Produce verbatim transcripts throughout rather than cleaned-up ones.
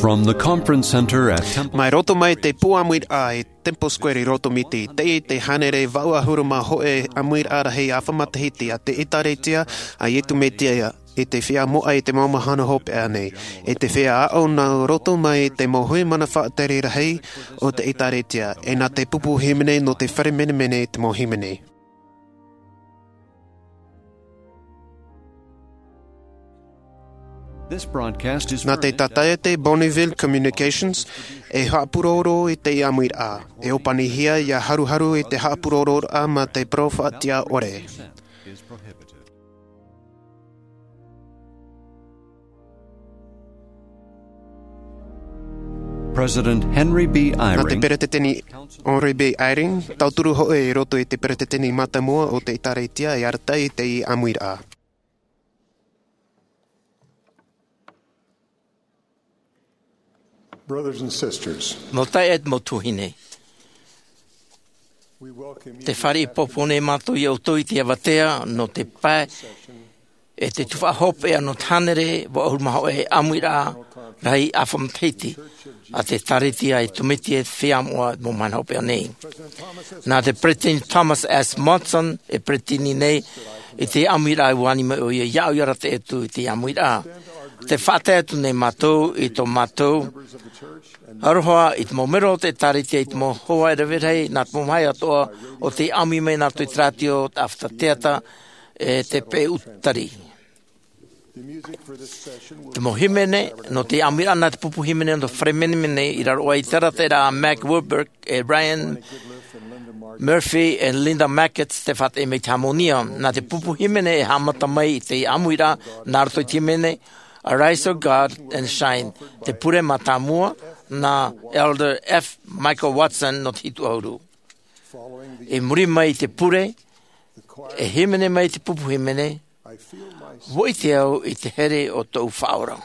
From the conference center at Temple Mai roto mai te pū ʻāmuiraʻa i Temple Square i Roto Miti, teie te hānere vaʻu ʻahuru mā hōʻē ʻāmuiraʻa rahi ʻāfa matahiti a te ʻĒtārētia a Iesu Mesia i te feiā moʻa i te mau mahana hopeʻa nei, i te feiā aʻo nā roto mai te mau hui mana faʻatere rahi o te ʻĒtārētia, e nā te pupu hīmene nō te fare menemene i te mau hīmene. This broadcast is Nā te furnished tātaʻete Bonneville Communications e haʻapūroro i te ʻāmuiraʻa. E ʻōpanihia ʻia haruharu i te haʻapūrororaʻa mā te parau faʻatiʻa ʻore. President Henry B. Eyring. Nā te Peretiteni Henry B. Eyring, tauturu hōʻē i roto i te Peretiteni Mātāmua o te ʻĒtārētia e arataʻi i te ʻāmuiraʻa. Brothers and sisters, Mau taeaʻe, mau tuahine. We welcome you Te fāriʻi pōpō nei mātou ia ʻoutou i te avatea nō te pae e te tuhaʻa hopeʻa nō te hānere vaʻu ʻahuru mā hōʻē ʻāmuiraʻa rahi ʻāfa matahiti a te ʻĒtārētia a Iesu Mesia i te feiā moʻa i te mau mahana hopeʻa nei. Nā te Peretiteni Thomas S. Monson e peretiteni nei i te ʻāmuiraʻa, ʻua ani mai ʻoia iāʻu ʻia arataʻi atu i te ʻāmuiraʻa. Tē faʻatae atu nei mātou i tō mātou aroha i te mau melo o te ʻĒtārētia, i te mau hoa e rave rahi, nā te mau mahae atoʻa o tē ʻāmui mai nā roto i te rātio, te ʻāfata teata, e te peʻe ʻutari. Te mau hīmene nō te ʻāmuiraʻa nā te pupu hīmene nō te fare menemene i raro aʻe i te arataʻiraʻa a Mac Wilberg e Ryan Murphy e Linda Mackett, tē faʻatae mai i te hāmōnia. Nā te pupu hīmene e haʻamata mai i te ʻāmuiraʻa nā roto i te hīmene Arise, O God, and Shine, te pure mātāmua nā Elder F. Michael Watson nō te hitu ʻahuru. I muri mai i te pure, e hīmene mai te pupu hīmene, ʻua ʻite au i te here o tōʻu Faʻaora.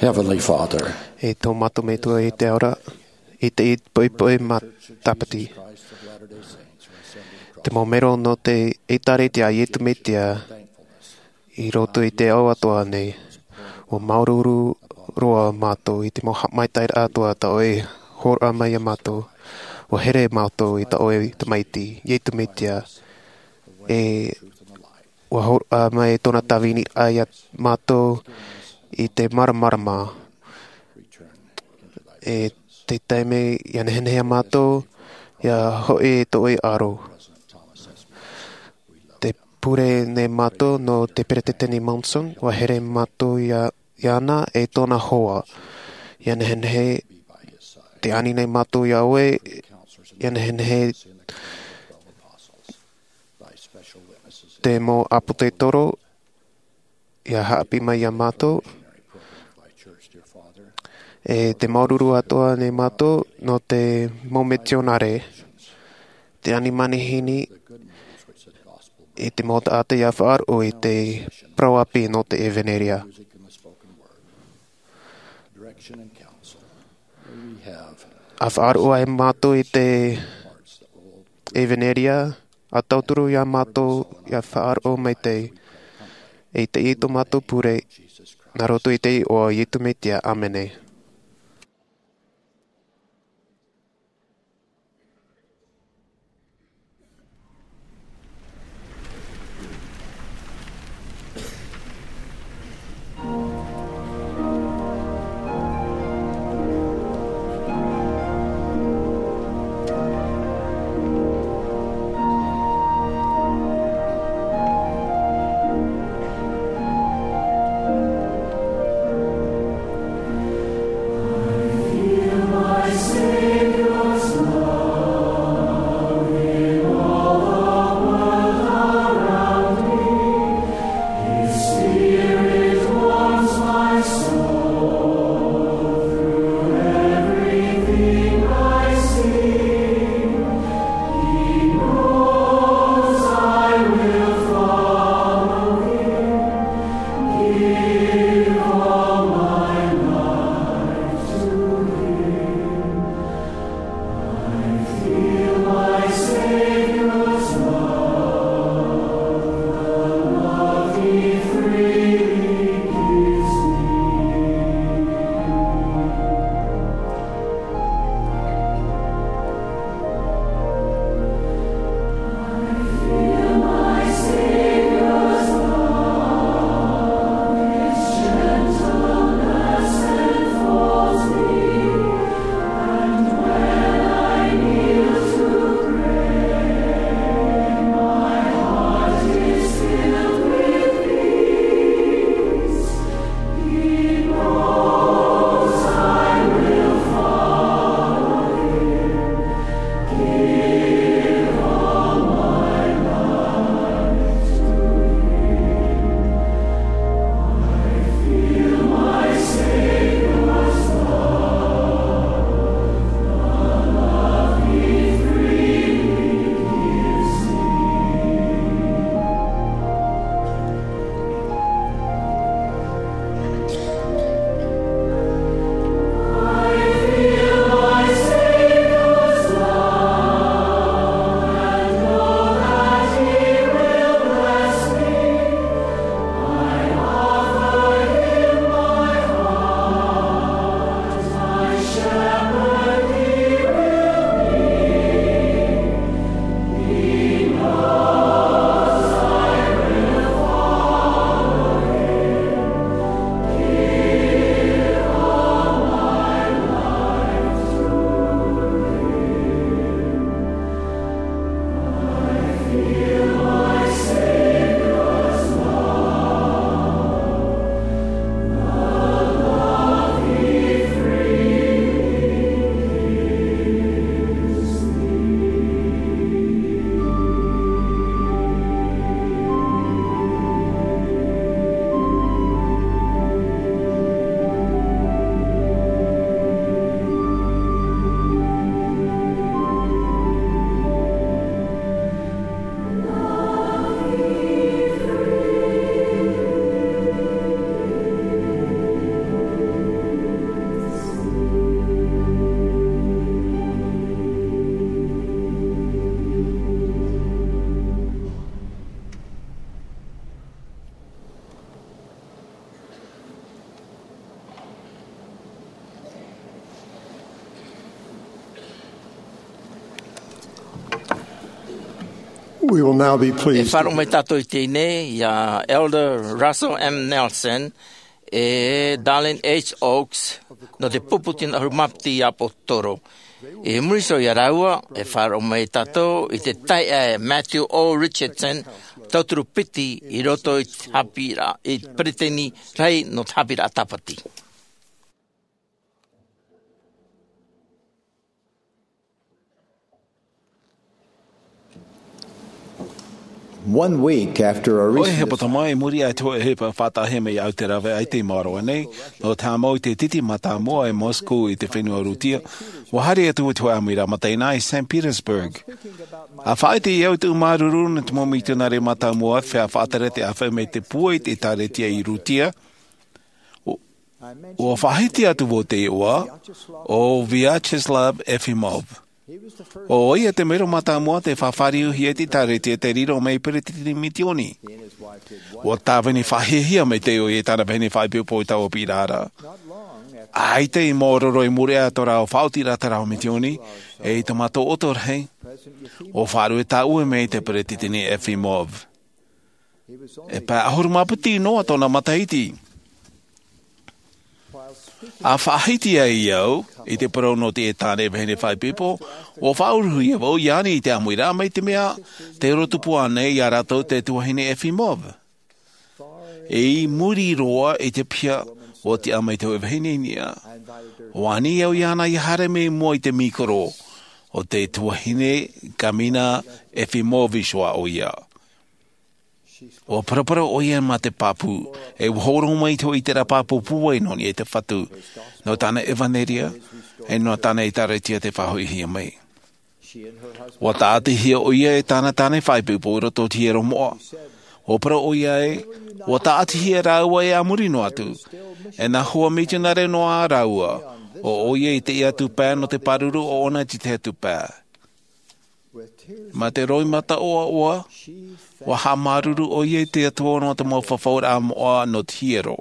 Heavenly Father, e tō mātou Metua i te ao ra, i te poʻipoʻi matāpiti. Te mau mero nō te ʻĒtārētia a Iesu Mesia i roto i te ao atoʻa nei. ʻUa māuruuru roa mātou i te mau haʻamaitaʻiraʻa atoʻa tā ʻoe i hōroʻa mai iā mātou. ʻUa here mātou i tā ʻoe Tamaiti, Iesu Mesia. E ʻUa hōroʻa mai tōna tāviniraʻa iā mātou i te māramarama. E te taime ʻia nehenehe ā mātou, ʻia hoʻi i tō ʻoe aro. Te pure nei mātou nō te Peretiteni Monson, ʻua here mātou iā, iāna e tōna hoa. ʻIa nehenehe, tē ani nei mātou iā ʻoe, ʻia nehenehe te mau ʻāpōsetolo, ʻia haʻapiʻi mai iā mātou. E te māuruuru atoʻa nei mātou nō te mau mitionare, te ani manihini, e te mau taʻata ʻia faʻaroʻo i te parau ʻāpī nō te ʻevanelia. ʻA faʻaroʻo ai mātou i te ʻevanelia, ʻa tauturu iā mātou ʻia faʻaroʻo maitaʻi. E teie tō mātou pure, nā roto i te iʻoa o Iesu Mesia, ʻāmene. We will now be pleased. E faʻaroʻo mai tātou i teie nei iā Elder Russell M. Nelson e Dallin H. Oaks nō te pupu tino ʻahuru mā piti ʻāpōsetolo. I muri iho iā rāua, e faʻaroʻo mai tātou i te taiʻa e Matthew O. Richardson, tauturu piti i roto i te haʻapiʻiraʻa, i te peresideni rahi nō te haʻapiʻiraʻa Tāpati. One week after a ʻOia, recent he pata mai, i muri aʻe i te hōʻē ʻohipa faʻataʻahia mai iāʻu i te rave aʻe i teie mahana nei, nō te haʻamau i te titi mātāmua i Moscow i te fenua Rūtia, ʻua haere atu i te hōʻē ʻāmuiraʻa mataʻeinaʻa i Saint Petersburg. ʻA faʻaʻite au i te ʻū māuruuru nō te mau mitionare mātāmua, feiā faʻatere te ʻāfaʻi mai i te pūai i te ʻĒkālesia i Rūtia, ʻua faʻahiti atu vau i te iʻoa o Vyacheslav Efimov. ʻO ʻoia te mero mātāmua tei faʻafāriuhia i te ʻĒkālesia tei riro mai ei peresideni misiōni. ʻUa tāvini faʻahiahia maitaʻi ʻoia e tāna vahine faʻaipoipo i taua piʻiraʻa ra. ʻAita i maoro roa i muri aʻe i tō rāua faʻaotiraʻa i te rāveʻa misiōni, e i te mātou ʻoto rahi, ʻua faʻaruʻe tāʻue mai te peresideni Efimov. E pae ʻahuru mā piti noa tōna matahiti. ʻA faʻahiti ai au i te parau nō teie tāne vahine faʻaipoipo, ʻua faʻauruhia vau iāna i te ʻāmuiraʻa, mai te mea tei roto tupu ānei iā rātou te tuahine Efimov. I muri roa i te piha, ʻua tiʻa mai te hōʻē vahine i niʻa. ʻUa ani au iāna ʻia haere mai i mua i te mīkoro. ʻO te tuahine Kamina Efimovic ʻoia. ʻUa paraparau ʻoia mā te pāpū, e ʻua hōroʻa mai i te hōʻē ʻiteraʻa pāpū pūai nō niʻa i te Fatu, nō tāna ʻevanelia, e nō tāna ʻĒkālesia tei faʻahoʻihia mai. ʻUa tāʻatihia ʻoia e tāna tāne faʻaipoipo i roto i te hiero moʻa. ʻUa parau ʻoia ē, ʻua tāʻatihia rāua ē a muri noa atu, e nā hoa mitionare noa rāua, ʻo ʻoia i teie atu pae nō te pāruru ʻoʻona i te tahi atu pae. Mā te roimata ʻoaʻoa, ʻua haʻamāuruuru ʻoia i te Atua nō te mau fafauraʻa moʻa nō te hiero.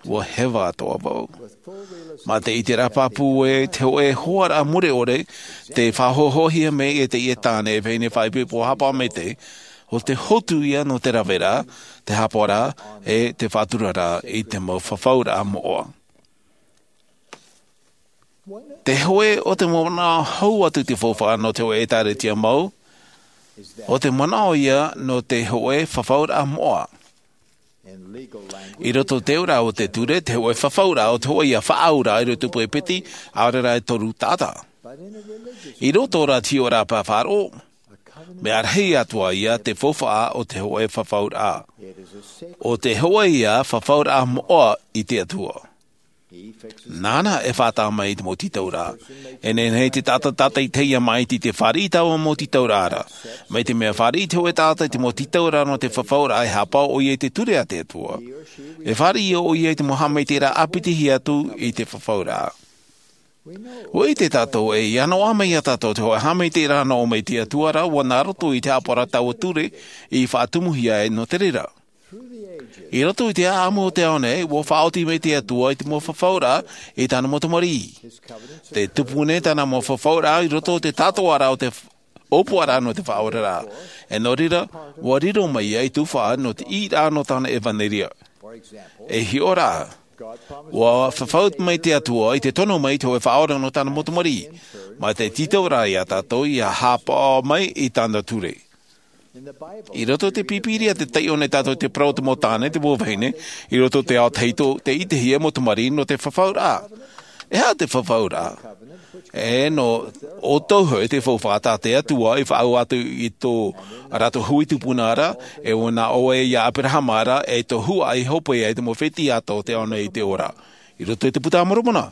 ʻUa heva atoʻa vau. Mā te ʻiteraʻa pāpū ē, te hōʻē hoaraʻa mure ʻore, tei faʻahoʻohia mai e teie tāne vahine faʻaipoipo haʻapaʻo maitaʻi, ʻo te hotu ia nō te raveraʻa, te haʻapaʻoraʻa, e te faʻaturaraʻa i te mau fafauraʻa moʻa. Te hōʻē o te manaʻo hau atu i te faufaʻa nō te hōʻē ʻĒkālesia mau, ʻo te manaʻo ia nō te hōʻē fafauraʻa moʻa. I roto i te ora o te ture, te hōʻē fafauraʻa ʻo te hōʻē ia faʻaauraʻa i roto i te pūai piti, ʻaore rā e toru taʻata. I roto rā i te hiʻoraʻa pae faʻaroʻo, mea rahi atoʻa ia te faufaʻa o te hōʻē fafauraʻa. ʻO te hōʻē ia fafauraʻa moʻa i te Atua. Nāna e faʻataʻa mai i te mau tītauraʻa. E nehenehe te taʻata tātaʻitahi ʻia māʻiti i te fāriʻi i taua mau tītauraʻa ra. Mai te mea fāriʻi te hōʻē taʻata i te mau tītauraʻa nō te fafauraʻa, e haʻapaʻo ʻoia i te ture a te Atua. E fāriʻi ʻoia i te mau haʻamaitaʻiraʻa ʻāpiti atu i te fafauraʻa. ʻUa ʻite tātou ē, ʻia noaʻa mai iā tātou te hōʻē haʻamaitaʻiraʻa nō ʻō mai i te Atua ra, ʻua nā roto i te haʻapaʻoraʻa taua ture i faʻatumuhia ai nō te reira. I roto i te ʻāʻamu o te ao nei, ʻua faʻaoti mai te Atua i te mau fafauraʻa i tāna mau tamariʻi. Tē tupu nei tāna mau fafauraʻa i roto i te tātōʻaraʻa o te f-, ʻōpuaraʻa nō te faʻaoraraʻa. E nō reira, ʻua riro mai ia i tuhaʻa nō te ʻīraʻa nō tāna ʻevanelia. E hiʻo rā, ʻua fafau mai te Atua i te tono mai i te hōʻē faʻaora nō tāna mau tamariʻi. Mā te tītauraʻa iā tātou ʻia haʻapaʻo mai i tāna ture. I roto i te Pīpīria, tē taiʻo nei tātou i te parau o te mau tāne, te mau vahine, i roto i te ao tahito, tē ʻitehia e mau tamariʻi nō te fafauraʻa. E aha te fafauraʻa? E nō ʻoutou hoʻi te faufaʻa tā te Atua i faʻaau atu i tō rātou hui tupuna ra, e ʻua nā ʻō ē iā Aperahama ra, e tō huaʻai hopeʻa i te mau fētiʻi atoʻa o te ao nei i te ora. I roto i te Puta a Moromona,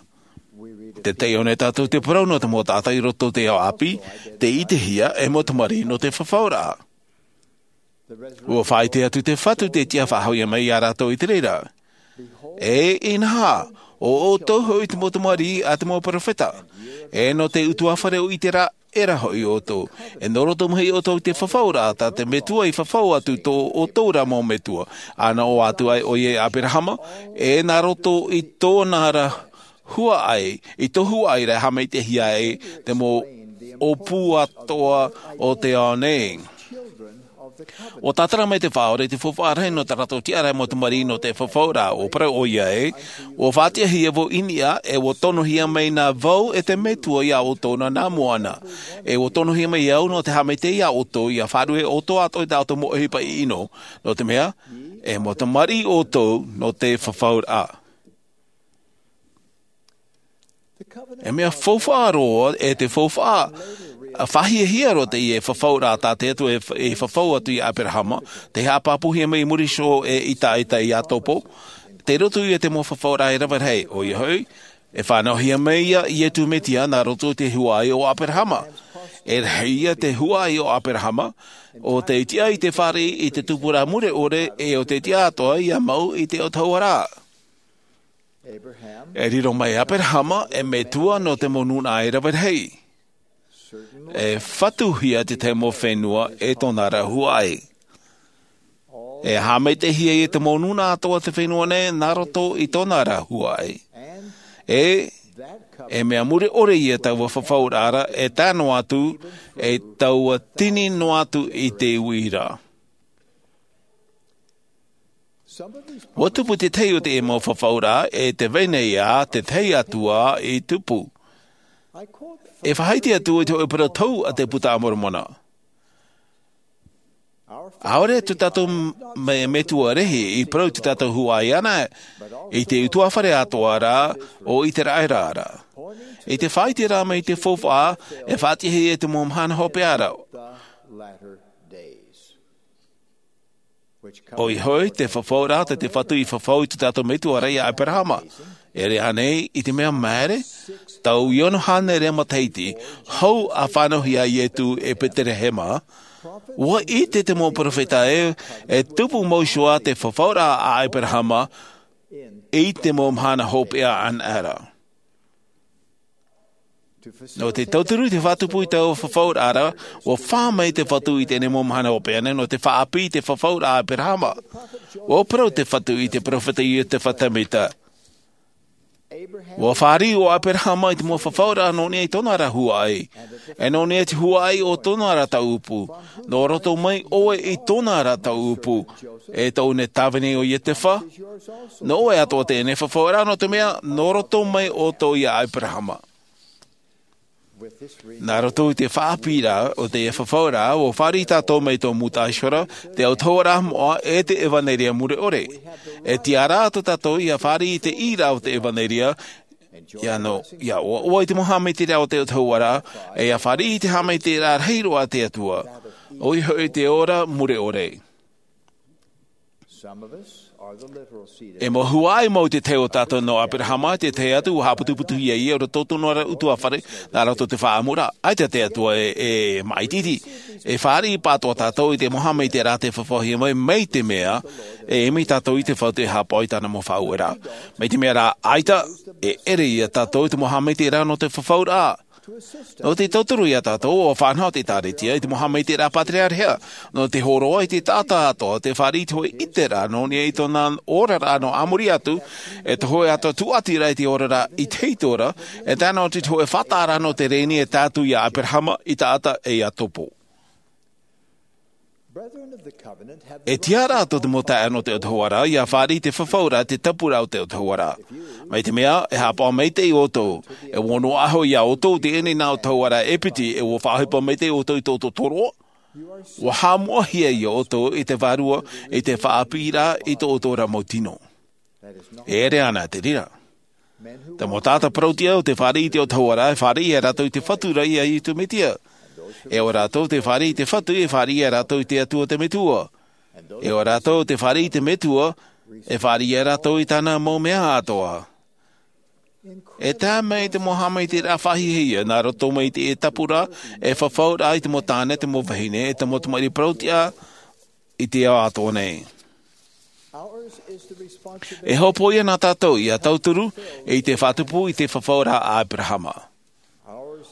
tē taiʻo nei tātou i te parau nō te mau taʻata i roto i te ao ʻāpī, tē ʻitehia e mau tamariʻi nō te fafauraʻa. ʻUa faʻaʻite atu te Fatu tē tiʻa faʻahou ia mai iā rātou i te reira. E inaha, ʻo ʻoutou hoʻi te mau tamariʻi a te mau perofeta. E nō te ʻutuāfare o ʻĪteraʻera hoʻi ʻoutou. E nō roto mai ʻoutou i te fafauraʻa tā te Metua i fafau atu i tō ʻoutou ra mau metua. ʻA nā ʻō atu ai ʻoia iā Aperahama, e nā roto i tōna ra huaʻai, i tō huaʻai ra e haʻamaitaʻihia ai te mau ʻōpū atoʻa o te ao nei. Ua tātara mai te Faʻaora i te faufaʻa rahi nō tā rātou tiʻaraʻa mau tamariʻi nō te fafauraʻa, ʻua parau ʻoia ē, ʻua faʻatiʻahia vau i niʻa, e ʻua tonohia mai nā vau e te Metua iā ʻoutou nā, nā mua na. E ʻua tonohia mai au nō te haʻamaitaʻi iā ʻoutou, ʻia faʻaruʻe ʻoutou atoʻa i tā ʻoutou mau ʻohipa ʻino, nō te mea, e mau tamariʻi ʻoutou nō te fafauraʻa. E mea faufaʻa roa, e te faufaʻa, a faʻahiahia roa teie fafauraʻa tā te Atua e, e fafau atu iā Aperahama, tei haʻapāpūhia mai i muri iho e Isaaka e Iakobo, tei roto ia i te mau fafauraʻa e rave rahi, ʻoia hoʻi, e fānauhia mai ia Iesu Mesia nā roto i te huaʻai o Aperahama. E rahi ia te huaʻai o Aperahama, ʻo tei tiʻa i te fāriʻi i te tupuraʻa mure ʻore, e ʻo tei tiʻa atoʻa ʻia mau i te autahuʻaraʻa. E riro mai Aperahama e metua nō te mau nūnaʻa e rave rahi. E fatuhia te tahi mau fenua e tōna ra huaʻai. E haʻamaitaʻihia ia te mau nūnaʻa atoʻa o te fenua nei nā roto i tōna ra huaʻai. E, e mea mure ʻore ia taua fafauraʻa ra e tae noa atu, e taua tini noa atu i te uira. Ua tupu te tahi o te mau fafauraʻa, e te vai nei ā te tahi atu ā i tupu. E faʻaʻite atu i te hōʻē parau tau a te Puta a Moromona. ʻAore tō tātou me-, metua rahi i parau i tō tātou huaʻai ana, i te ʻutuāfare atoʻa ra o Iseraela ra. I te faʻaʻite ra mai i te faufaʻa, e faʻatiʻahia i te mau mahana hopeʻa ra. ʻOia hoʻi, te fafauraʻa tā te Fatu i fafau i tō tātou metua ra iā Aperahama. E ʻere ānei i te mea maere, tau e ono hānere matahiti, hou ʻa fānauhia Iesu i Betelehema, ua ʻite te mau perofeta ē, e tupu mau iho ā te fafauraʻa a Aperahama, i te mau mahana hopeʻa anaʻe ra. Nō te tauturu i te faʻatupu i taua fafauraʻa ra, ua fā mai te Fatu i teie nei mau mahana hopeʻa anaʻe, nō te faʻaʻāpī i te fafauraʻa a Aperahama. Ua parau te Fatu i te perofeta Iosefa Sāmita. Ua fāriʻi ʻo Aperahama i te mau fafauraʻa nō niʻa i tōna ra huaʻai. E nō niʻa i te huaʻai o tōna ra tauʻupu. Nō roto mai ʻoe i tōna ra tauʻupu. E tōʻu nei tāvini ʻo Iosefa. Nō ʻoe atoʻa teie nei fafauraʻa nō te mea, nō roto mai ʻoutou iā Aperahama. Nā roto i te faʻaʻāpī ra o teie fafauraʻa, ua fāriʻi tātou mai tō Musa Iehova, te autahuʻaraʻa moʻa e te ʻevanelia mure ʻore. E tiʻa ra tō tātou ʻia fāriʻi i te ʻīraʻa o te ʻevanelia, ʻia nō, ʻia ʻoaʻoa i te mau haʻamaitaʻiraʻa o te autahuʻaraʻa, e ʻia fāriʻi i te haʻamaitaʻiraʻa rahi roa a te Atua. ʻOia hoʻi te ora mure ʻore. E mau huaʻai mau te tahi o tātou nō Aperahama, te tahi atu ua haʻaputuputuhia ia i roto tōna ra ʻutuāfare, nā roto te faʻaʻamuraʻa, ʻaita te Atua e, e maʻititi. E fāriʻi pātoʻa tātou i te mau haʻamaitaʻiraʻa tei fafauhia mai, mai te mea, e ʻimi tātou i te Fatu e haʻapaʻo i tāna mau faʻaueraʻa. Mai te mea rā, ʻaita, e ʻere ia tātou i te mau haʻamaitaʻiraʻa nō te fafauraʻa. Nō te tauturu iā tātou, ʻua faʻanaho te ʻĒkālesia i te mau haʻamaitaʻiraʻa pātereareha. Nō te hōroʻa i te taʻata atoʻa, te fāriʻi i te hōʻē ʻiteraʻa nō niʻa i tōna oraraʻa nō a muri atu, e te hōʻē atoʻa tūʻatiraʻa i te oraraʻa i te hītora, e tae noa atu i te hōʻē faʻataʻaraʻa nō te rēni e tae atu iā Aperahama, Isaaka e Iakobo. E tiʻa ra tō te mau taeaʻe nō te autahuʻaraʻa, ʻia fāriʻi i te fafauraʻa, te tapuraʻa o te autahuʻaraʻa. Mai te mea, e haʻapaʻo maitaʻi ʻoutou, e ʻua noaʻa hoʻi iā ʻoutou teie nei nā autahuʻaraʻa e piti, e ʻua faʻaʻohipa maitaʻi ʻoutou i tō ʻoutou tōroʻa. ʻUa haʻamoʻahia ia ʻoutou i te Vārua, i te faʻaʻāpīraʻa i tō ʻoutou ra mau tino. E ʻere ana te reira. Te mau taʻata parauʻtiʻa ʻo tē fāriʻi i te autahuʻaraʻa, e fāriʻi ia rātou i te Fatu ra ia Iesu Mesia. E ʻo rātou tē fāriʻi i te Fatu, e fāriʻi ia rātou i te Atua te Metua. E ʻo rātou tē fāriʻi i te Metua, e fāriʻi ia rātou i tāna mau mea atoʻa. E tae mai te mau haʻamaitaʻiraʻa faʻahiahia, nā roto mai i te tapuraʻa, e fafauraʻa i te mau tāne, te mau vahine, e te mau tamariʻi parauʻtiʻa, i te ao atoʻa nei. E hopoiʻa nā tātou ʻia tauturu i te faʻatupu i te fafauraʻa a Aperahama.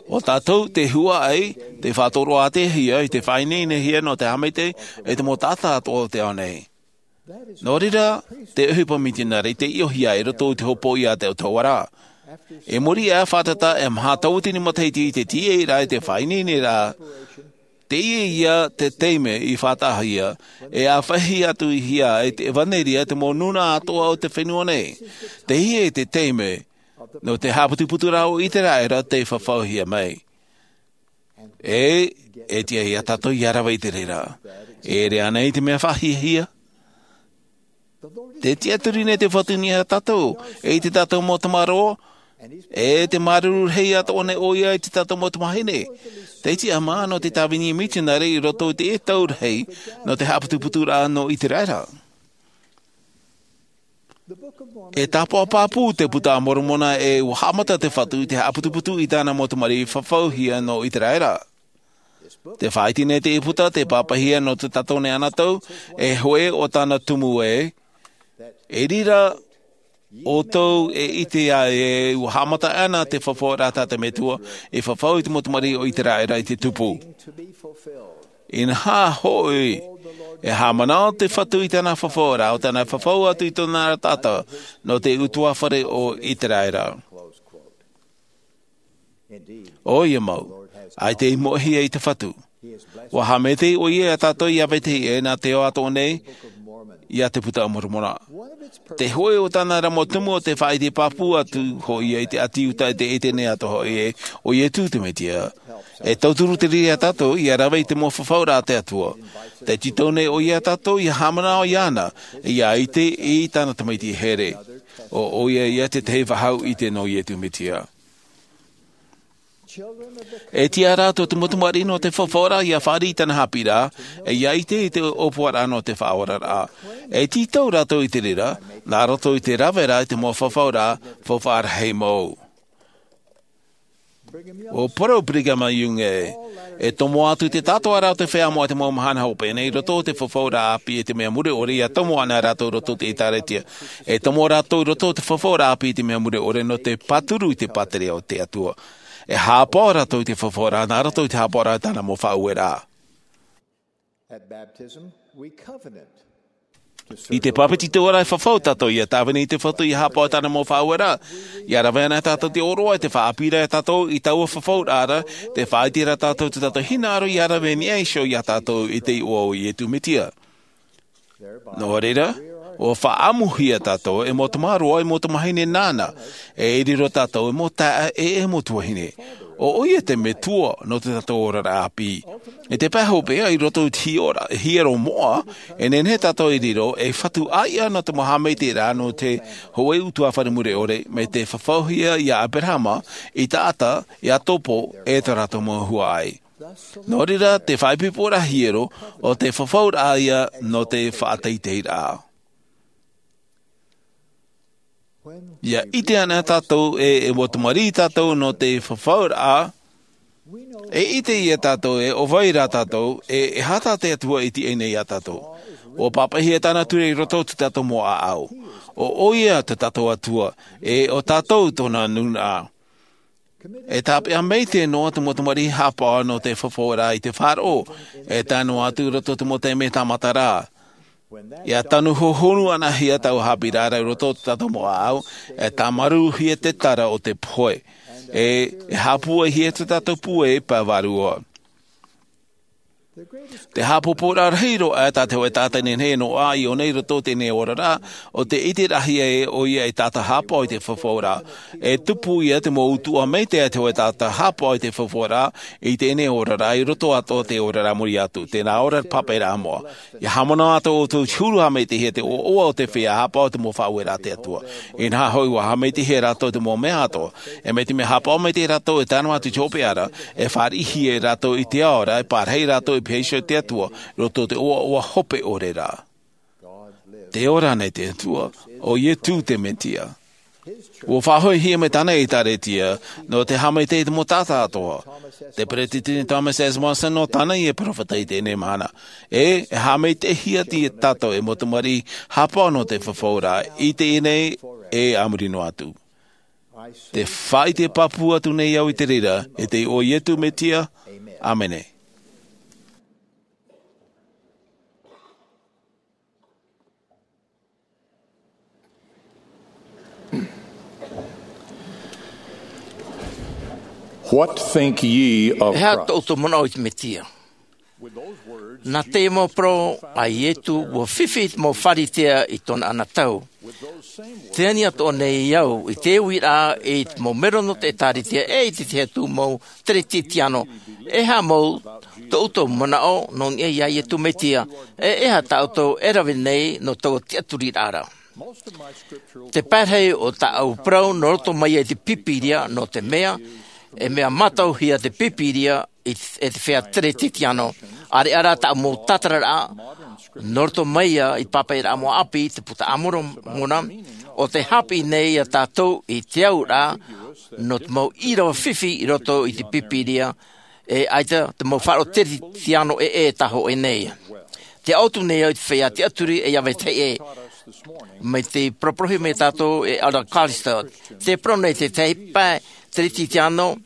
ʻO tātou te huaʻai, tē faʻatoroʻahia i te faʻaineinehia nō te haʻamaitaʻi i te mau taʻata atoʻa o te ao nei. Nō reira, te ʻohipa mitionare i taiʻohia i roto i te hopoiʻa a te autahuʻaraʻa. I muri iho i te faʻatata e maha tauatini matahiti i te tīaʻiraʻa i te faʻaineineraʻa, teie ia te taime i faʻataʻahia e ʻāfaʻi atu hia e te ʻevanelia te mau nūnaʻa atoʻa o te fenua nei. Teie te taime nō te haʻaputuputuraʻa o Iteraera tei fafauhia mai. E, e tiʻa ia tātou ia rave i te reira. E ʻere ānei te mea faʻahiahia? Tē tiʻaturi nei te Fatu iā tātou, e i tā tātou mau tamaroa, e tē māuruuru rahi atoʻa nei ʻoia i tā tātou mau tamāhine. Tē tiʻamā nō te tāvini mitionare i roto i te tau rahi nō te haʻaputuputuraʻa nō Iteraera. E tāpaʻo pāpū te Puta a Moromona e ʻua haʻamata te Fatu i te haʻaputuputu i tāna mau tamariʻi fafauhia nō Iteraera. Tē faʻaʻite nei te puta, tē pāpaʻihia nō tā tātou nei anotau, e hōʻē o tāna tumu ē, i reira ʻoutou e ʻite ai e ʻua haʻamata ana te fafauraʻa a te Metua, e fafau i te mau tamariʻi o Iteraera i te tupu. Inaha hoʻi, e haʻamanaʻo te Fatu i tāna fafauraʻa, ʻo tāna fafau atu i tōna taʻata, nō te ʻutuāfare o Iteraera. ʻOia mau, ʻaita i moʻehia e te Fatu. ʻUa haʻamaitaʻi ʻoia iā tātou ia vetahi ʻē nā te ao atoʻa nei, iā te Puta a Moromona. Te hōʻē o tāna ra mau tumu ʻo tē faʻaʻite pāpū atu hoʻi ia i te ʻĀti Iuta i te ʻētene atoʻa hoʻi ē, ʻo Ietu te Metia. E tauturu te reira iā tātou ia rave i te mau fafauraʻa a te Atua. Tē tītau nei ʻoia iā tātou ia haʻamanaʻo iāna, ia ʻite i tāna tamaiti here. ʻO, ʻoia ia te tahi faʻaʻite nō Ietu Metia. E tiʻa rā tō te mau tamariʻi nō te fafauraʻa ia fāriʻi i tāna haʻapiʻiraʻa, e ia ʻite i te ʻōpuaraʻa nō te faʻaoraraʻa. E tītau rātou i te reira, nā roto i te raveraʻa i te mau fafauraʻa, faufaʻa rahi mau. ʻUa parau Brigham Young ē, e tomo atu te tātoʻaraʻa o te feiā moʻa i te mau mahana hopeʻa nei i roto i te fafauraʻa ʻāpī i te mea mure ʻore ia tomo ana rātou i roto i te ʻĒtārētia. E tomo rātou i roto i te fafauraʻa ʻāpī i te mea mure ʻore nō te pāturu i te pātireia o te Atua. E haʻapaʻo rātou i te fafauraʻa, nā roto i te haʻapaʻoraʻa i tāna mau faʻaueraʻa. At baptism, we covenant to serve I te the Lord. Pāpetitoraʻa e fafau tātou ia tāvini i te Fatu ia haʻapaʻo i tāna mau faʻaueraʻa. Ia rave ana tātou te ʻōroʻa i te faʻaʻāpīraʻa iā tātou i taua fafauraʻa ra, tē faʻaʻite ra tātou i tō tātou hinaʻaro ia rave i niʻa iho iā tātou i te iʻoa o Ietu Metia. Nō reira, ʻua faʻaʻamuhia tātou e mau tamaroa, e mau tamāhine nāna, e riro tātou e mau taeaʻe, e mau tuahine. ʻO ʻoia te Metua nō tō tātou oraraʻa ʻāpī. I te pae hopeʻa i roto i te hiero, hiero moʻa, e nehenehe tātou e riro ei Fatu ʻāiʻa nō te mau haʻamaitaʻiraʻa nō te hōʻē ʻutuāfare mure ʻore, mai te fafauhia ia Aberahama, Isaaka, Iakobo, e tō rātou mau huaʻai. Nō reira, te faʻaipoiporaʻa hiero, ʻo te fafauraʻa ia nō te faʻateiteiraʻa. Ia ʻite ana tātou ē, e mau tamariʻi tātou nō te fafauraʻa, e ʻite ia tātou ē, ʻo vai rā tātou, e, e aha tā te Atua i tīaʻi nei iā tātou. ʻUa pāpaʻihia tāna ture i roto i tō tātou mau ʻāʻau. ʻO ʻoia tō tātou Atua, e ʻo tātou tōna nūnaʻa. E tāpeʻa maitaʻi noa te mau tamariʻi haʻapaʻo nō te fafauraʻa i te faʻaroʻo, e tae noa atu i roto i te mau taime tāmata ra. Ia tanu hohonu ana hia taua haʻapiʻiraʻa ra i roto i tō tātou mau ʻāʻau, e tāmarūhia te tara o te pohe. E, e haʻapūaihia tō tātou pūai pae vārua. Te haʻapōpōraʻa rahi roa tā te hōʻē taʻata nehenehe e noaʻa i ʻō nei i roto i teie nei oraraʻa, ʻo te ʻiteraʻahia ē ʻoia ei taʻata haʻapaʻo i te fafauraʻa. E tupu ia te mau utuʻa maitaʻi a te hōʻē taʻata haʻapaʻo i te fafauraʻa i teie nei oraraʻa i roto atoʻa i te oraraʻa muri atu, tē nā ʻō ra te pāpaʻiraʻa moʻa. Ia haʻamanaʻo atoʻa ʻoutou i te huru haʻamaitaʻihia, te ʻoaʻoa o te feiā haʻapaʻo i te mau faʻaueraʻa a te Atua. Inaha hoʻi, ʻua haʻamaitaʻihia rātou i te mau mea atoʻa. E mai te mea haʻapaʻo maitaʻi rātou e tae noa atu i te hopeʻa ra, e fāriʻihia rātou i te ao ra, e pārahi rātou i piha iho i te Atua, i roto i te ʻoaʻoa hope ʻore ra. Tē ora nei te Atua, ʻo Ietu te Metia. ʻUa faʻahoʻihia mai tāna ʻĒtārētia, nō te haʻamaitaʻi i te mau taʻata atoʻa. Te Peretiteni Thomas S. Monson nō tāna ia peropheta i teie nei mahana. E, e haʻamaitaʻihia tātou e mau tamariʻi haʻapaʻo nō te fafauraʻa, i teie nei e a muri noa atu. Te faʻaʻite pāpū atu nei au i te reira, i te iʻoa o Ietu Metia, ʻāmene. What think ye of Christ? E aha tō ʻoutou manaʻo i te Mesia? Nā te mau parau a Iesu, ʻua fifi te mau Pharisea i tōna anotau. Tē ani atoʻa nei au i te uiraʻa i te mau mero nō te ʻĒtārētia e i te tahi atu mau Teretitiano. E aha mau tō ʻoutou manaʻo nō niʻa ia Iesu Mesia, e e aha tā ʻoutou e rave nei nō taua tiʻaturiraʻa ra? Te pae rahi o tāʻu parau nō roto mai ia i te Pīpīria, nō te mea, e mea mātauhia te Pīpīria i, e te feiā Teretitiano. ʻAreʻa rā tāʻu mau tātararaʻa, nō roto mai ia i te pāpaʻiraʻa mau ʻāpī, te Puta a Moromona, ʻo tē haʻapiʻi nei ia tātou i te auraʻa, nō te mau ʻīrava fifi i roto i te Pīpīria, e ʻaita te mau faʻaroʻo Teretitiano e, e tā hōʻē nei. Tē ʻō atu nei au i te feiā tiʻaturi e ia vetahi ʻē. Mai te paraparauhia mai tātou e Elder Callister. Tē parau nei te tahi pae Teretitiano,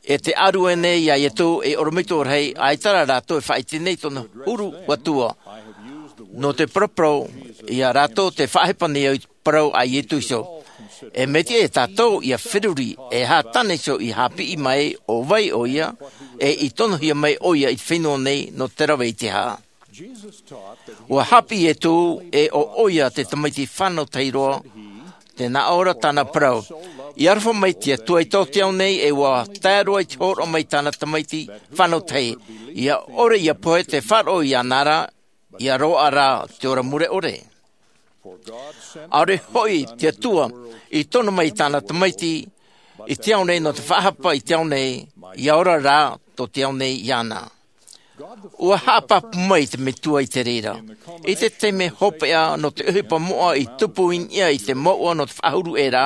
e tē ʻārue nei ia Iesu ei ʻorometua rahi, ʻaita rā rātou e faʻaʻite nei tōna huru atua. Nō te paraparau ia rātou tē faʻahepa nei au i te parau a Iesu iho. E mea tiʻa ia tātou ia feruri, e aha tāna iho i haʻapiʻi mai, ʻo vai ʻoia, e i tonohia mai ʻoia i te fenua nei nō te rave i te aha. ʻUa haʻapiʻi Iesu ē ʻo ʻoia te Tamaiti fānau tahi roa, tē nā ʻō ra tāna parau. I aroha mai te Atua i tō te ao nei, e ʻua tae roa i te hōroʻa mai tāna Tamaiti fānau tahi. ʻIa ʻore ʻia pohe te faʻaroʻo iāna ra, ʻia roaʻa rā te ora mure ʻore. ʻAore hoʻi te Atua i tono mai i tāna Tamaiti i te ao nei nō te faʻahapa i te ao nei, ʻia ora rā tō te ao nei iāna. ʻUa haʻapāpū mai te Metua i te reira. I te taime hopeʻa nō te ʻohipa moʻa i tupu i niʻa i te mouʻa nō te faʻahuru ʻē ra,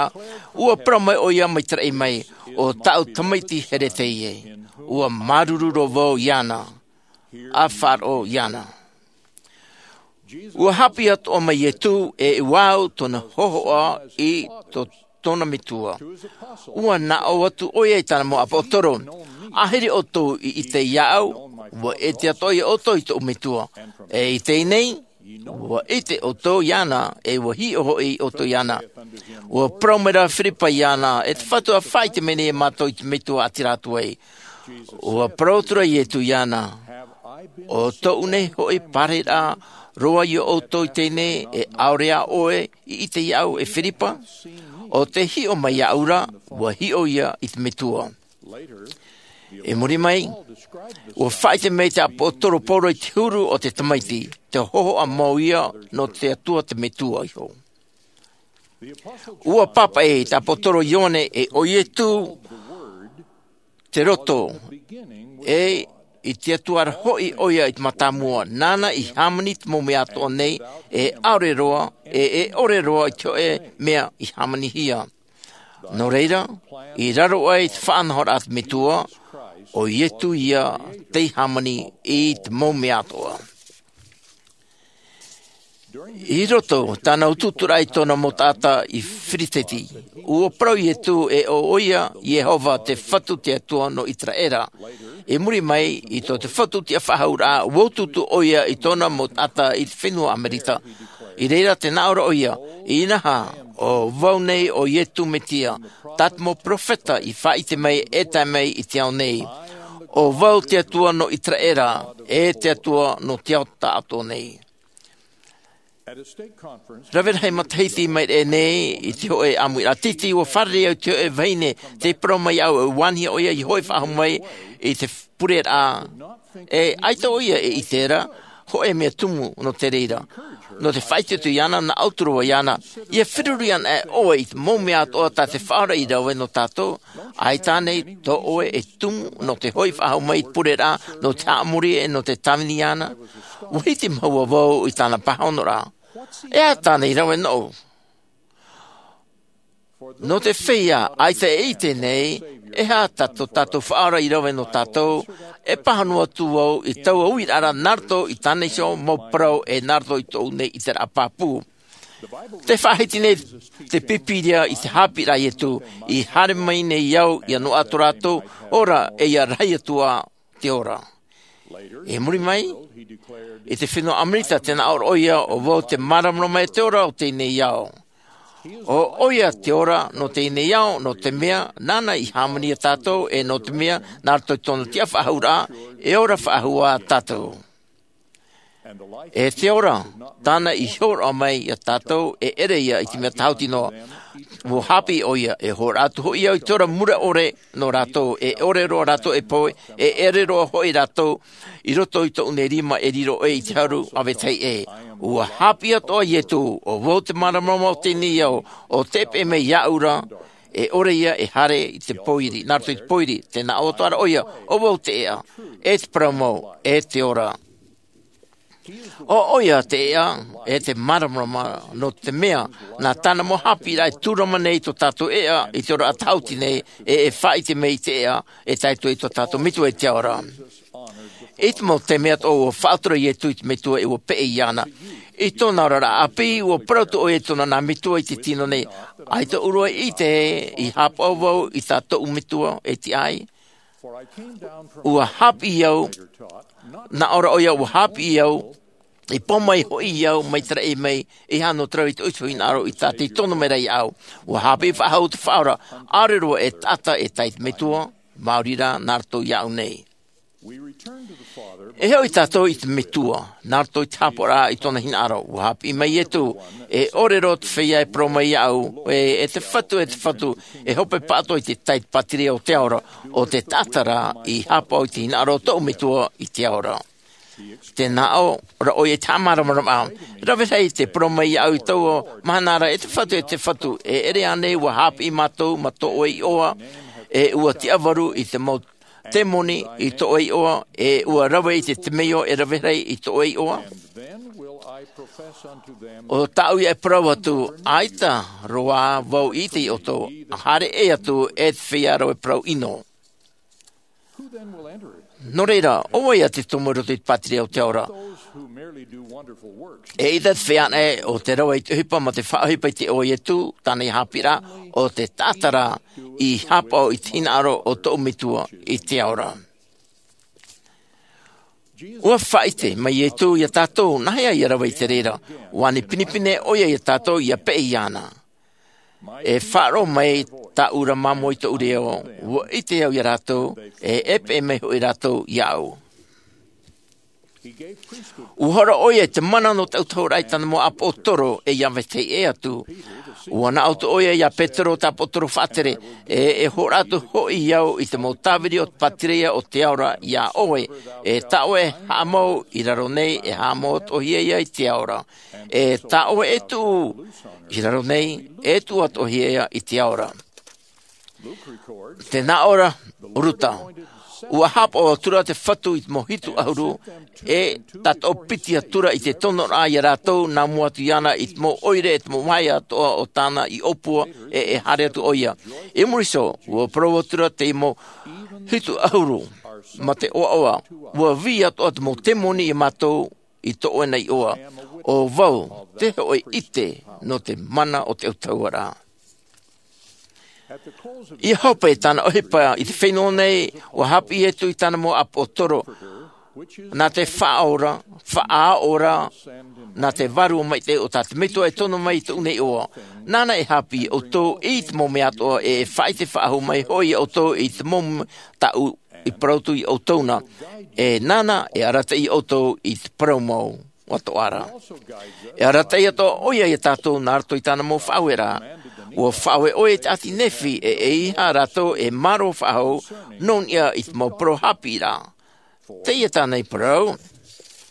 ʻua parau mai ʻoia mai te raʻi mai, ʻo tāʻu Tamaiti here teie. ʻUa māuruuru roa vau iāna. ʻA faʻaroʻo iāna. ʻUa haʻapiʻi atoʻa mai Iesu ē ʻua au tōna hōhoʻa i tō tōna Metua. ʻUa nā ʻō atu ʻoia i tāna mau ʻāpōsetolo, ʻāhiri ʻoutou i ʻite iāʻu, ʻua ʻite atoʻa ʻoutou i tōʻu Metua. E i teie nei, ʻua ʻite ʻoutou iāna, e ʻua hiʻo hoʻi ʻoutou iāna. ʻUa parau mai rā Firipa iāna, e te Fatu, ʻa faʻaʻite mai nei mātou i te Metua ʻātīrā atu ai. ʻUa parau atu ra Iesu iāna, ʻo tōʻu nei hoʻi parau roa ia ʻoutou i teie nei, e ʻaore ā ʻoe i ʻite iāʻu e Firipa? ʻO tē hiʻo mai iāʻu ra, ʻua hiʻo ia i te Metua. I muri mai, ʻua faʻaʻite mai te ʻāpōsetolo Paulo i te huru o te Tamaiti, te hōhoʻa mau ia nō te Atua te Metua iho. ʻUa pāpaʻi te ʻāpōsetolo Ioane ē ʻo Iesu te roto, e i te Atua ra hoʻi ʻoia i te mātāmua, nāna i hāmani te mau mea atoʻa nei, e ʻaore roa, e, e ʻore roa i te hōʻē mea i hāmanihia. Nō reira, i raro aʻe i te faʻanahoraʻa a te Metua, ʻo Iesu ia tei hāmani i te mau mea atoʻa. I roto tāna utuuturaʻa i tōna mau taʻata i Filisiti, ʻua parau Iesu ē ʻo ʻoia Iehova te Fatu te Atua nō Iseraela. I muri mai, i tō te Fatu tiʻafaʻahouraʻa, ʻua utuutu ʻoia i tōna mau taʻata i te fenua Amerika. I reira tē nā ʻō ra ʻoia, inaha, ʻo vau nei ʻo Iesu Mesia, tā te mau peropheta i faʻaʻite mai e tae mai i te ao nei. ʻO vau te Atua nō Iseraela, e te Atua nō te ao taʻatoʻa nei. Rave rahi matahiti mai ʻēnei, i te hōʻē ʻāmuiraʻa tītī, ʻua fārerei au i te hōʻē vahine, tē parau mai iāʻu ʻe vāhi ʻoia i hoʻi faʻahou mai i te pureraʻa. E ʻaita ʻoia e ʻite ra hōʻē mea tumu nō te reira. Nō te faʻaʻite atu iāna, nā ʻō atu ra vau iāna, ʻia feruri ana ʻoe i te mau mea atoʻa tā te Faʻaora i rave nō tātou, ʻaita ānei tō ʻoe e tumu nō te hoʻi faʻahou mai i te pureraʻa, nō te haʻamori ʻe nō te tāvini iāna? ʻUa hitimaua vau i tāna pāhonoraʻa. E aha tāna i rave nōʻu? Nō te feiā ʻaita e ʻite nei, e aha tā tō tātou Faʻaora i rave nō tātou, e pāhono atu vau i taua uiraʻa ra nā roto i tāna iho mau parau ʻe nā roto i tōʻu nei ʻiteraʻa pāpū. Tē faʻahiti nei te Pīpīria i te haʻapiʻiraʻa a Iesu, i haere mai nei au ʻia noaʻa tō rātou ora ʻe ʻia rahi atu ā te ora. I muri mai, i te fenua Amerika tē nā ʻō ra ʻoia, ʻo vau te māramarama e te ora o teie nei ao. ʻO ʻoia te ora nō teie nei ao, nō te mea nāna i hāmani iā tātou, e nō te mea nā roto i tōna tiʻafaʻahouraʻa e ora faʻahou ā tātou. E te ora tāna i hōroʻa mai iā tātou, e ʻere ia i te mea tāhuti noa. Ua hāpiʻi ʻoia, e hōroʻa atu hoʻi au i te ora mure ʻore nō rātou, e ʻore roa rātou e pohe, e ʻere roa hoʻi rātou i roto i tōʻu nei rima e riro ʻoe i te haru a vetahi ʻē. Ua hāpiʻi atoʻa Ietu, ʻo vau te māramarama o teie nei ao, ʻo tē peʻe mai iāʻu ra, e ʻore ia e haere i te pōiri, nā roto i te pōiri, tē nā ʻō atoʻa ra ʻoia, ʻo vau te ʻēʻa, e te parau mau, e te ora. ʻO ʻoia te ʻēʻa, e te māramarama, nō te mea nā tāna mau hāpiʻiraʻa e tūrama nei tō tātou ʻēʻa i te ora tāhuti nei, e e faʻaʻite mai i te ʻēʻa, e tae atu i tō tātou Metua i te ao ra. I te mau taime atoʻa ua faʻatura Ietu i te Metua e ua peʻe iāna. I tōna oraraʻa ʻāpī, ua parau atu ʻoia i tōna nā Metua i te tino nei. ʻAita ʻoe e ʻite ē, i haʻapaʻo vau i tā tōʻu Metua e tiʻa ai. Ua hāpiʻi au, nā ʻō ra ʻoia, ua hāpiʻi au, i pō mai hoʻi au, mai te raʻi mai, e aha nō te rave i tōʻu iho hinaʻaro i tā tei tono mai ra iāʻu. Ua hāpiʻi faʻahou te Faʻaora, ʻaore roa e taʻata e tae i te Metua, maori rā nā roto iāʻu nei. E hoʻi tātou i te Metua nā roto i te haʻapaʻoraʻa i tōna hinaʻaro. Ua hāpiʻi mai Ietu, e ʻore roa te feiā e parau mai iāʻu ē, e te Fatu, e te Fatu, e hope pāʻatoʻa i te tai pātireia o te ao ra, ʻo te taʻata rā i haʻapaʻo i te hinaʻaro o tōʻu Metua i te ao ra. Tē nā ʻō ra ʻoia i te haʻamāramarama, rave rahi tē parau mai iāʻu i taua mahana ra, e te Fatu, e te Fatu, e ʻere ānei ua hāpiʻi mātou ma tō ʻoe iʻoa, e ua tiʻavaru i te mau temoni i tō ʻoe iʻoa, e ua rave i te temeio e rave rahi i tō ʻoe iʻoa? ʻO tāʻu ia e parau atu, ʻaita roa vau i ʻite iā ʻoutou, haere ʻē atu e te feiā rave parau ʻino. Nō reira, ʻo vai ā te tomo i roto i te pātireia o te ao ra? Eʻita te feiā anaʻe ʻo te rave i te ʻohipa ma te faʻaʻohipa i te iʻoa o Ietu, tāna hāpiʻiraʻa, ʻo te taʻata rā i haʻapaʻo i te hinaʻaro o tōʻu Metua i te ao ra. Ua faʻaʻite mai Ietu iā tātou, nāhea ia rave i te reira. Ua ani pinepine ʻoia iā tātou ia peʻe iāna. E faʻaroʻo mai tāʻu ra māmā i tōʻu reo, ua ʻite au iā rātou, e e peʻe mai hoʻi rātou iāʻu. Ua hōroʻa ʻoia i te mana nō te autahuʻaraʻa i tāna mau ʻāpōsetolo, e ia vetahi ʻē atu. Ua nā ʻō atu ʻoia iā Petero te ʻāpōsetolo faʻatere, e e hōroʻa atu hoʻi au i te mau tāviri o te pātireia o te ao ra iā ʻoe, e tā ʻoe e haʻamau i raro nei, e haʻamau atoʻahia ia i te ao ra. E tā ʻoe e tuʻu i raro nei, e tuʻu atoʻahia ia i te ao ra. Tē nā ʻō ra Ruta, ua haʻapaʻo atura te Fatu i te mau hitu ʻahuru, e tātaʻo piti atura i te tonoraʻa iā rātou, nā mua atu iāna i te mau ʻoire, e te mau vāhi atoʻa o tāna i ʻōpua, e e haere atu ʻoia. I muri iho, ua parau atura te mau hitu ʻahuru ma te ʻoaʻoa, ua vī atoʻa te mau temoni iā mātou i tō ʻoe nei iʻoa. ʻO vau te hōʻē ʻite nō te mana o te autahuʻaraʻa. Ia hope tāna ʻohipa i te fenua nei, ua hāpiʻi Ietu i tāna mau ʻāpōsetolo, nā te faʻaora, faʻaora, nā te Vārua Maitaʻi o tā te Metua e tono mai i tōʻu nei iʻoa. Nāna e hāpiʻi ʻoutou i te mau mea atoʻa, e e faʻaʻite faʻahou mai hoʻi ʻoutou i te mau mea tāʻu i parau atu iā ʻoutou na, e nāna e arataʻi ʻoutou i te parau mau atoʻa ra. E arataʻi atoʻa ʻoia iā tātou nā roto i tāna mau faʻaueraʻa. Ua faʻaue ʻoia i te ʻāti Nephi, e eiaha rātou e mārō faʻahou nō niʻa i te mau parau hāpiʻiraʻa. Teie tāna i parau,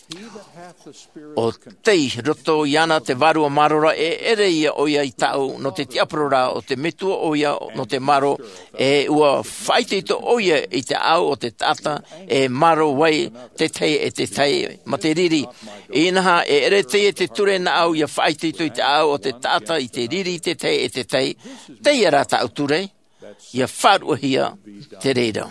ʻo tei roto iāna te Vārua Mārō ra, e ʻere ia ʻoia i tāʻu nō te tiʻaparau ra, ʻo te Metua ʻoia nō te mārō, e ua faʻaitoito ʻoia i te ʻāʻau o te taʻata, e mārō ai te tahi e te tahi ma te riri. Inaha, e ʻere teie te ture nāʻu ia faʻaitoito i te ʻāʻau o te taʻata i te riri i te tahi e te tahi, teie rā tāʻu ture, ia faʻaruʻahia te reira.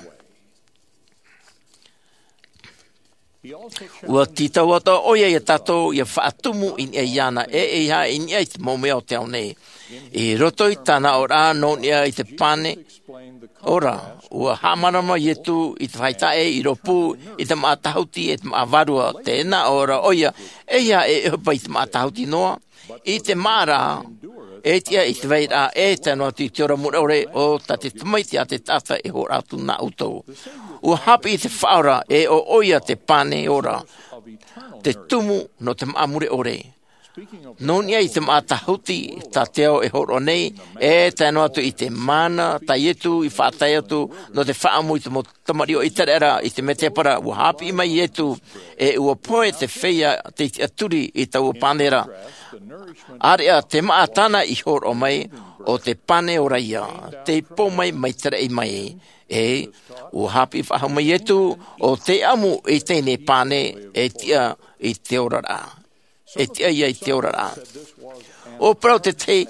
Ua tītau atoʻa ʻoia iā tātou ia faʻatumu i niʻa iāna, e eiaha i niʻa i te mau mea o te ao nei. I roto i tāna aʻoraʻa nō niʻa i te pane ora, ua haʻamārama Ietu i te fāʻi taʻe i rōpū i te māʻa tāhuti e te māʻa vārua. Tē nā ʻō ra ʻoia, eiaha e ʻohipa i te māʻa tāhuti noa, i te māʻa rā e tiʻa i te vairaʻa e tae noa atu i te ora mure ʻore, ʻo tā te Tamaiti a te taʻata e hōroʻa atu nā ʻoutou. Ua haʻapiʻi te Faʻaora e ʻo ʻoia te pane ora, te tumu nō te māʻa mure ʻore. Nō niʻa i te māʻa tāhuti tā te ao e hōroʻa nei, e tae noa atu i te mana tā Ietu i faʻatae atu nō te faʻaʻamu i te mau tamariʻi o ʻĪteraʻera i te mētēpara, ua haʻapiʻi mai Ietu, e ua pohe te feiā tei tiʻaturi i taua pane ra. ʻĀreʻa te māʻa tāna i hōroʻa mai, ʻo te pane ora ia, tei pō mai mai te raʻi mai. E ua haʻapiʻi faʻahou mai Ietu, ʻo tei ʻamu i teie nei pane e tiʻa i te oraraʻa. E tiʻa ia i te oraraʻa. ʻUa parau te tahi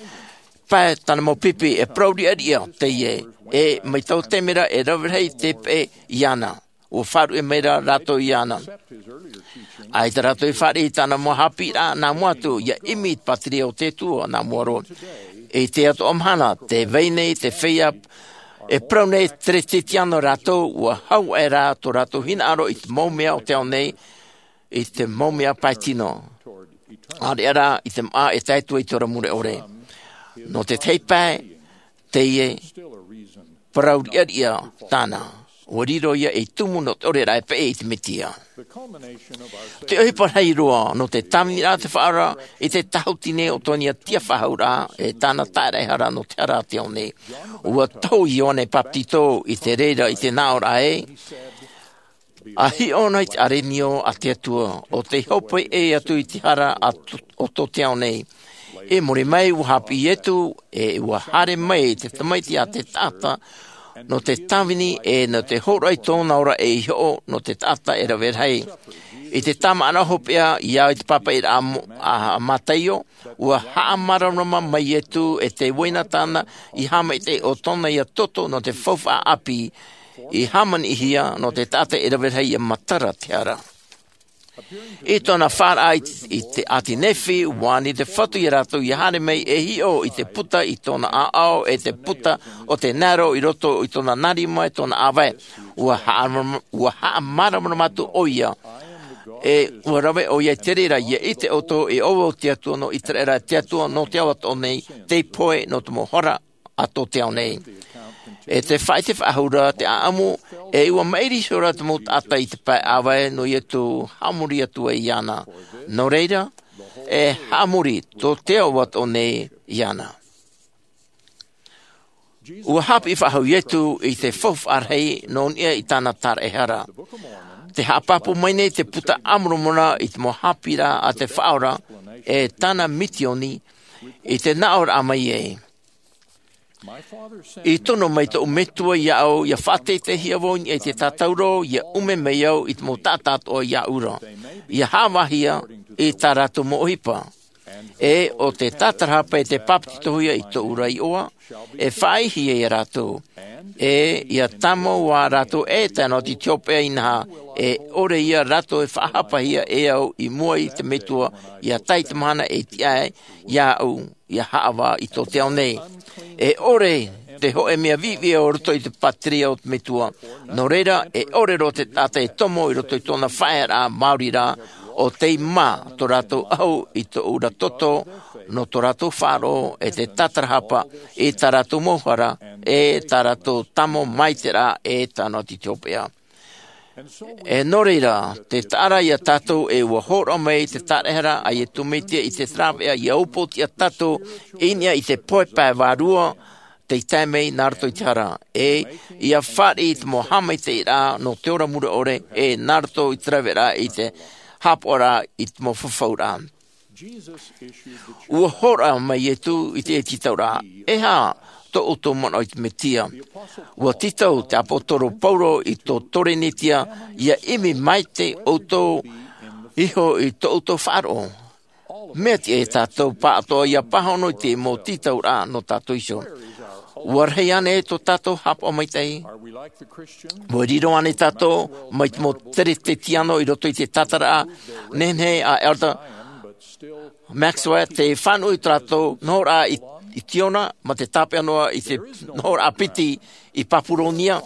pae tāna mau pipi, e parau riʻariʻa teie, e mai taua taime ra e rave rahi te peʻe iāna. Ua faʻaruʻe mai ra rātou iāna. ʻAita rātou i fāriʻi i tāna mau haʻapiʻiraʻa nā mua atu, ʻia ʻimi i te pātireia o te Atua nā mua roa. I teie atoʻa mahana, tē vai nei te feiā e parau nei, Teretetiano rātou, ua hau aʻe rā tō rātou hinaʻaro i te mau mea o te ao nei, i te mau mea pae tino. ʻĀreʻa rā i te māʻa e tae atu ai i te ora mure ʻore. Nō te tahi pae, teie parau riʻariʻa tāna. Ua riro ia ei tumu nō te ʻore ra e peʻe i te Mesia. Te ʻohipa rahi roa nō te tāviniraʻa a te Faʻaora i te tāhuti nei o tōna tiʻa faʻahou ra, e tāna tāraʻehara nō te hara a te ao nei. Ua tohu Ioane Bapetizo i te reira i te nāʻōraʻa ē, ʻA hiʻo na i te ʻārenio a te Atua, ʻo tei hopeʻa atu i te hara a t-, o tō te ao nei. I muri mai, ua haʻapiʻi Ietu, e ua haere mai te Tamaiti a te taʻata, nō te tāvini, e nō te hōroʻa i tōna ora ei hoʻo, nō te taʻata e rave rahi. I te tāmāʻaraʻa hopeʻa, ʻia au i te pāpaʻiraʻa a Mo-, a Mataio, ua haʻamāramarama mai Ietu e te uaina tāna i haʻamaitaʻi ʻo tōna ia toto nō te faufaʻa ʻāpī, i hāmaniʻihia nō te taʻata e rave rahi ʻia matara te hara. I tōna faʻaraʻa i, i te ʻāti Nephi, ua ani te Fatu ia rātou ʻia haere mai e hiʻo i te puta i tōna ʻāʻau, e te puta o te naero i roto i tōna nāriʻi, tōna ʻāvae. Ua haʻa-, ua haʻamāramarama atu ʻoia. E ua rave ʻoia i te reira, ʻia ʻite ʻoutou, e ʻo vau te Atua nō ʻĪteraʻera, te Atua nō te ao atoʻa nei, tei pohe nō te mau hara a tō te ao nei. E te faʻaʻite faʻahou ra te ʻāʻamu, e ua maʻiri iho ra te mau taʻata i te pae ʻāvae nō Ietu haʻamori atu ai iāna. Nō reira, e haʻamori tō te ao atoʻa nei iāna. Ua haʻapiʻi faʻahou Ietu i te faufaʻa rahi nō niʻa i tāna tāraʻehara. Tē haʻapāpū mai nei te Puta a Moromona i te mau haʻapiʻiraʻa a te Faʻaora, e tāna misioni, i te nāʻōraʻa mai ē, I tono mai tōʻu Metua iāʻu, ʻia faʻateiteihia vau i niʻa i te tātauro, ʻia ʻume mai au i te mau taʻata atoʻa iāʻu ra, ʻia haʻavāhia i tā rātou mau ʻohipa. E ʻo te tātarahapa e te bāpetizohia i tōʻu ra iʻoa, e faʻaʻitehia ia rātou. E ʻia tāmau ā rātou e tae noa atu i te hopeʻa inaha, e ʻore ia rātou e faʻahapahia e au i mua i te Metua, ʻia tae i te mahana e tiʻa ai iāʻu ʻia haʻavā i tō te ao nei. E ʻore te hōʻē mea viʻiviʻi o roto i te pātireia o te Metua. Nō reira, e ʻore roa te taʻata e tomo i roto i tōna faʻaearaʻa maori ra, ʻo tei mā tō rātou ʻahu i tōʻu ra toto, nō tō rātou faʻaroʻo e te tātarahapa i tā rātou mau hara, e tā rātou tāmau maitaʻiraʻa e tae noa atu i te hopeʻa. E nō reira, tē taʻa ra ia tātou e ʻua hōroʻa mai te tāraʻehara a Ietu Mesia i te rāveʻa ʻia upoʻotiʻa tātou i niʻa i te pohe pae vārua, tei tae mai nā roto i te hara. E ʻia fāriʻi i te mau haʻamaitaʻiraʻa nō te ora mure ʻore, e nā roto i te rāveʻa i te haʻapaʻoraʻa i te mau fafauraʻa. ʻUa hōroʻa mai Ietu i te tītauraʻa, e aha tō ʻoutou manaʻo i te Mesia? ʻUa tītau te ʻāpōsetolo Paulo i tō Korinetia, ʻia ʻimi maite ʻoutou iho i tō ʻoutou faʻaroʻo. Mea tiʻa ia tātou pāʻatoʻa ʻia pāhono i te mau tītauraʻa nō tātou iho. ʻUa rahi ānei tō tātou haʻapaʻo maitaʻi? ʻUa riro ānei tātou mai te mau Teretetiano i roto i te tātaraʻa nehenehe a Elder Maxwell, tē faʻanuʻu i tō rātou nohoraʻa i, i Siona, mā te tāpeʻa noa i te nohoraʻa piti i Papuronia?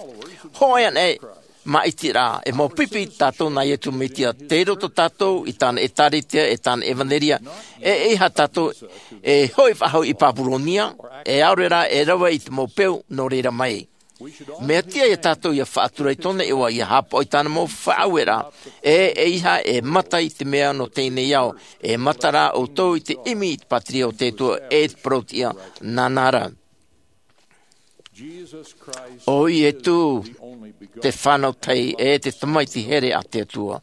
Hōʻē ānei Māʻitiraʻa, e mau pipi tātou nā Iesu Mesia, tei roto tātou i tāna ʻēkālesia, e tāna ʻevanelia, e ʻeiaha tātou e hoʻi faʻahou i Papuronia, e ʻaore rā e rave i te mau peu nō reira mai. Mea tiʻa ia tātou ʻia faʻatura i tōna iʻoa, ʻia haʻapaʻo i tāna mau faʻaueraʻa, e ʻeiaha e mata i te mea nō teie nei ao, e mata rā ʻoutou i te ʻimi i te pātireia o te Atua e te parau-tiʻa nāna ra. ʻO Iesu te fānau tahi e te Tamaiti here a te Atua.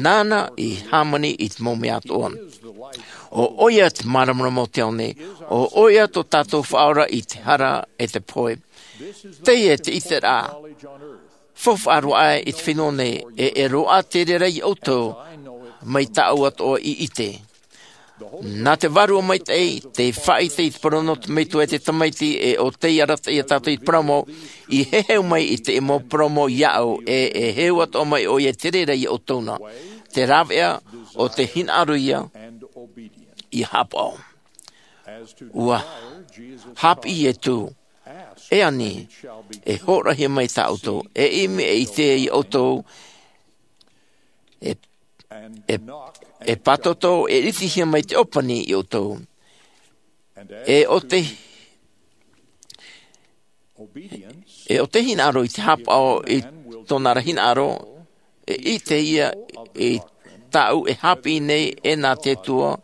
Nāna i hāmani i te mau mea atoʻa. ʻO ʻoia te māramarama o te ao nei, ʻo ʻoia tō tātou faʻaora i te hara e te pohe. Teie te ʻiteraʻa faufaʻa roa aʻe i te fenua nei, e, e roaʻa te reira ia ʻoutou mai tāʻu atoʻa i ʻite. Nā te Vārua Maitaʻi, te faʻaʻite i te parau nō te Metua e te Tamaiti, e ʻo tei arataʻi ia tātou i te parau mau, i heheu mai i te mau parau mau iāʻu, e, e heheu atoʻa mai ʻoia i te reira ia ʻoutou na. Te rāveʻa ʻo te hinaʻaro ia, ʻia haʻapaʻo. ʻUa haʻapiʻi Iesu, e ani, e hōroʻahia mai tā ʻoutou, e ʻimi e ʻite ia ʻoutou, e, e, e pātoto, e ʻitehia mai te ʻōpani ia ʻoutou. E ʻo te, e ʻo te hinaʻaro i te haʻapaʻo i tōna ra hinaʻaro, e ʻite ia i tāʻu e haʻapiʻi nei e nā te Atua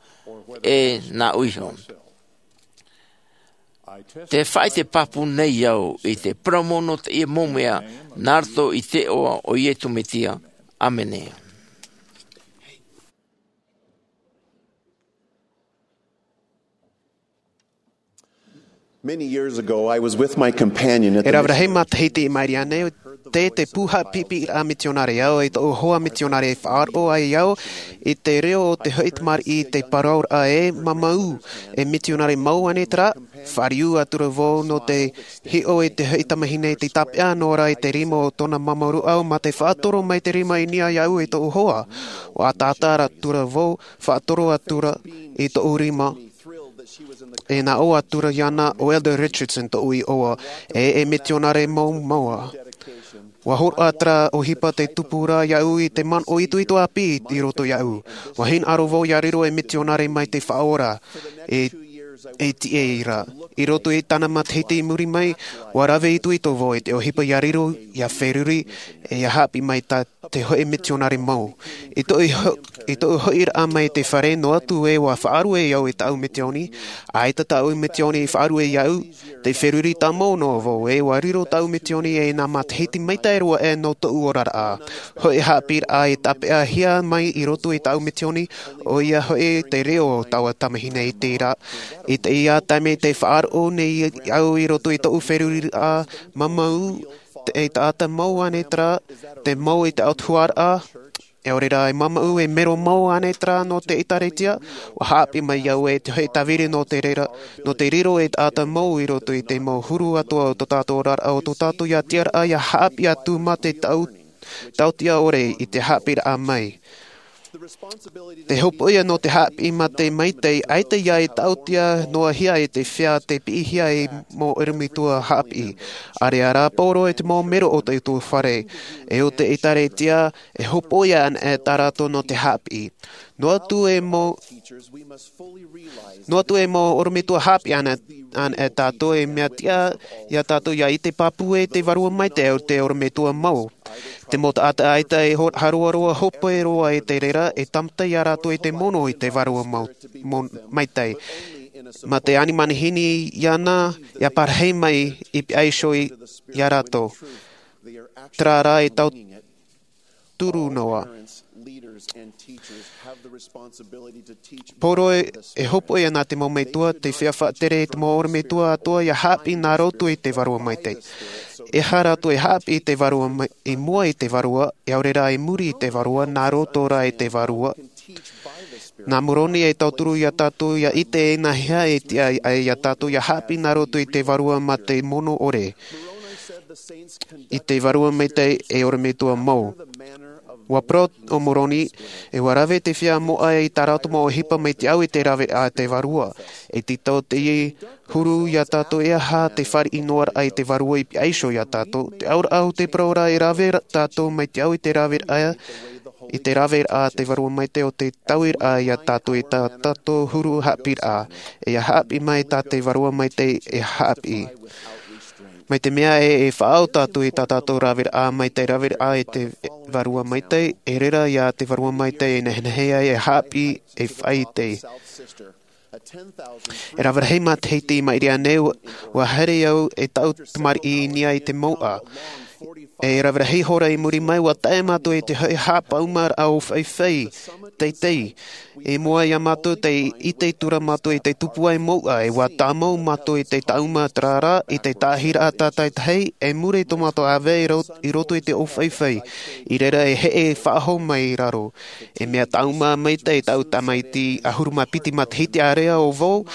e nāʻu iho. Te faʻaʻite pāpū nei au i te parau mau nō teie mau mea, nā roto i te iʻoa o Iesu Mesia. ʻĀmene. Many years ago, I was with my companion at the E rave rahi matahiti i maʻiri aʻe nei, tei te pū haʻapiʻiraʻa mitionare au, e tōʻu hoa mitionare e faʻaroʻo ai au i te reo o te hoʻi tamariʻi, te parauraʻa e māmā, e mitionare mau ānei terā, fāriu atura vau nō te hiʻo i te hoʻi tamahine i te tāpeʻa noa ra i te rima o tōna māmā rūʻau, mā te faʻatoro mai te rima i niʻa iāʻu e tōʻu hoa. ʻUa ataata atura vau, faʻatoro atura i tōʻu rima. E nā ʻō atura iāna ʻo Elder Richardson tōʻu iʻoa, e, e mitionare mau, mau ā. ʻUa hōroʻa terā ʻohipa te tupuraʻa iāʻu i te manaʻo itoito ʻāpī i roto iāʻu. ʻUa hinaʻaro vau ʻia riro ei mitionare mai te Faʻaora, e, e tiʻa ra. I roto i tāna matahiti i muri mai, ʻua rave itoito vau i te ʻohipa ʻia riro, ʻia feruri, e ʻia haʻapiʻi mai tā te hoʻi mitionare mau. I tōʻu ho-, i tōʻu hoʻiraʻa mai i te fare noa atu ē ʻua faʻarue au i tāʻu misioni, ʻaita tāʻu misioni i faʻarue iāʻu, tei feruri tāmau noa vau ē ʻua riro tāʻu misioni e nā matahiti maitaʻi roa aʻe nō tōʻu oraraʻa. Hoʻi haʻapiʻiraʻa i tāpeʻahia mai i roto i tāʻu misioni, ʻoia hoʻi te reo o taua tamahine i te ra-, i teie taime tei faʻaroʻo nei au i roto i tōʻu feruriraʻa, māmā, te taʻata mau ānei terā, te mau i te autahuʻaraʻa, ʻaore rā e māmā, e mero mau ānei terā nō te ʻĒtārētia, ʻua haʻapiʻi mai au e te hoʻi tāviri nō te reira, nō te riro ei taʻata mau i roto i te mau huru atoʻa o tō tātou oraraʻa, o tō tātou ʻia tiʻaraʻa ʻia haʻapiʻi atu mā te tau-, tautia ʻore i te haʻapiʻiraʻa mai. Te hopoiʻa nō te haʻapiʻi mā te maitaʻi, ʻaita ʻia tautia noa hia e te feiā tei piʻihia ei mau ʻorometua haʻapiʻi. ʻAreʻa rā pauroa i te mau mero o te utuafare, e o te ʻĒtārētia, e hopoiʻa ana e tā rātou nō te haʻapiʻi. Noa atu e mau, noa atu e mau ʻorometua haʻapiʻi ana, ana e tātou e mea tiʻa ia tātou ʻia ʻite pāpū e te Vārua Maitaʻi o te ʻorometua mau. Te mau taʻata ʻaita e ho-, haroaroa hope roa i te reira, e tāmata ia rātou i te mono i te Vārua mau, mo-, maitaʻi. Mā te ani manihini iāna, ʻia parahi mai i pihaʻi iho i, ia rātou. Terā rā e tau turu noa. Pauroa e hopoiʻa nā te mau metua, te feiā faʻatere i te mau ʻorometua atoʻa ʻia haʻapiʻi nā roto i te Vārua Maitaʻi. E aha rātou e haʻapiʻi i te Vārua mai, i mua i te Vārua, ʻaore rā i muri i te Vārua, nā roto rā i te Vārua. Nā Moroni e tauturu ia tātou ʻia ʻite e nāhea e tiʻa ai ia tātou ʻia haʻapiʻi nā roto i te Vārua mā te mono ʻore. I te Vārua Maitaʻi e ʻorometua mau. Ua parau o Moroni, e ua rave te feiā moʻa i tā rātou mau ʻohipa mai te au i te rave a te Vārua. E tītau teie huru iā tātou e aha te fāriʻi noa raʻa i te Vārua i pihaʻi iho iā tātou. Te auraʻa o te parau ra e rave ra-, tātou mai te au i te rave raʻa, i te rave raʻa te Vārua Maitaʻi o te taui raʻa iā tātou i tā tātou huru haʻapiʻiraʻa. E ia haʻapiʻi mai tā te Vārua Maitaʻi e haʻapiʻi. Mai te mea e, e faʻaau tātou i tā tātou rave raʻa mai te rave raʻa i te Vārua Maitaʻi, e reira ia te Vārua Maitaʻi e nehenehe ai e haʻapiʻi e faʻaʻite. E rave rahi matahiti i maʻiri aʻe nei, ua, ua haere au e taʻu tamariʻi i niʻa i te mouʻa. E rave rahi hora i muri mai, ua tae mātou i te hoʻi haʻapaʻumaraʻa ʻōfaʻifaʻi, teitei. I mua iā mātou te ʻite atu ra mātou i te tupuaʻi mouʻa, e ua tāmau mātou i te taʻuma terā ra, i te taʻahiraʻa tātaitahi, e muri i tō mātou ʻāvae i ro-, i roto i te ʻōfaʻifaʻi. I reira e heʻe faʻahou mai i raro. E mea tāʻuma maitaʻi taʻu tamaiti ʻahuru mā piti matahiti ārea ʻo vau,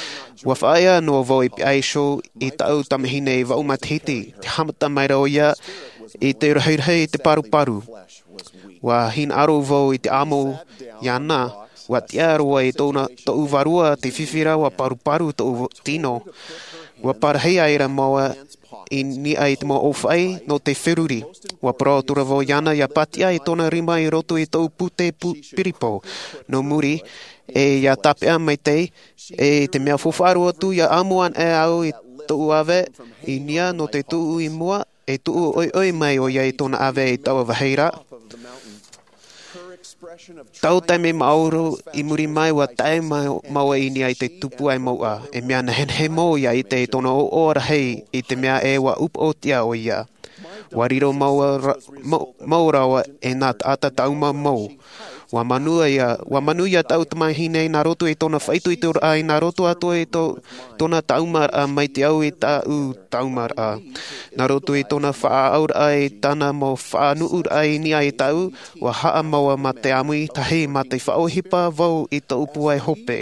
ua faʻaea noa vau i pihaʻi iho i taʻu tamahine e vaʻu matahiti, te haʻamata mai ra ʻoia i te rahirahi i te paruparu. Ua hinaʻaro vau i te amo iāna, ua tiʻa roa i tōna, tōʻu vārua te fifi ra, ua paruparu tōʻu tino. Ua parahi aʻera māua i niʻa i te mau ʻōfaʻi nō te feruri. Ua parau atu ra vau iāna ia pātiʻa i tōna rima i roto i tōʻu pūtē pu-, piripo. Nō muri, e ia tāpeʻa maitaʻi, e te mea faufaʻa roa atu ia amo anaʻe au i tōʻu ʻāvae i niʻa nō te tuʻu i mua, e tuʻu ʻoiʻoi mai ʻoia i tōna ʻāvae i taua vāhi ra. Taua taime māʻohi i muri mai ua tae ma-, māua i niʻa i te tupuaʻi mouʻa. E mea nehenehe mau ia ʻite i tōna ʻoaʻoa rahi i te mea e ua upoʻotiʻa ʻoia. Ua riro māua ra-, mau, mau rāua e nā taʻata tāʻuma mau. Ua manuia, ua manuia taʻu tamahine nā roto i tōna faʻaitoitoraʻa, nā roto atoʻa i tō-, tōna tāʻumaraʻa mai te au i taʻu tāʻumaraʻa. Nā roto i tōna faʻaʻauraʻa i tāna mau faʻanuʻuraʻa i niʻa i taʻu, ua haʻamau mā te ʻāmui tahi mā te faʻaʻohipa vau i tōʻu pūai hope.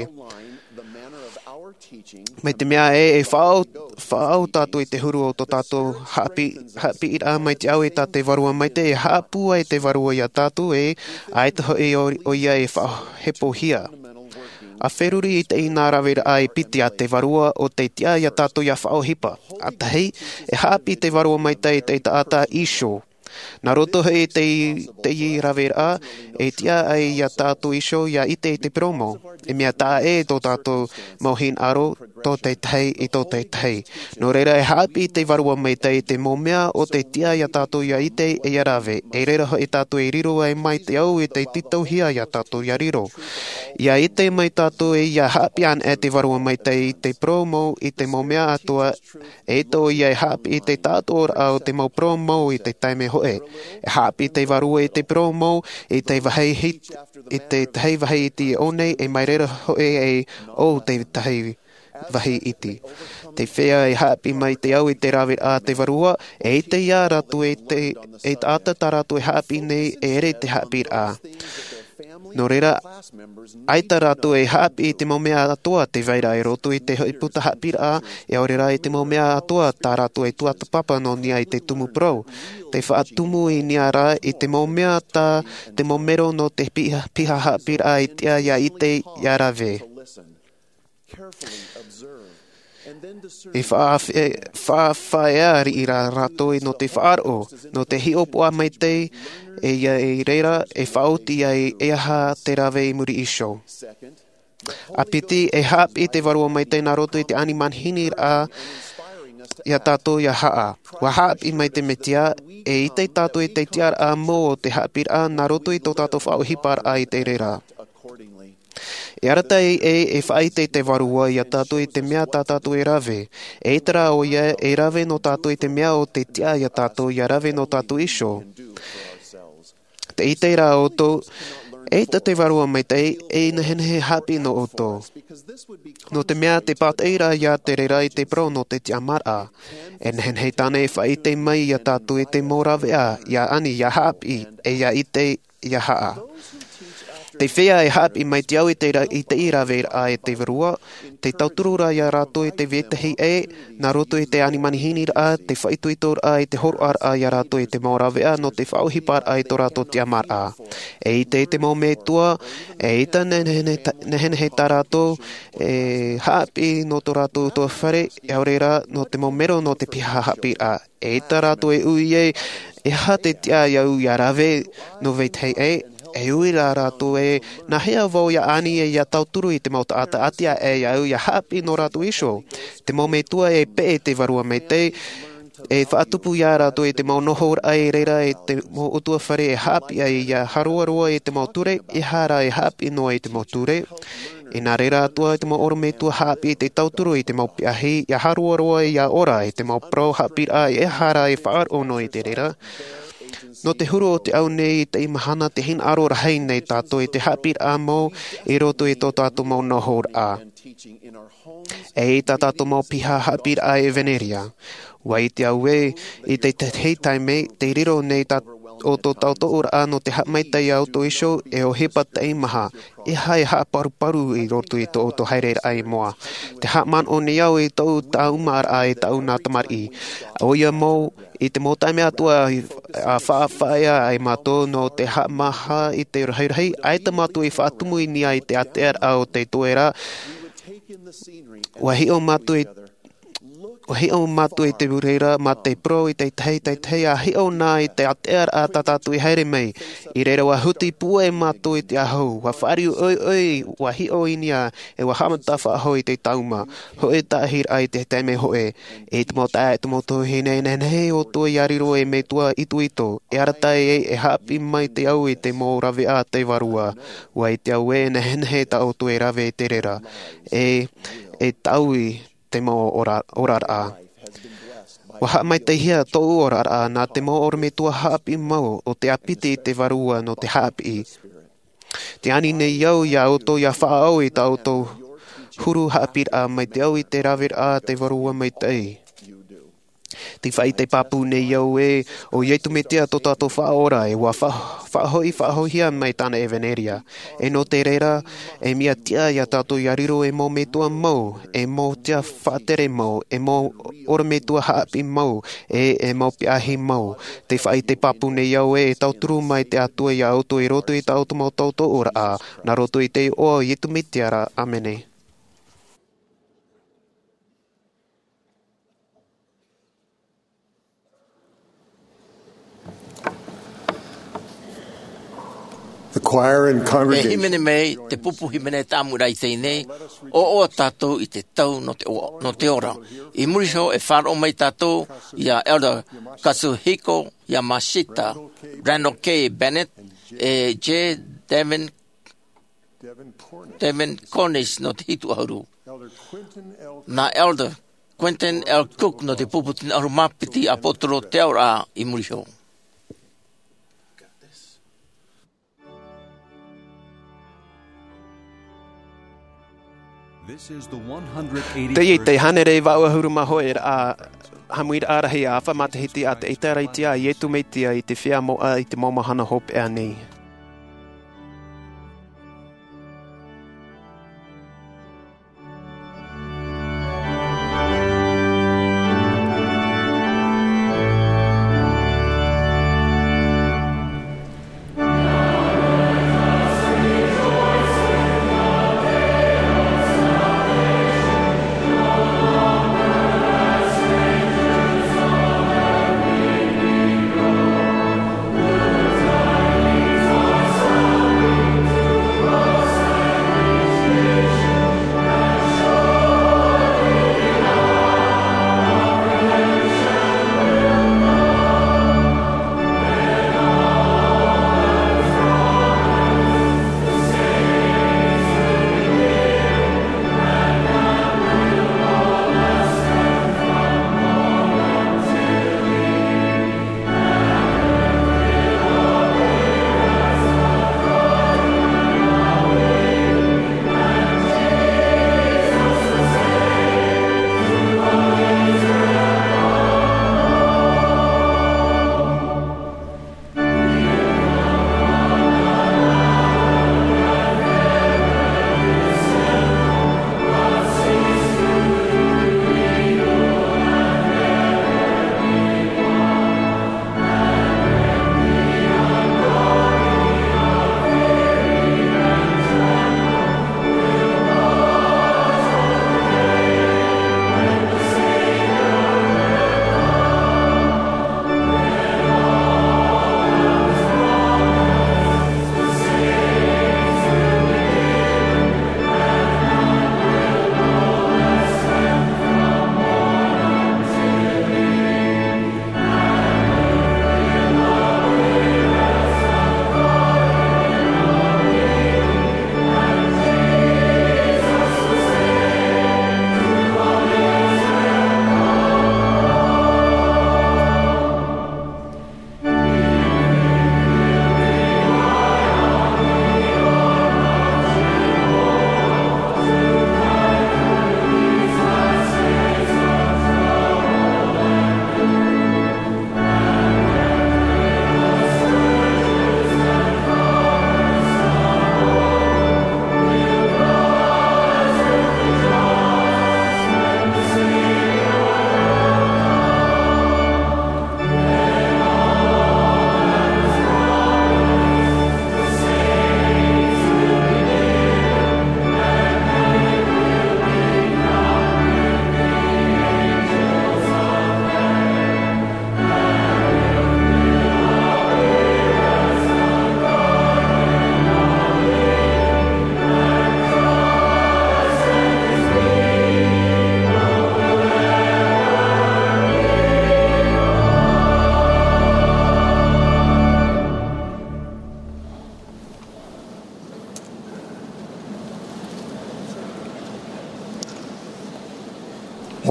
Mai te mea e, e faʻaʻau, faʻaʻau tātou i te huru o tō tātou haʻapi-, haʻapiʻiraʻa mai te au i tā te Vārua Maitaʻi e haʻapūai te Vārua iā tātou e, ʻaita hoʻi ʻo, ʻoia e faʻahepohia. ʻA feruri i te ʻinā raveraʻa e piti a te Vārua ʻo te tiʻa iā tātou ia faʻaʻohipa. ʻA tahi, e haʻapiʻi te Vārua Maitaʻi i te taʻata iho. Nā roto hoʻi i te, teie raveraʻa, e tiʻa ai iā tātou iho ia ʻite i te parau mau. E mea taʻa ʻē tō tātou mau hinaʻaro, tō te tahi i tō te tahi. Nō reira e haʻapiʻi te Vārua Maitaʻi i te mau mea o te tiʻa iā tātou ia ʻite e ia rave. E reira hoʻi tātou e riro ai mai te au i te tītauhia iā tātou ia riro. Ia ʻite mai tātou e ia haʻapiʻi anaʻe te Vārua Maitaʻi i te parau mau i te mau mea atoʻa, e ʻaita ʻoia e haʻapiʻi i te taʻatoʻaraʻa o te mau parau mau i te taime hoʻi. E haʻapiʻi te Vārua i te parau mau i te vāhi hit-, i te tahi vāhi iti i ʻō nei, e mai reira hoʻi e ʻō te tahi vāhi iti. Te feiā e haʻapiʻi mai te au i te raveraʻa a te Vārua, e ʻite ia rātou e te, e taʻata tā rātou e haʻapiʻi nei, e ʻere te haʻapiʻiraʻa. Nō reira, ʻaita rātou e haʻapiʻi i te mau mea atoʻa tē vai ra i roto i te hoʻi puta haʻapiʻiraʻa, e ʻaore rā i te mau mea atoʻa tā rātou e tuatāpapa nō niʻa i te tumu parau. Te faʻatumu i niʻa rā i te mau mea tā te mau mero nō te piha, piha haʻapiʻiraʻa e tiʻa ia ʻite ia rave. E faʻafe-, faʻafaʻaea riʻi rā rātou nō te faʻaroʻo, nō te hiʻopoʻa maitaʻi, e ia i reira, e faʻaoti ai e aha te rave i muri iho. ʻA piti, e haʻapiʻi te Vārua Maitaʻi nā roto i te ani manihini raʻa iā tātou ia haʻa. ʻUa haʻapiʻi mai te Mesia, e ʻite tātou i te tiʻaraʻa mau o te haʻapiʻiraʻa nā roto i tō tātou faʻaʻohiparaʻa i te reira. E arataʻi e, e faʻaʻite te Vārua iā tātou i te mea tā tātou e rave. E ʻaita rā ʻoia e rave nō tātou i te mea o te tiʻa iā tātou ia rave nō tātou iho. Te ʻite rā ʻoutou, e ʻaita te Vārua Maitaʻi e nehenehe haʻapiʻi nō ʻoutou. Nō te mea te pātaʻi rā ia te reira i te parau nō te tiʻamāraʻa. E nehenehe tāna e faʻaʻite mai iā tātou i te mau rāveʻa, ia ani, ia haʻapiʻi, e ia ʻite, ia haʻa. Te feiā e haʻapiʻi mai te au i te ra-, i te raveraʻa e te Vārua, te tauturu ra ia rātou i te vetahi ʻē, nā roto i te ani manihini ra, te faʻaitoito ra, i te hōroʻa ra ia rātou i te mau ravea, nō te faʻaʻohipa ra i tō rātou tiʻamāraʻa. E ʻite te mau metua, e ʻita nehenehe ta-, nehenehe tā rātou, e haʻapiʻi nō tō rātou ʻutuāfare, e ʻaore rā, nō te mau mero nō te piha haʻapiʻiraʻa. E ʻita rātou e ui ē, e aha te tiʻa ia au ia rave nō vetahi ʻē, e ui rā rātou ē, nā hea vau ia ani e ia tauturu i te mau taʻata ʻati aʻe ia au ia haʻapiʻi nō rātou iho. Te mau metua e peʻe te Vārua Maitaʻi, e faʻatupu ia rātou i te mau nohoraʻa i reira i te mau ʻutuāfare e haʻapiʻi ai ia haroaroa i te mau ture, e aha rā e haʻapiʻi noa i te mau ture. Inā reira atoʻa te mau ʻorometua haʻapiʻi te tauturu i te mau piahi, ia haroaroa ia ora i te mau parau haʻapiʻiraʻa e aha rā e faʻaroʻo noa i te reira. Nō te huru o te au nei i teie mahana te hinaʻaro rahi nei tātou i te haʻapiʻiraʻa mau i roto i tō tātou mau nohoraʻa. E ʻita tātou mau piha haʻapiʻiraʻa ʻevanelia. ʻUa ʻite au ē, i te tahi taime, te riro nei tā, o tō tātou ʻōroʻa nō te haʻamaitaʻi ia ʻoutou iho, e ʻohipa teimaha, e aha e haʻaparuparu i roto i tō ʻoutou haereraʻa i mua. Te haʻamanaʻo nei au i tōʻu tāumaraʻa e tāʻu nā tamariʻi. ʻOia mau, i te mau taime atoʻa i, a faʻafaʻaea ai mātou nō te haʻamāha i te rahirahi, ʻaita mātou i faʻatumu i niʻa i te ātearaʻa o te toera, ʻua hiʻo mātou i, ʻua hiʻo mātou i te reira, mā te parau i te tahi, te tahi, ʻa hiʻo na i te ātearaʻa tā tātou i haere mai. I reira ʻua huti pūai mātou i te ʻāhau, ʻua fāriu ʻoiʻoi, ʻua hiʻo i niʻa, e ʻua haʻamata faʻahou i te tāuma. Hōʻē taʻahiraʻa i te taime hōʻē. E te mau taeaʻe, te mau tuahine, nehenehe ʻoutou ia riro ei metua itoito, e arataʻi, e haʻapiʻi mai te au i te mau rave a te Vārua. ʻUa ʻite au ē, nehenehe tā ʻoutou e rave i te reira. E, e taui te mau ora, oraraʻa. ʻUa haʻamaitaʻihia tōʻu oraraʻa nā te mau ʻorometua haʻapiʻi mau o te ʻāpiti i te Vārua nō te haʻapiʻi. Te ani nei au ia ʻoutou ia faʻaau i tā ʻoutou huru haʻapiʻiraʻa mai te au i te raveraʻa a te Vārua Maitaʻi. Te faʻaʻite pāpū nei au ē, ʻo Iesu Mesia tō tātou Faʻaora, e ʻua fa-, faʻahoʻi, faʻahoʻihia mai tāna ʻevanelia. E nō te reira, e mea tiʻa ia tātou ia riro ei mau metua mau, ei mau tiʻa faʻatere mau, ei mau ʻorometua haʻapiʻi mau, e, ei mau piahi mau. Te faʻaʻite pāpū nei au ē, e tauturu mai te Atua ia ʻoutou i roto i tā ʻoutou mau tautooraʻa, nā roto i te iʻoa o Iesu Mesia ra. ʻĀmene. The choir and congregation. E hīmene mai te pupu hīmene tāmau i teie nei, ʻo, ʻo tātou i te tau nō te o-, nō te ora. I muri iho e faʻaroʻo mai tātou ia Elder Kazuhiko Yamashita, Randall K. Bennett, e J. Devin, Devin Cornish nō te hitu ʻahuru. Nā Elder Quentin L. Cook nō te pupu tino ʻahuru mā piti ʻāpōsetolo te auraʻa i muri iho. This is the one hundred eighty-third. Teie te hānere vaʻu ʻahuru mā hōʻē ra, haʻamuiraʻa rahi ʻāfa matahiti a te ʻĒkālesia a Iesu Mesia i te feiā moʻa i te mau mahana hopeʻa nei.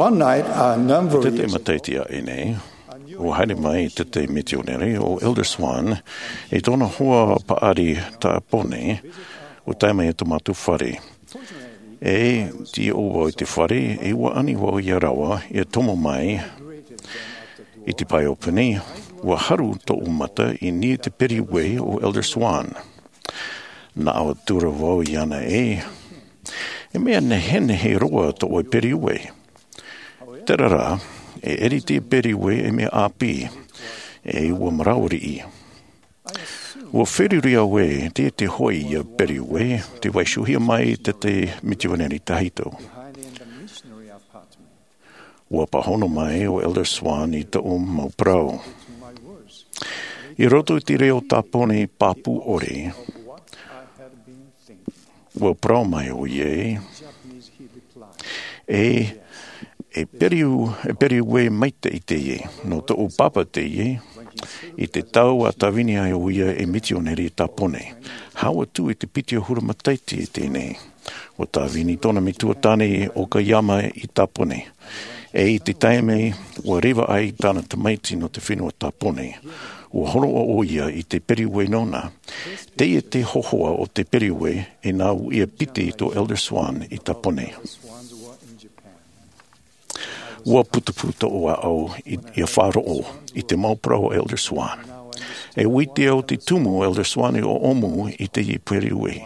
One night, a number of years ago, matahiti aʻe nei, ua haere mai te, te mitionare o Elder Swan i tōna hoa paʻari Tāpōnē, ua tae mai i tō mātou fare. E tīaʻi vau i te fare, e ua ani vau ia rāua ia tomo mai i te pae ʻōpani. Ua haru tōʻu mata i niʻa i te periuē o Elder Swan. Nā ʻō atu ra vau iāna ē, e mea nehenehe roa tō ʻoe periuē. Terā rā, e ʻere te periuē e mea ʻāpī, e ua maraoriʻi. Ua feruri au ē, te, te hoʻi ia periuē, tē vaiihohia mai te, te mitionare tahito. Ua pāhono mai ʻo Elder Swan i tōʻu mau parau. I roto i te reo Tāpōnē pāpū ʻore, ua parau mai ʻoia ē, e, e periu, e periuē maitaʻi teie, nō tōʻu pāpā teie, i te tau a tāvini ai ʻoia ei mitionare i Tāpōnē. Hau atu i te piti ʻahuru matahiti i teie nei. Ua tāvini tōna metua tāne ʻo Okayama i Tāpōnē. E i te taime ua reva ai tāna tamaiti nō te fenua Tāpōnē, ua hōroʻa ʻoia i te periuē nōna. Teie te hōhoʻa o te periuē, e nā ʻō ia piti tō Elder Swan i Tāpōnē. Ua putupū tōʻu ʻāʻau i, ia faʻaroʻo i te mau parau a Elder Swan. E ʻua ʻite au te tumu o Elder Swan i ʻōʻōmu i teie periuē.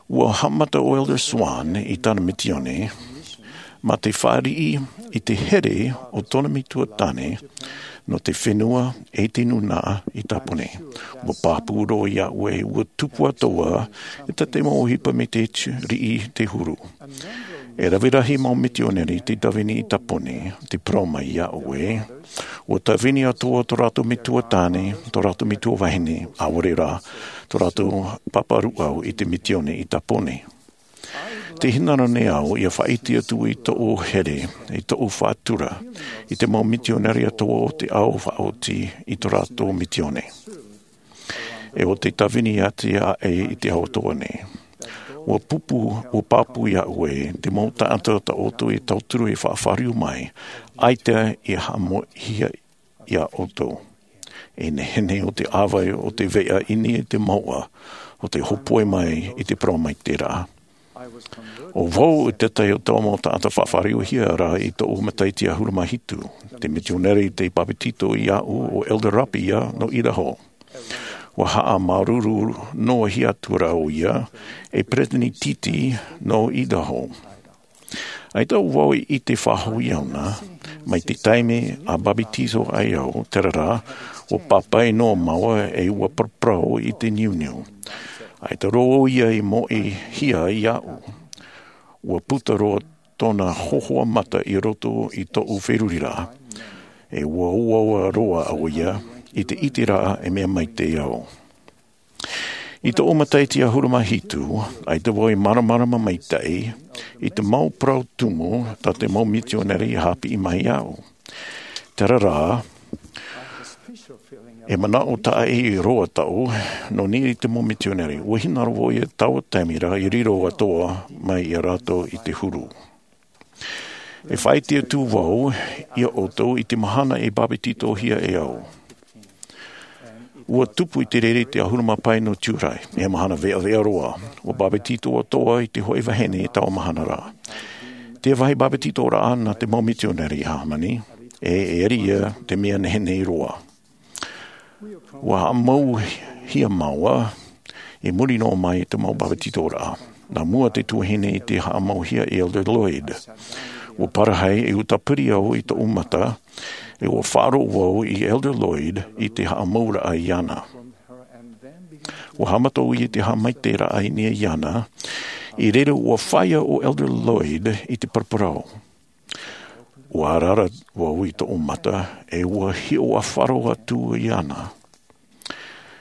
Ua haʻamata ʻo Elder Swan i tāna misiōni, mā te fāriʻi i te here o tōna metua tāne nō te fenua e te nūnaʻa i Tāpōnē. Ua pāpū roa iāʻu ē, ua tupu atoʻa e tā te mau ʻohipa mai te riʻi te huru. E rave rahi mau mitionare tei tāvini i Tāpōnē, tē parau mai iāʻu ē, ua tāvini atoʻa tō rātou metua tāne, tō rātou metua vahine, ʻaore rā, tō rātou pāpā rūʻau i te misiōni i Tāpōnē. Tē hinaʻaro nei au ia faʻaʻite atu i tōʻu here, i tōʻu faʻatura, i te mau mitionare atoʻa o te ao faʻaoti i tō rātou misiōni. E ʻo tei tāvini atu aʻe i te ao atoʻa nei. Ua pupu, ua pāpū iāʻu ē, te mau taʻata tā ʻoutou i tauturu e faʻafāriu mai, ʻaita i haʻamoʻehia iā ʻoutou. E nehenehe ʻo te ʻāvae o te veʻa i niʻa i te mouʻa o te hōpoi mai i te parau mai terā. ʻO vau i te tahi o tō mau taʻata faʻafāriuhia ra i tōʻu matahiti ʻahuru mā hitu. Te mitionare tei bāpetizo iāʻu ʻo Elder Rapi ia nō Idaho. Ua haʻamāuruuru noa hia atu ra ʻoia, e peresideni tītī nō Idaho. ʻAita vau i ʻite faʻahou iāna, mai te taime a bāpetizo ai au, terā rā, ua pāpaʻi noa māua e ua paraparau i te niuniu. ʻAita roa ʻoia i moʻehia iāʻu. Ua puta roa tōna hōhoʻa mata i roto i tōʻu feruriraʻa. E ua ʻoaʻoa roa ʻoia i te ʻiteraʻa e mea maitaʻi au. I tōʻu matahiti ʻahuru mā hitu, ʻaita vau i māramarama maitaʻi i te mau parau tumu tā te mau mitionare i haʻapiʻi mai iāʻu. Terā rā, e manaʻo tāʻahi roa tāʻu nō niʻa i te mau mitionare. Ua hinaʻaro vau ia taua taime ra i riro atoʻa mai ia rātou i te huru. E faʻaʻite atu vau iā ʻoutou i te mahana e bāpetizohia e au. Ua tupu i te reira i te ʻahuru mā pae nō Tiurai, e mahana veʻaveʻa roa, ua bāpetizo atoʻa i te hōʻē vahine i taua mahana ra. Te vāhi bāpetizoraʻa nā te mau mitionare i hāmani, e, e ʻere ia te mea nehenehe roa. Ua haʻamauhia māua i muri noa mai i te mau bāpetizoraʻa. Nā mua te tuahine i te haʻamauhia e Elder Lloyd. Ua parahi e ʻua tāpiri au i tōʻu mata, e ʻua faʻaroʻo vau i Elder Lloyd i te haʻamauraʻa iāna. Ua haʻamata ʻoia i te haʻamaitaʻiraʻa i niʻa iāna, i reira ua fāia ʻo Elder Lloyd i te paraparau. Ua ʻaraʻara vau i tōʻu mata, e ʻua hiʻo ʻāfaro atu iāna.